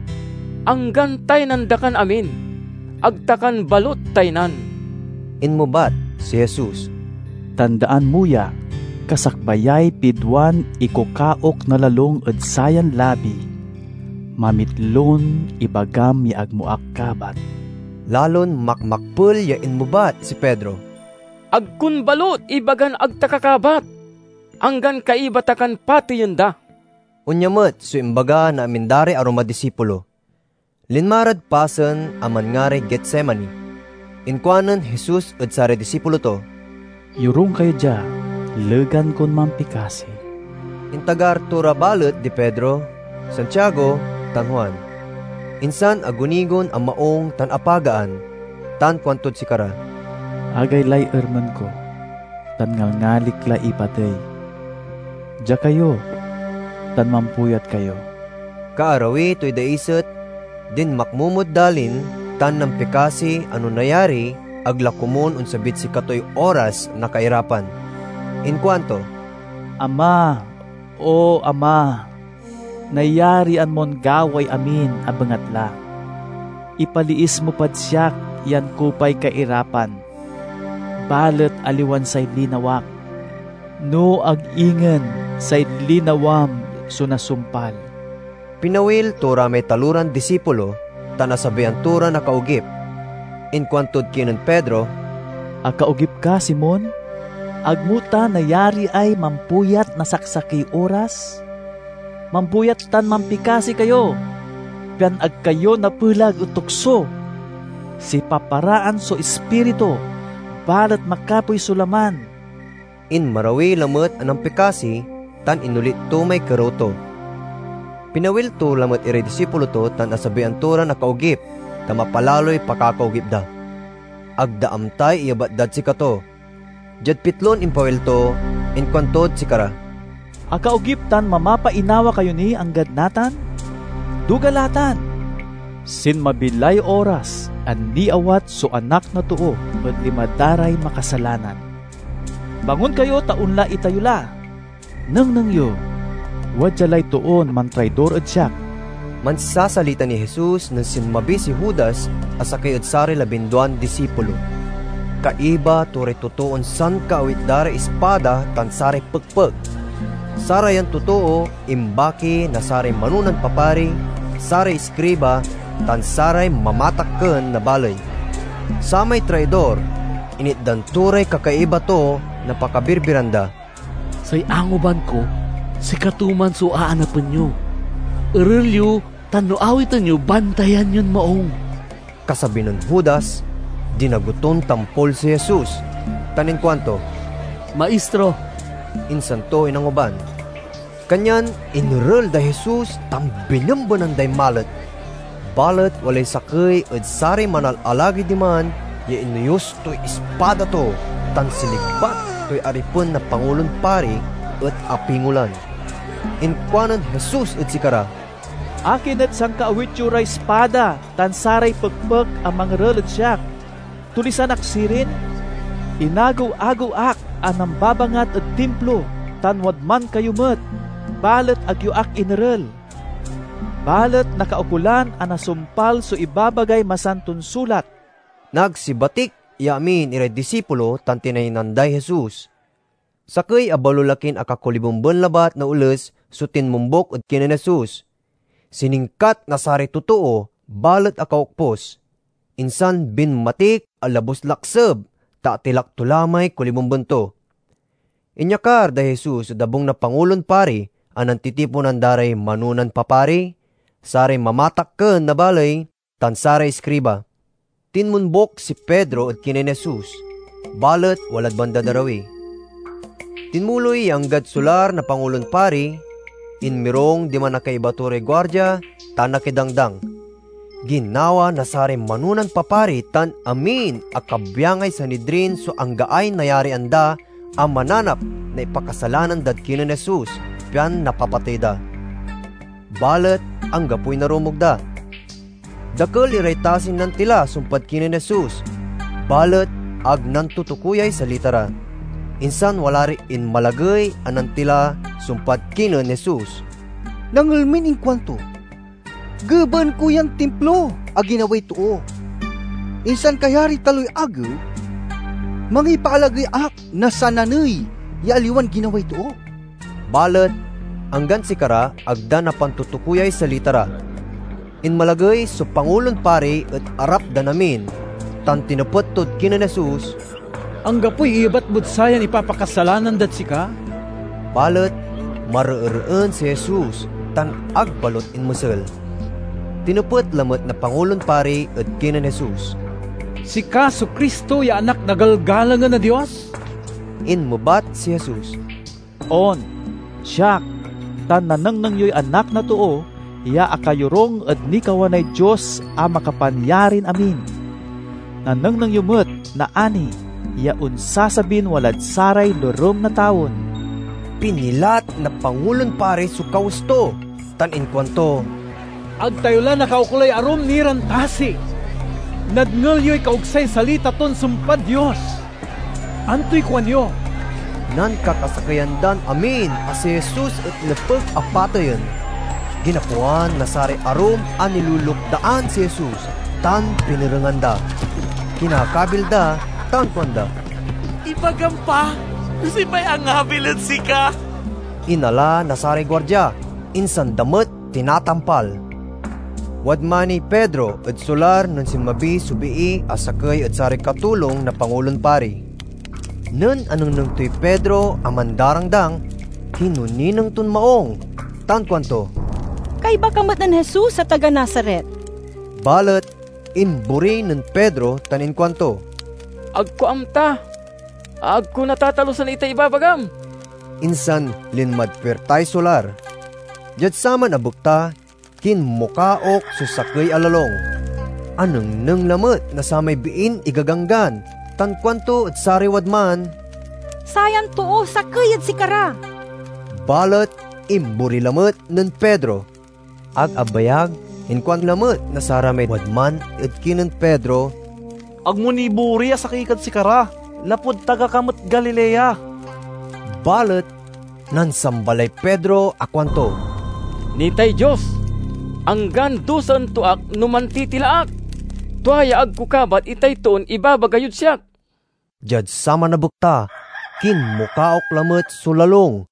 "Anggan taynan da kan amin, ag ta kan balut taynan." Inmebat si Jesus, "Tandaan mo ya, kasakbayay piduan ikukaok na lalung ed sayan labi, mamitlon ibagam ya ag mo ak kabat." Lalon makmakpel ya inmebat si Pedro, "Ag kon balut ibagan ag ta ka kabat, anggan kaiba ta kan pateyen da." Onya met so imbaga na amin da ray arum a disipulo. Linma rad pasen a manngaray Getsemani. Inkuanen Jesus ed saray disipulo to, "Yorung kayo dia, legan kon mampikasi." Intagar to ra balet di Pedro, Santiago, tan Juan. Insan agunigon a maung tan apagaan, tan kuantod sikara, "Agaylay ermen ko, tan ngalngalik la ipatey. Dia kayo, tan mampuyat kayo." Kaarawi toy daiset, dinmakmo mod dalin tan nampikasi a no nayari, ag la komun onsabid sikatoy oras na kairapan. Inkuanto, "Ama, O Ama, nayarian mon gaway amin a bengatla. Ipaliis mo pad siak yan kupay kairapan, balet aliwan say linawak, no ag ingen say linawam so nasumpal." Pinawil to ra may taloran disipulo tan asabian to ran akaogip. Inkuantod kinen Pedro, "Akaogip ka, Simon? Ag mo ta nayariay mampuyat na saksakey oras? Mampuyat tan mampikasi kayo, pian ag kayo napelag ed tukso. Sipaparaan so Ispiritu, balet makapoy so laman." Inmarawi lamet a nampikasi tan inulit to may kerew to. Pinawil to lamet iray disipulo to tan asabian to ran akaogip ta mapalaloy pakakaogip da. Ag da amtay iyebat dad sikato. Diad pitlon impawil to, inkuantod sikara, "Akaogip tan mamapainawa kayo ni anggad natan? Duga la tan! Sinmabi lay oras a niawat so Anak na Too ed lima da ray makasalanan. Bangon kayo ta onla itayo la! Nengneng yo, wadia lay toon mantraidor ed siak." Mansasalita ni Jesus nen sinmabi si Judas a sakey ed saray labinduan disipulo. Kaiba to ray totoon sankaawit da ray ispada tan saray pekpek. Sarayan totoo imbaki na saray manonan papari, saray iskriba, tan saray mamatakken na baley. Samay traidor, initdan to ray kakaiba to na pakabirbiran da. "Say angoban ko, sikato man so aanapen yo. Erel yo, tan no awiten yo, bantayan yon maong." Kasabi nen Judas, dinago ton tampol si Jesus, tan inkuanto, "Maistro!" Insan to inangoban. Kanyan inerel day Jesus tan binembenan day malet. Balet walay sakey ed saray manalalagey diman ya inoyos toy ispada to tan sinigbat toy aripen na Pangulon Pari et apingolan. Inkuanen Jesus ed sikara, "Akin et sankaawit yo ray ispada tan saray pekpek a mangerel ed siak? Tulisan ak sirin? Inagew-agew ak a nambabangat ed Timplo, tan wadman kayo met, balet ag yo ak inerel. Balet nakaukolan a nasumpal so ibabagay Masanton Sulat." Nagsibatik ya amin iray disipulo tan tinaynan day Jesus. Sakey a balolakin akakolibemben labat na oles so tinmombok ed kinen Jesus. Siningkat na saray totoo, balet akaokpos. Insan binmatik a labus lakseb, ta atilak to la may kolibemben to. Inyakar day Jesus ed abung na Pangulon Pari a nantitiponan da ray manonan papari, saray mamatakken na baley, tan saray iskriba. Tinmombok si Pedro ed kinen Jesus, balet walad bandad arawi. Tinmuloy ya anggad solar na Pangulon Pari, inmirong diman a kaiba to ray guardia tan nakidangdang. Ginawa na saray manonan papari tan amin a kabyangay Sanedrin so anggaay nayarian da a mananap na ipakasalanan dad kinen Jesus, pian napapatey da. Balet anggapoy narumog da. Dakel iray tasin nantila sumpad kinen Jesus, balet ag nantutukuyay salita ra. Insan wala ray inmalagey a nantila sumpad kinen Jesus. Nangel min inkuanto, "Gebaen ko yan Timplo a ginaway too. Insan kayariy taloy agew, mangipaalagey ak na sananey ya aliwan ginaway too." Balet anggan sikara ag da napantutukuyay salita ra. Inmalagey so Pangulon Pari ed arap dan amin, tan tinepet tod kinen Jesus, "Anggapoy iyebat mod sayan ipapakasalanan dad sika?" Balet mareereen si Jesus tan ag balot inmesel. Tinepet lamet na Pangulon Pari ed kinen Jesus, "Sika so Cristo ya Anak na galgalangen na Dios?" Inmebat si Jesus, "On, siak, tan nanengneng yoy Anak na Too ya akayorung ed nikawanay Dios a Makapanyarin-amin. Nanengneng yo met naani ya onsasabin walad saray lorem na tawen." Pinilat na Pangulon Pari so kawes to, tan inkuanto, "Ag tayo la nakaukolay arum ni ran tasi. Nadngel yoy kauksay salita ton sumpad Dios. Antoy kuanyo?" Nankakasakeyan dan amin a si Jesus et nepeg a pateyen. Ginapoan na saray arum a nilulukdaan si Jesus tan pinerengan da. Kinakabil da tan kuanda, "Ibagam pa, Siopay angabil ed sika?" Inala na saray guardia, insan da met tinatampal. Wadman niy Pedro ed solar nen sinmabi so bii a sakey ed saray katulong na Pangulon Pari. Nen anengneng toy Pedro a mandarangdang, kinonineng ton maong, tan kuanto, "Kaiba ka met nen Jesus a taga Nazaret." Balet imbori nen Pedro tan inkuanto, "Ag ko amta! Ag ko natatalusan itay ibabagam!" Insan linmad puirtay solar. Diad saman a bekta, kinmukaok so sakey a lalung. Anengneng lamet na samay biin igaganggan, tan kuanto ed saray wadman, "Sayan too sakey ed sikara!" Balet imbori lamet nen Pedro. Ag abayag, inkuan lamet na saramay wadman ed kinen Pedro, "Ag mo ni bori a sakey kad sikara, lapud taga ka met Galilea." Balet nansamba lay Pedro a kuanto, "Nitay Dios, anggan dusaen to ak no mantitila ak! Tua ya ag ko kabat itay toon ibabaga yod siak." Diad saman a bekta, kinmukaok lamet so lalung.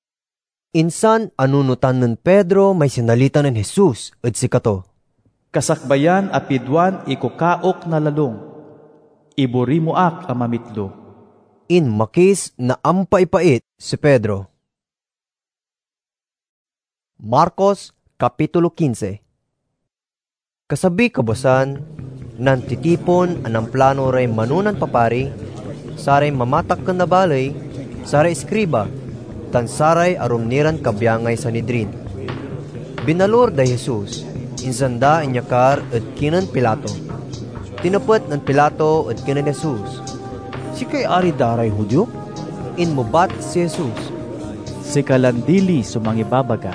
Insan anunotan nen Pedro may sinalita nen Jesus ed sikato, "Kasakbayan a piduan ikukaok na lalung, ibori mo ak a mamitlo." Inmakis na ampaipait si Pedro. Marcos, Kapitulo quince. Kasabiy kabuasan, nantitipon a namplano ray manonan papari, saray mamatakken na baley, saray iskriba, tan saray arum ni ran kabyangay Sanhedrin. Binalur day Jesus, insan da inyakar ed kinen Pilato. Tinepet nen Pilato ed kinen Jesus, "Sikay ari da ray Judio?" Inmebat si Jesus, "Sika lan dili so mangibabaga."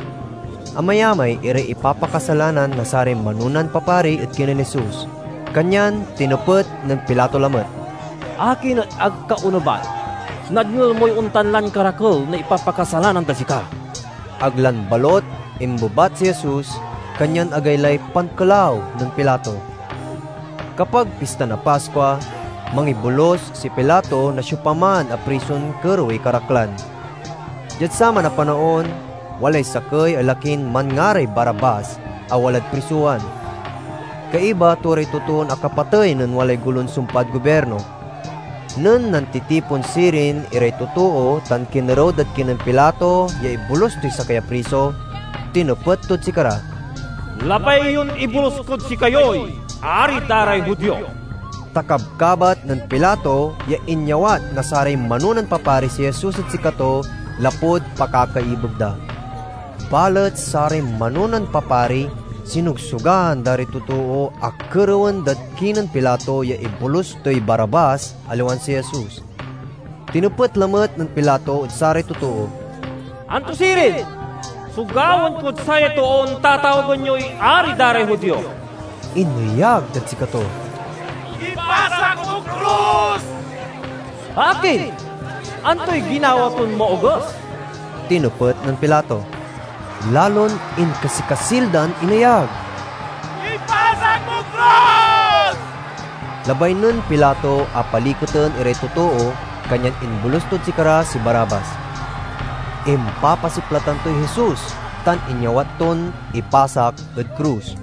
Amayamay iray ipapakasalanan na saray manonan papari ed kinen Jesus, kanyan tinepet nen Pilato lamet, "Akin et ag ka onebat? Nadngel moy ontan lan karakel na ipapakasalanan dad sika." Ag lan balot imbebat si Jesus, kanyan agaylay pankelaw nen Pilato. Kapag Pista na Paskua, mangibolus si Pilato na siopaman a prison kerewey karaklan. Diad saman a panaon, walay sakey a lakin manngaray Barrabas a walad prisowan. Kaiba to ray totoon akapatey nen walay golon sumpad gobirno. Nen nantitipon sirin iray totoo tan kinerew dad kinen Pilato ya ibolus toy sakey a priso, tinepet tod sikara, "Labay yon ibolus kod sikayoy Ari da ray Judio!" Ta kabkabat nen Pilato ya inyawat na saray manonan papari si Jesus ed sikato lapud pakakaibeg da. Balet saray manonan papari sinogsogan da ray totoo a kerewen dad kinen Pilato ya ibolus toy Barrabas, aliwan si Jesus. Tinepet lamet nen Pilato ed saray totoo, "Anto sirin so gawaen kod saya toon tatawagen yoy Ari da ray Judio?" Ineyag dad sikato, "Ipasak mo krus!" "Akin? Antoy ginawa ton maoges?" tinepet nen Pilato. Lalon inkasikasil dan ineyag, "Ipasak mo krus!" Labay nen Pilato a paliketen iray totoo, kanyan imbolus tod sikara si Barrabas. Impapasiplatan toy Jesus tan inyawat ton ipasak ed krus.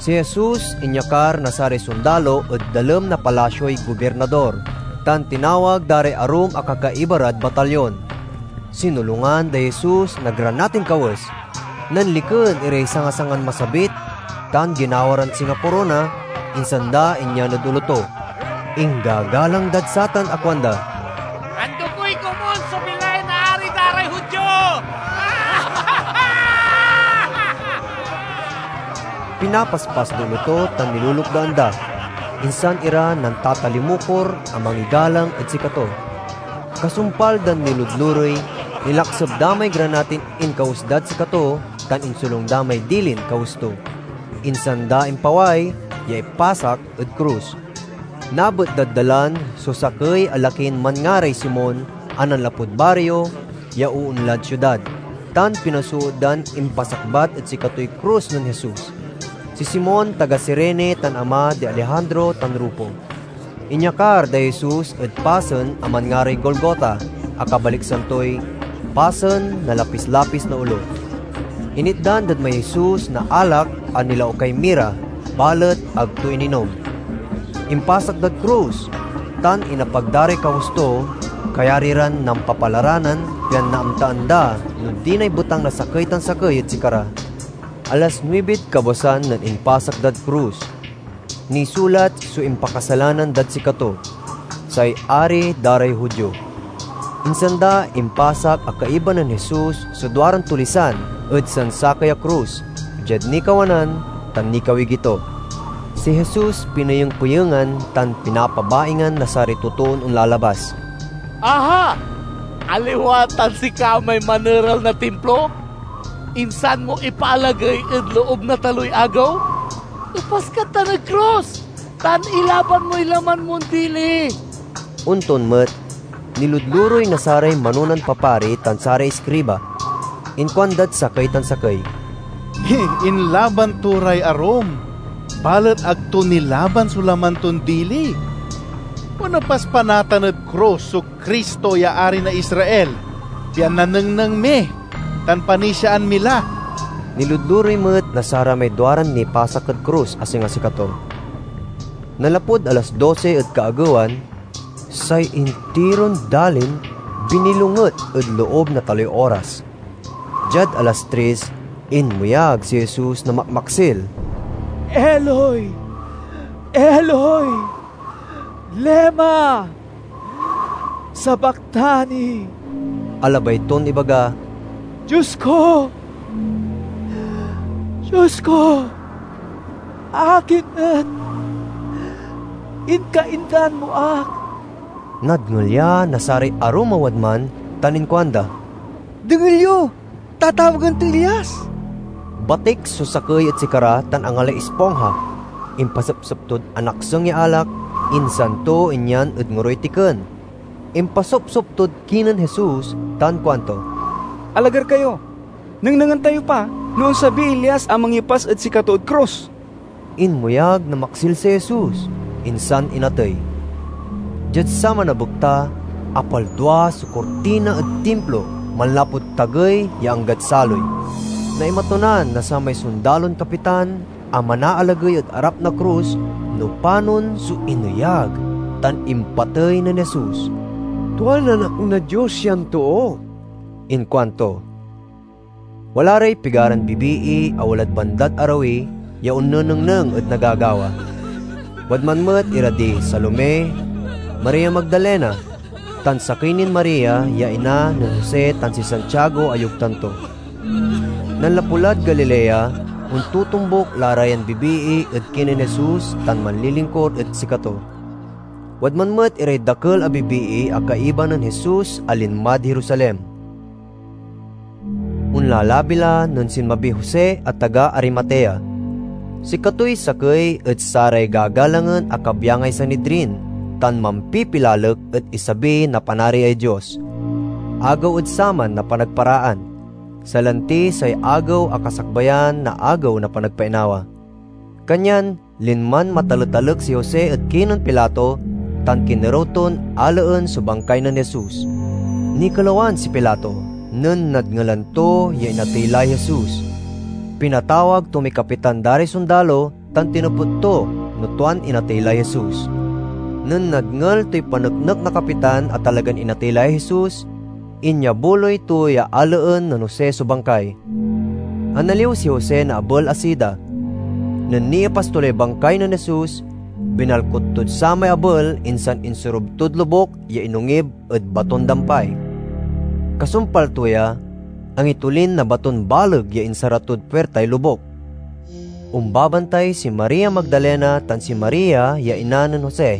Si Jesus inyakar na saray sondalo ed dalem na palasioy gobirnador, tan tinawag da ray arum a kakaiba rad batalyon. Sinolungan day Jesus na granatin kawes. Nanliken iray sangasangan masabit, tan ginawa ran singa korona, insan da inyan ed olo to. Inggagalang dad satan a kuanda, "Antoy komun so bilay na Ari da ray Judio?" Pinapaspas da olo to tan nilulukdaan da, insan ira nantatalimukor a mangigalang ed sikato. Kasumpal dan niludlurey, nilakseb da may granatin inkawes dad sikato tan insolung da may dilin kawes to. Insan da impaway ya ipasak ed krus. Nabet dad dalan so sakey a lakin manngaray Simon a nanlapud bario ya oonlad siudad, tan pinasoot dan impasakbat ed sikatoy krus nen Jesus. Si Simon, taga Cirene, tan ama di Alejandro tan Rufo. Inyakar day Jesus ed pasen a manngaray Golgota, a kabaliksan toy Pasen na Lapis-lapis na Olo. Initdan dad may Jesus na alak a nilaukay mira, balet ag to ininom. Impasak dad krus, tan inapag da ray kawes to, kayari ran nampapalaranan pian naamtaan da no dinay betang na sakey tan sakey ed sikara. Alas nuibid kabuasan nen impasak dad krus. Nisulat so impakasalanan dad sikato, say Ari da ray Judio. Insan da impasak a kaiba nen Jesus so duaran tulisan ed sansakey a krus, diad nikawanan tan nikawigi to. Si Jesus pineyeng-peyengan tan pinapabaingan na saray totoon onlalabas. Aha! Aliwa tan sika may maneral na Timplo? Insan mo ipaalagey ed loob na taloy agew? Epas ka tan ed krus, tan ilaban moy laman mon dili. Onton met, niludluroy na saray manonan papari tan saray iskriba. Inkuandad sakey tan sakey, "Inlaban to ray arum, balet ag to nilaban so laman ton dili. Onepas pa natan ed krus so Cristo ya Ari na Israel, pian nanengneng mi, tan panisiaan mi la." Niludluroy met na saramay duaran nipasak ed krus a singa sikato. Nanlapud alas dose ed kaagewan, say intiron dalin binilonget ed loob na taloy oras. Diad alas tres, inmeyag si Jesus na makmaksil, "Eloi, Eloi, lema sabactani?" A labay ton ibaga, "Dios ko, Dios ko, akin et inkaindan mo ak?" Nadngel ya na saray arum a wadman tan inkuanda, "Dengel yo! Tatawagen toy Elias!" Batik so sakey ed sikara tan angalay ispongha. Impasepsep tod anakseng ya alak, insan to inyan ed ngoroy tiken. Impasopsop tod kinen Jesus tan kuanto, "Alagar kayo, nengnengen tayo pa no onsabiy Elias a mangipas ed sikato ed krus." Inmeyag na maksil si Jesus, insan inatey. Diad saman a bekta, apaldua so kurtina ed Timplo manlapud tagey ya anggad saloy. Naimatonan na samay sondalon kapitan a manaalagey ed arap na krus no panon so ineyag tan impatey nen Jesus. "Tuan Anak na Dios yan too," inkuanto. Wala ray pigaran bibii a walad bandad arawi ya onnenengneng ed nagagawa. Wadman met ira di Salome, Maria Magdalena, tan sakey nin Maria ya ina nen Jose tan si Santiago a yogtan to. Nanlapu lad Galilea, ontotombok la ra yan bibii ed kinen Jesus tan manlilingkur ed sikato. Wadman met iray dakel a bibii a kaiba nen Jesus a linmad Jerusalem. Onlalabi la nen sinmabiy Jose a taga Arimatea. Sikatoy sakey ed saray gagalangen a kabyangay Sanidrin tan mampipilalek ed isabi na Panariay Dios. Agew ed saman na panagparaan, salanti say agew a kasakbayan na Agew na Panagpainawa. Kanyan linman mataletalek si Jose ed kinen Pilato tan kinerew ton alaen so bangkay nen Jesus. Nikelawan si Pilato nen nadngelan to ya inatey lay Jesus. Pinatawag to may kapitan da ray sondalo tan tinepet to no tuan inatey lay Jesus. Nen nadngel toy paneknek na kapitan a talagan inatey lay Jesus, inyabuloy to ya alaen nen Jose so bangkay. Analiw si Jose na abel a sida. Nen niepas to lay bangkay nen Jesus, binalkot tod samay abel insan insurob tod lobuk ya inongib ed baton dampay. Kasumpal to ya, angitolin na baton baleg ya insara tod puirtay lobuk. Ombabantay si Maria Magdalena tan si Maria ya ina nen Jose,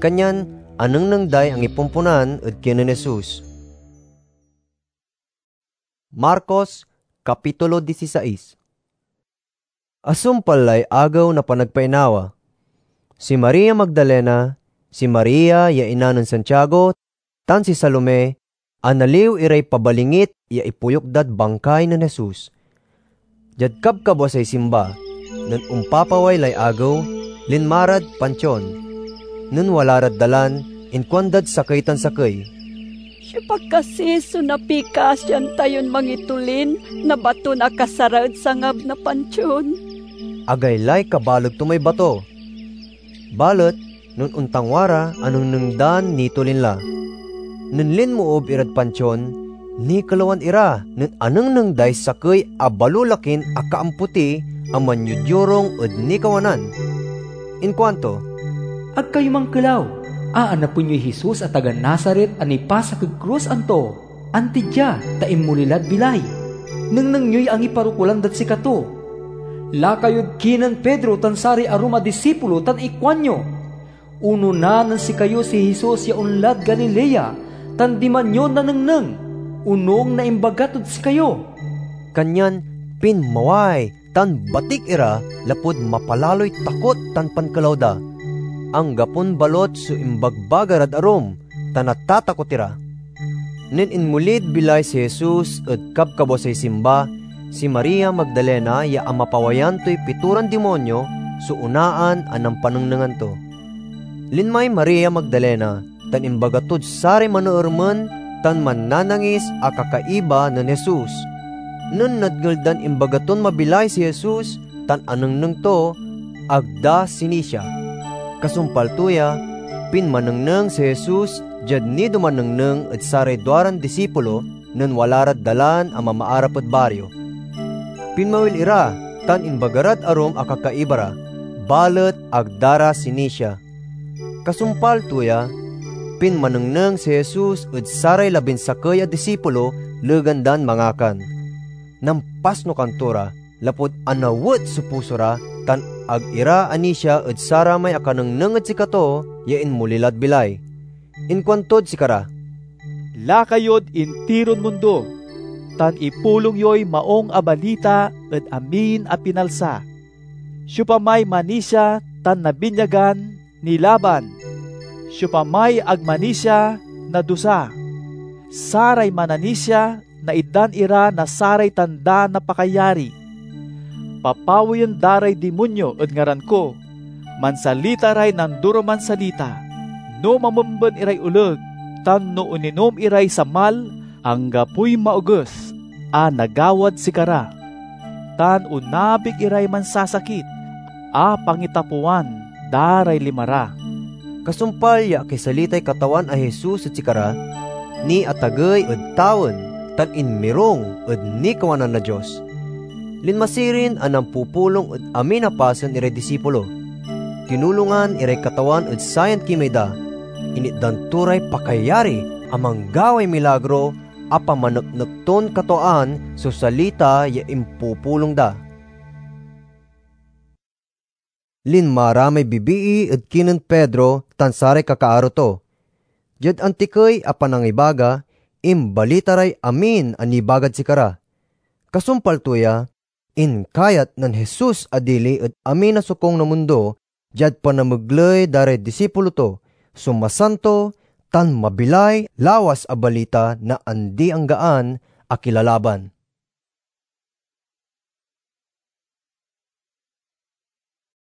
kanyan anengneng day angipomponan ed kinen Jesus. Marcos, Kapitulo disisais. Asumpal lay Agew na Panagpainawa, si Maria Magdalena, si Maria ya ina nen Santiago, tan si Salome, analiw iray pabalingit ya ipoyuk dad bangkay nen Jesus. Diad kabkabwasay simba, nen ompapaway lay agew, linma rad pantion. Nen wala rad dalan, inkuandad sakey tan sakey, "Siopa kasi so napikasian tayon mangitolin na baton akasara ed sangab na pantion?" Agaylay kabaleg to may bato. Balet nen ontangwa ra, anengneng dan nitolin la. Nen linmoob irad pantion, nikelawan ira nen anengneng day sakey a balolakin akaampoti a manyodyorung ed nikawanan. Inkuanto, "Ag kayo mankelaw! Aanapen yoy Jesus a taga Nazaret a nipasak ed krus, anto? Anti dia, ta inmoli lad bilay. Nengneng yoy angiparokulan dad sikato." Laka yod kinen Pedro tan saray arum a disipulo tan ikuanyo, "Onona nen sikayo si Jesus ya onlad Galilea, tan diman yo nanengneng, onung na imbaga tod sikayo." Kanyan pinmaway tan batik ira lapud mapalaloy takot tan pankelaw da. Anggapon balot so imbagbaga rad arum, ta natatakot ira. Nen inmolid bilay si Jesus ed kabkabwasay simba, si Maria Magdalena ya amapawayan toy pitoran dimonyo so onaan a nampanengnengan to. Linmay Maria Magdalena tan imbaga tod saray maneermen tan mannanangis a kakaiba nen Jesus. Nen nadngel dan imbaga ton mabilay si Jesus tan anengneng to, ag da sinisia. Kasumpal to ya, pinmanengneng si Jesus diad nidoman nengneng ed saray duaran disipulo nen wala rad dalan a mamaarap ed bario. Pinmawil ira tan imbaga rad arum a kakaiba ra, balet ag da ra sinisia. Kasumpal to ya, pinmanengneng si Jesus ed saray labinsakey a disipulo legan dan mangakan. Nampasnukan to ra, lapud anawet so puso ra, tan ag ira anisia ed saramay akanengneng ed sikato ya inmoli lad bilay. Inkuantod sikara, "Laka yod intiron mundo, tan ipulong yoy Maung a Balita ed amin a pinalsa. Siopamay manisia tan nabinyagan, nilaban. Siopamay ag manisia, nadusa. Saray mananisia, naitdan ira na saray tanda na pakayari. Papawayen da ray dimonyo ed ngaran ko. Mansalita ray nandoroman salita. No mamemben iray oleg, tan no oninom iray samal, anggapoy maoges a nagawad sikara. Tan onabig iray mansasakit a pangitapewan da ray lima ra." Kasumpal ya akisalitay Katawan a Jesus ed sikara, niatagey ed tawen tan inmirung ed nikawanan na Dios. Linma sirin a nampupulong ed amin a pasen iray disipulo. Tinulongan iray Katawan ed sayan kimey da. Initdan to ray pakayari a manggaway milagro a pamaneknek ton katwaan so salita ya impupulong da. Linma ra may bibii ed kinen Pedro tan saray kakaaro to. Diad antikey a panangibaga, imbalita ray amin a nibagad sikara. Kasumpal to ya, inkayat nen Jesus a dili ed amin a sokung na mundo diad panamegley da ray disipulo to so masanto tan mabilay lawas a balita na andi-anggaan a kilalaban.